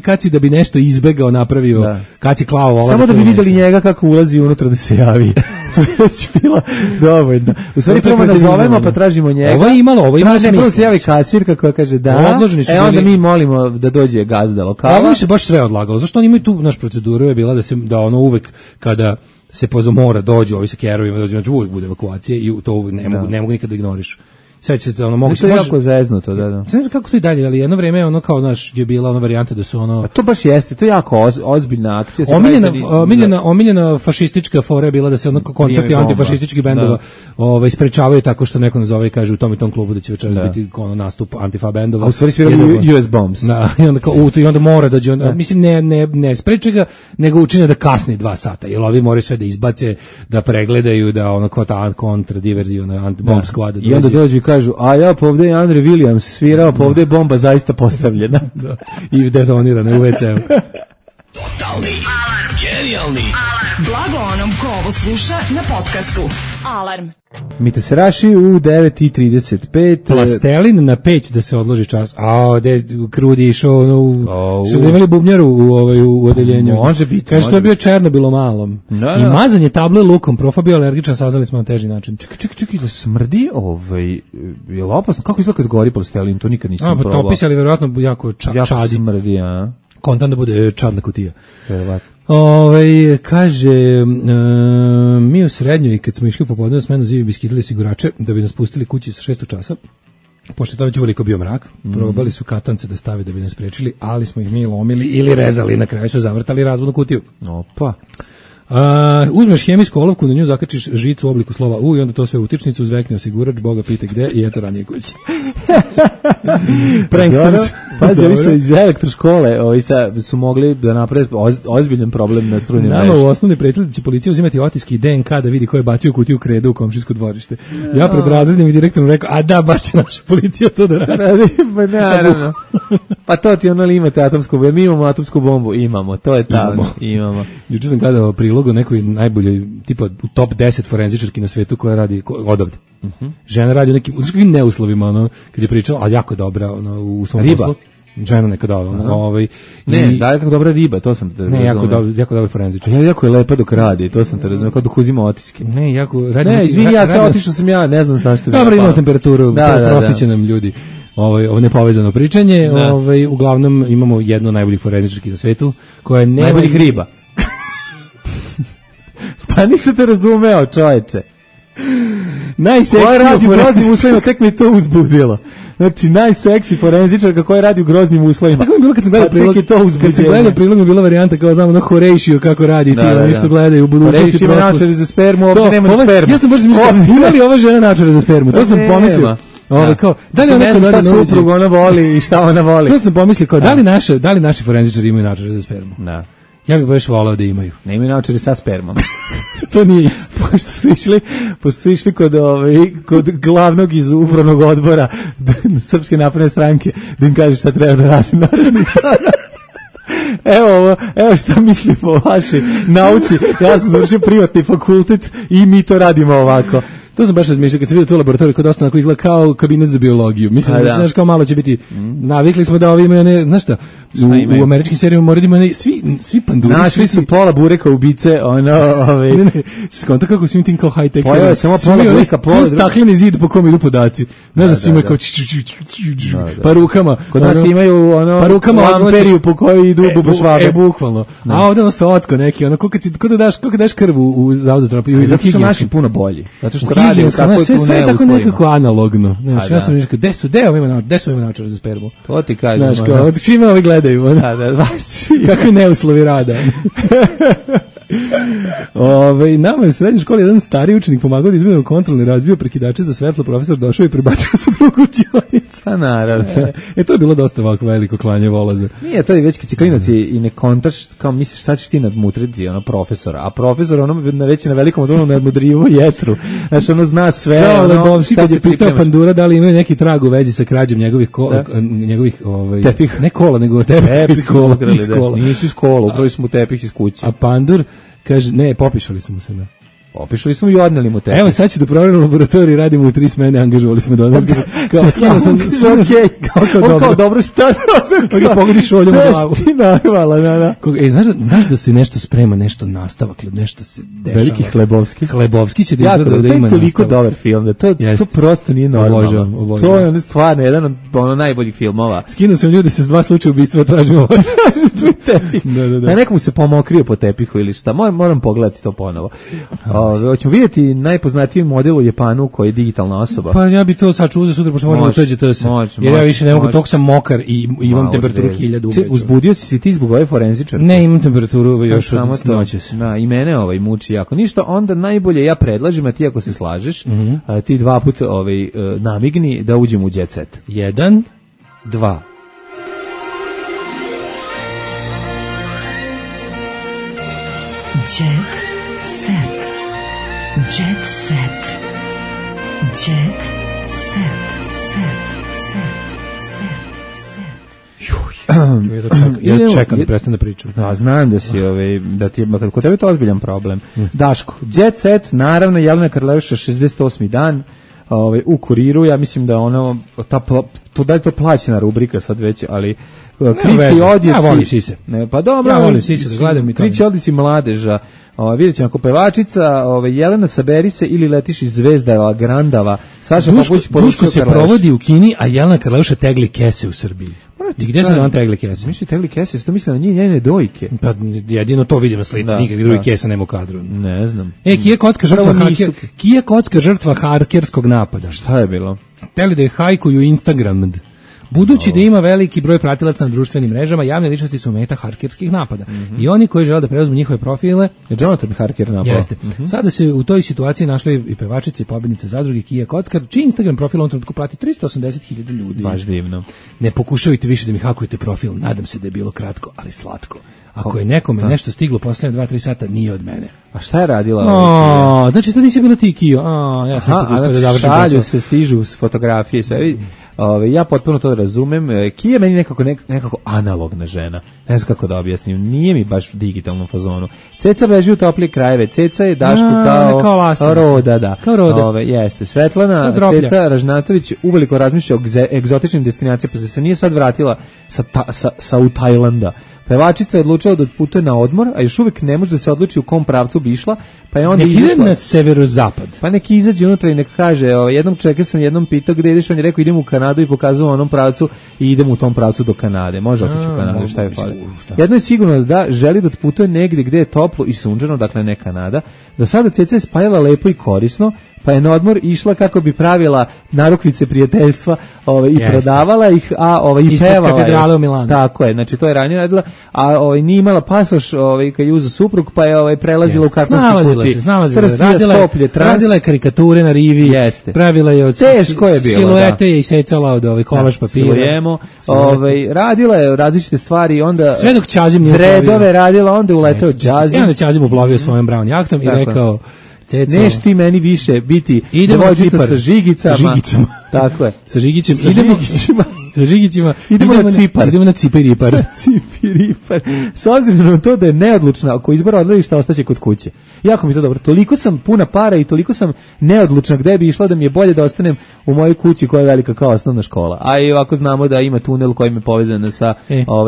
kad si da bi nešto izbegao, napravio, kad si klao ovo. Samo da bi videli njega kako ulazi unutra da se javi. To je već bilo dovoljno. U stvari prvo nazovemo pa tražimo njega. Ovo je imalo smisla. Prvo se javi kasirka koja kaže da, onda mi molimo da dođe gazda lokala. Ovo se baš sve odlagalo. Zašto oni imaju tu, naš proceduru je bila da ono uvek kada se mora dođu ovi sa kerovima, dođu, znači uvijek bude evakuacija i to ne mogu nikada da ignoriš. Sad će se ono moguće. To je jako zeznuto, da. Ne znam kako to i dalje, ali jedno vrijeme ono kao, znaš, je bila ona varijanta da su ono... A to baš jeste, to je jako ozbiljna akcija. Omiljena fašistička fora je bila da se ono koncerti antifašističkih bendova sprečavaju tako što neko nazove i kaže u tom i tom klubu da će večeras biti ono nastup antifa bendova. A u stvari sviraju US Bombs. Da, i onda mora dođe, mislim ne spreče ga, nego učine da kasni 2 sata, jer ovi moraju sve da izbace, da pregledaju, da ono kao ta kontradiverzija, bomb squad. I onda dođu kažu, a ja pa ovdje je Andre Williams svirao, pa ovdje je bomba zaista postavljena. Da. I detonirana u WC-u. Totalni alarm. Genijalni alarm. Blago onom ko ovo sluša na podcastu. Alarm. Mite se raši u 9:35. Plastelin na peć da se odloži čas. Krudi išao su da imali bubnjaru u odeljenju. Može biti. Kaže, to je bio Černobil u malom. I mazanje table lukom, profa bio alergičan, saznali smo na teži način. Čekaj, da smrdi, je li opasno? Kako izgleda kad gori plastelin? To nikad nisam probao. Topis, ali vjerojatno jako čadi. Jako smrdi, a? Kontan da bude čadna kutija. Verovatno. Kaže, mi u srednjoj, kad smo išli u popodne smenu, zivi bi skidali sigurače da bi nas pustili kući sa 6 časa. Pošto je to uveliko bio mrak, probali su katance da stave da bi nas sprečili, ali smo ih mi lomili ili rezali, na kraju su zavrtali razvodnu kutiju. Opa. Uzmeš hemijsku olovku, na nju zakačiš žicu u obliku slova U i onda to sve utičnicu, uzvekne osigurač, Boga pite gde i eto ranije kući. Pranksters. Pazi, ovi su iz elektroškole, ovi su mogli da naprave ozbiljan problem na strujnim mreži. Nama u osnovni prijatelj da će policija uzimati otiske i DNK da vidi ko je bacio kutiju kredu u komšijsko dvorište. Ja pred razrednim i direktorom rekao, a da, baš će naša policija to da radi. Pa naravno. Pa to ti ono li imate atomsku bombu, mi imamo atomsku bombu, imamo, to je tamo, imamo. Juče sam gledao prilog o nekoj najboljoj, tipa u top 10 forenzičarki na svetu koja radi odavde. Žena radi u nekim neuslovima, ono, kad je pričala, ali jako dobra, ono, u svom poslu. Žena neka da, da, jako dobra riba, to sam te razumio. Jako dobar forenzičar. Jako je lepa dok radi, to sam te razumio, kao dok uzima otiske. Izvini, ja se otišao sam ja, ne znam zašto. Dobro, imamo temperaturu, prostiće nam ljudi. Ovo nepovezano pričanje, uglavnom imamo jednu najboljih forenzičarki na svetu, koja je najboljih riba. Pa nisam te razumeo, čoveče. Najseksija radi u groznim uslovima, tek mi to uzbudilo. Znači, najseksi forenzičarka koja radi u groznim uslovima. Tako mi je bilo kad sam gledao prilog. Kad sam gledao prilog mi je bila varijanta kao znamo na Horatio kako radi ti, nešto gledaju u budućnosti. Horatio ima načare za spermu, ovdje nema spermu. Ja sam baš mislio, ima li ova žena načare za spermu? To sam pomislio. Kao, da li ne znam šta suprug ona voli i šta ona voli. To sam pomislio kao, da li naši forenzičari imaju načare za spermu? Da. Ja bih baš volao da imaju. Ne imaju naočare sa spermom. To nije isto. Pošto su išli kod glavnog iz upravnog odbora Srpske napredne stranke da im kaže šta treba da radi. Evo šta mislimo o vašoj nauci. Ja sam završio privatni fakultet i mi to radimo ovako. To sam baš razmišljao kad sam vidio tu laboratoriju kod dosta onako izgleda kao kabinet za biologiju. Mislim da znaš kao malo će biti. Navikli smo da ovi imaju one, znaš šta? U američkim serijama moraju da imaju svi panduri. Našli su pola bureka ubice, Ne, skonta kako svim tim kao high tech. Pojave samo pola bureka, pola. Svi stakleni zid po kom idu podaci. Znaš da svi imaju kao pa rukama. Kod nas imaju pa rukama lamperiju po kojoj idu bubušvabe. Bukvalno. A ovde ono socko neki, ono kako daš krv u zavodu terapiju. Zato su naši puno bolji. Zato što radi kako sve tako nekako analogno. Znaš, ja sam rekao, gde su ima način za spermu? To ti kažem. Znaš, kao, čime ovi gledaju? Kakvi neuslovi rada. Nama je u srednjoj školi jedan stari učenik pomagao da izmenimo kontrolni, razbio prekidače za svetlo, profesor došao i prebacio se u drugu učionicu. Pa naravno. To je bilo dosta ovako veliko klanje volaza. Nije, to je već kad si klinac i ne kontaš, kao misliš sad ćeš ti nadmutriti profesora, a profesor već na velikom odunu nadmudrivo jetru. Znaš, zna sve. Kao Lebovski kad je pitao Pandura da li imaju neki trag u vezi sa krađom njegovih tepih. Ne kola, nego tepih iz kola. Nisu iz kola, ukrali smo tepih iz kuće. A Pandur kaže, ne, popišali smo se, da. Opišli smo i odneli mu tepih. Evo sad ću da proverim laboratoriju, radimo u 3 smene, angažovali smo do nas. Kao skinuo sam, kao dobro šta? Pa ga pogodiš oljom u glavu. Ti narvala, da. Znaš da se nešto sprema, nešto nastavak, nešto se dešava. Veliki Hlebovski. Hlebovski će da izgleda da ima nastavak. To je toliko dobar film, da to prosto nije normalno. Obožavam. To je stvarno jedan od najboljih filmova. Skinuo sam ljude se s 2 slučaja ubistva, tražimo tepih. Da. Nekomu se pomokrio po tepihu ili šta. Moram pogledati to ponovo. Hoćemo vidjeti najpoznatiji model u Japanu koji je digitalna osoba. Pa ja bi to sad uzeo sutra, pošto možemo tođe to se. Jer ja više ne mogu, tog sam mokar i imam temperaturu 1000. Uzbudio si ti zbog ove forenzičarke? Ne, imam temperaturu još od noćas. Da, i mene muči jako. Ništa, onda najbolje ja predlažem, a ti ako se slažeš, ti 2 puta namigni da uđemo u jet set. 1, 2. Jet set. Jet set. Jet set. Ja čekam da prestane da pričam. Da, znam da si da ti je kod tebe to ozbiljan problem. Daško, jet set, naravno Jelena Karleuša 68. dan. U Kuriru, ja mislim da da je to plaćena rubrika sad već, ali krici odjeci. Ja volim sise. Pa dobro. Ja volim sise, da gledam i to. Krici odjeci mladeža. Vidjet ćemo ako pevačica, Jelena Saberi se ili letiš iz Zvezdava, Grandava. Saša Papuć Duško se provodi u Kini, a Jelena Karleuša tegli kese u Srbiji. I gdje se da on tegli kese? Misli tegli kese, to misli na njene dojke. Pa jedino to vidim na slici, nikakvih drugih kesa nema u kadru. Ne znam. Kija Kocka žrtva hakerskog napada. Šta je bilo? Teli da je hajkuju Instagram. Budući da ima veliki broj pratilaca na društvenim mrežama, javne ličnosti su meta hakerskih napada. I oni koji žele da preuzmu njihove profile... Jonathan Harker napao. Jeste. Sada se u toj situaciji našli i pevačice i pobednice zadruge Kija Kockar, čiji Instagram profil on trenutku prati 380.000 ljudi. Baš divno. Ne pokušavajte više da mi hakujete profil, nadam se da je bilo kratko, ali slatko. Ako je nekome nešto stiglo poslednje 2-3 sata, nije od mene. A šta je radila? Znači to nisi bila ti, Kio. Ja sam šalju se, stižu s fotografije i sve. Ja potpuno to razumem. Kija je meni nekako analogna žena. Ne znam kako da objasnim. Nije mi baš u digitalnom fazonu. Ceca beži u toplije krajeve. Ceca je Dašku kao Roda. Da. Kao Roda. Jeste. Svetlana Ceca Ražnatović uveliko razmišlja o egzotičnim destinacijama, pa se nije sad vratila sa u Tajlanda. Pevačica je odlučila da putuje na odmor, a još uvijek ne može da se odluči u kom pravcu bi išla, pa je onda ide na severozapad. Pa neki izađe unutra i nek kaže, jednom čovjeka sam jednom pitao gde ideš, on je rekao idem u Kanadu i pokazao onom pravcu i idem u tom pravcu do Kanade. Može otići u Kanadu, šta je fali. Jedno je sigurno da želi da putuje negdje gde je toplo i sunčano, dakle ne Kanada. Do sada Ceca je spajala lepo i korisno, pa je na odmor išla kako bi pravila narukvice prijateljstva i prodavala ih, i pevala je. Tako je, znači to je ranije radila, a nije imala pasoš kad je uzeo suprug, pa je prelazila u kartonski puti. Radila je karikature na rivi, pravila je od siluete je isecala od kolaž papira. Radila je različite stvari, onda sve dok Ćazim nije redove radila, onda je uletao Ćazim. Onda Ćazim uplovio svojom brown jahtom i rekao: neš ti meni više biti devojčica sa žigicama. Tako je. Sa žigićima. sa Žigićima. Idemo na Cipar. Idemo na Cipiripar. Cipiripar. S obzirom na to da je neodlučna, ako izbora odledišta, ostaće kod kuće. Jako mi to dobro. Toliko sam puna para i toliko sam neodlučna gde bi išla da mi je bolje da ostanem u mojoj kući koja je velika kao osnovna škola. A i ovako znamo da ima tunel koji je povezan sa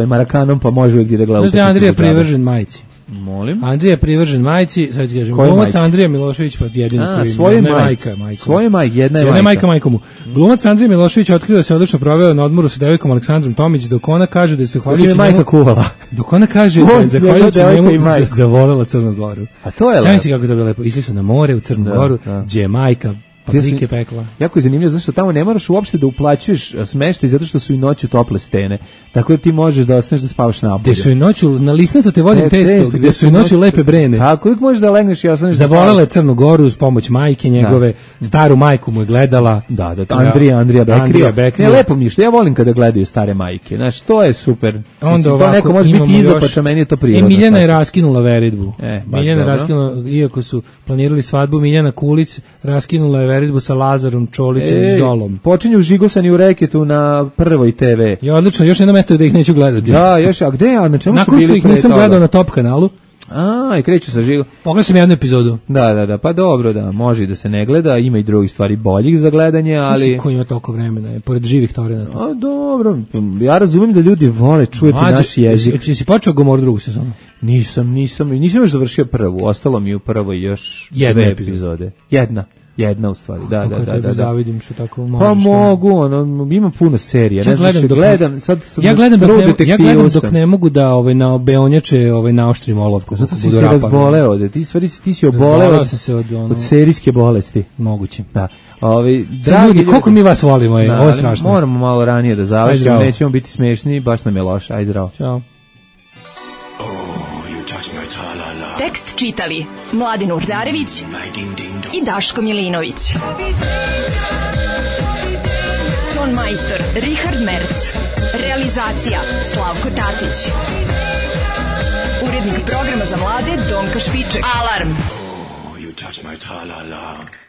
Marakanom, pa može uvijek da gleda. Znaš da je Andrija privržen majici? Molim? Andrija je privržen majici, sad ti kažem, glumac Andrija Milošević, pa jedini koji svoje majka. Svoje majke, jedna je majka majkomu. Glumac Andrija Milošević otkrio da se odlično proveo na odmoru sa devojkom Aleksandrom Tomić, dok ona kaže da se zahvaljujući majka kuvala. Dok ona kaže da je zahvaljujući njemu zavolela Crnu Goru. A to je lepo. Znam si kako to bilo lepo. Išli su na more u Crnu Goru, gdje je majka paprike pekla. Jako je zanimljivo zato što tamo ne moraš uopšte da uplaćuješ smeštaj zato što su i noću tople stene. Tako da ti možeš da ostaneš da spavaš napolje. Gde su i noću na lisnato te vodim testo, gde su i noću lepe brene. Tako uvijek možeš da legneš i ostaneš. Zavolela je Crnu Goru uz pomoć majke njegove, staru majku mu je gledala. Da, Andrija Bekrija. Ne, lepo mi je što ja volim kada gledaju stare majke. Znaš, to je super. Onda to neko može biti izopača, meni je to prirodno. Miljana je raskinula veridbu. Miljana raskinula, iako su planirali svadbu, Miljana Kulić raskinula je veridbu sa Lazarom Čolićem i Zolom. Počinju žigosani u reketu na Prvoj TV. Ja, odlično, još jedno mesto da ih neću gledati. Da, još, a gde ja, na čemu su bili? Nakon što ih nisam gledao na Top kanalu. I kreću sa žigom. Pogledao sam jednu epizodu. Da, pa dobro, da, može i da se ne gleda, ima i drugih stvari boljih za gledanje, ali... Ko ima toliko vremena, pored živih torenata. A dobro, ja razumijem da ljudi vole čujeti naš jezik. Si počeo Gomor drugu sezonu? Nisam još završio prvu, ostalo mi u prvoj još dve epizode. Jedna u stvari, da. Kako zavidim što tako možeš. Pa mogu, ima puno serija, ne znam što gledam. Ja gledam dok ne mogu da na beonjače naoštrim olovku. Zato si se razboleo, ti si oboleo od serijske bolesti. Moguće. Da. Ljudi, koliko mi vas volimo, ovo je strašno. Moramo malo ranije da završimo, nećemo biti smešni, baš nam je loše. Ajde, zdravo. Ćao. Tekst čitali Mladin Urdarević i Daško Milinović. Ton majstor Richard Merc. Realizacija Slavko Tatić. Urednik programa za mlade Donka Špiček. Alarm! Oh, you touch my tra-la-la.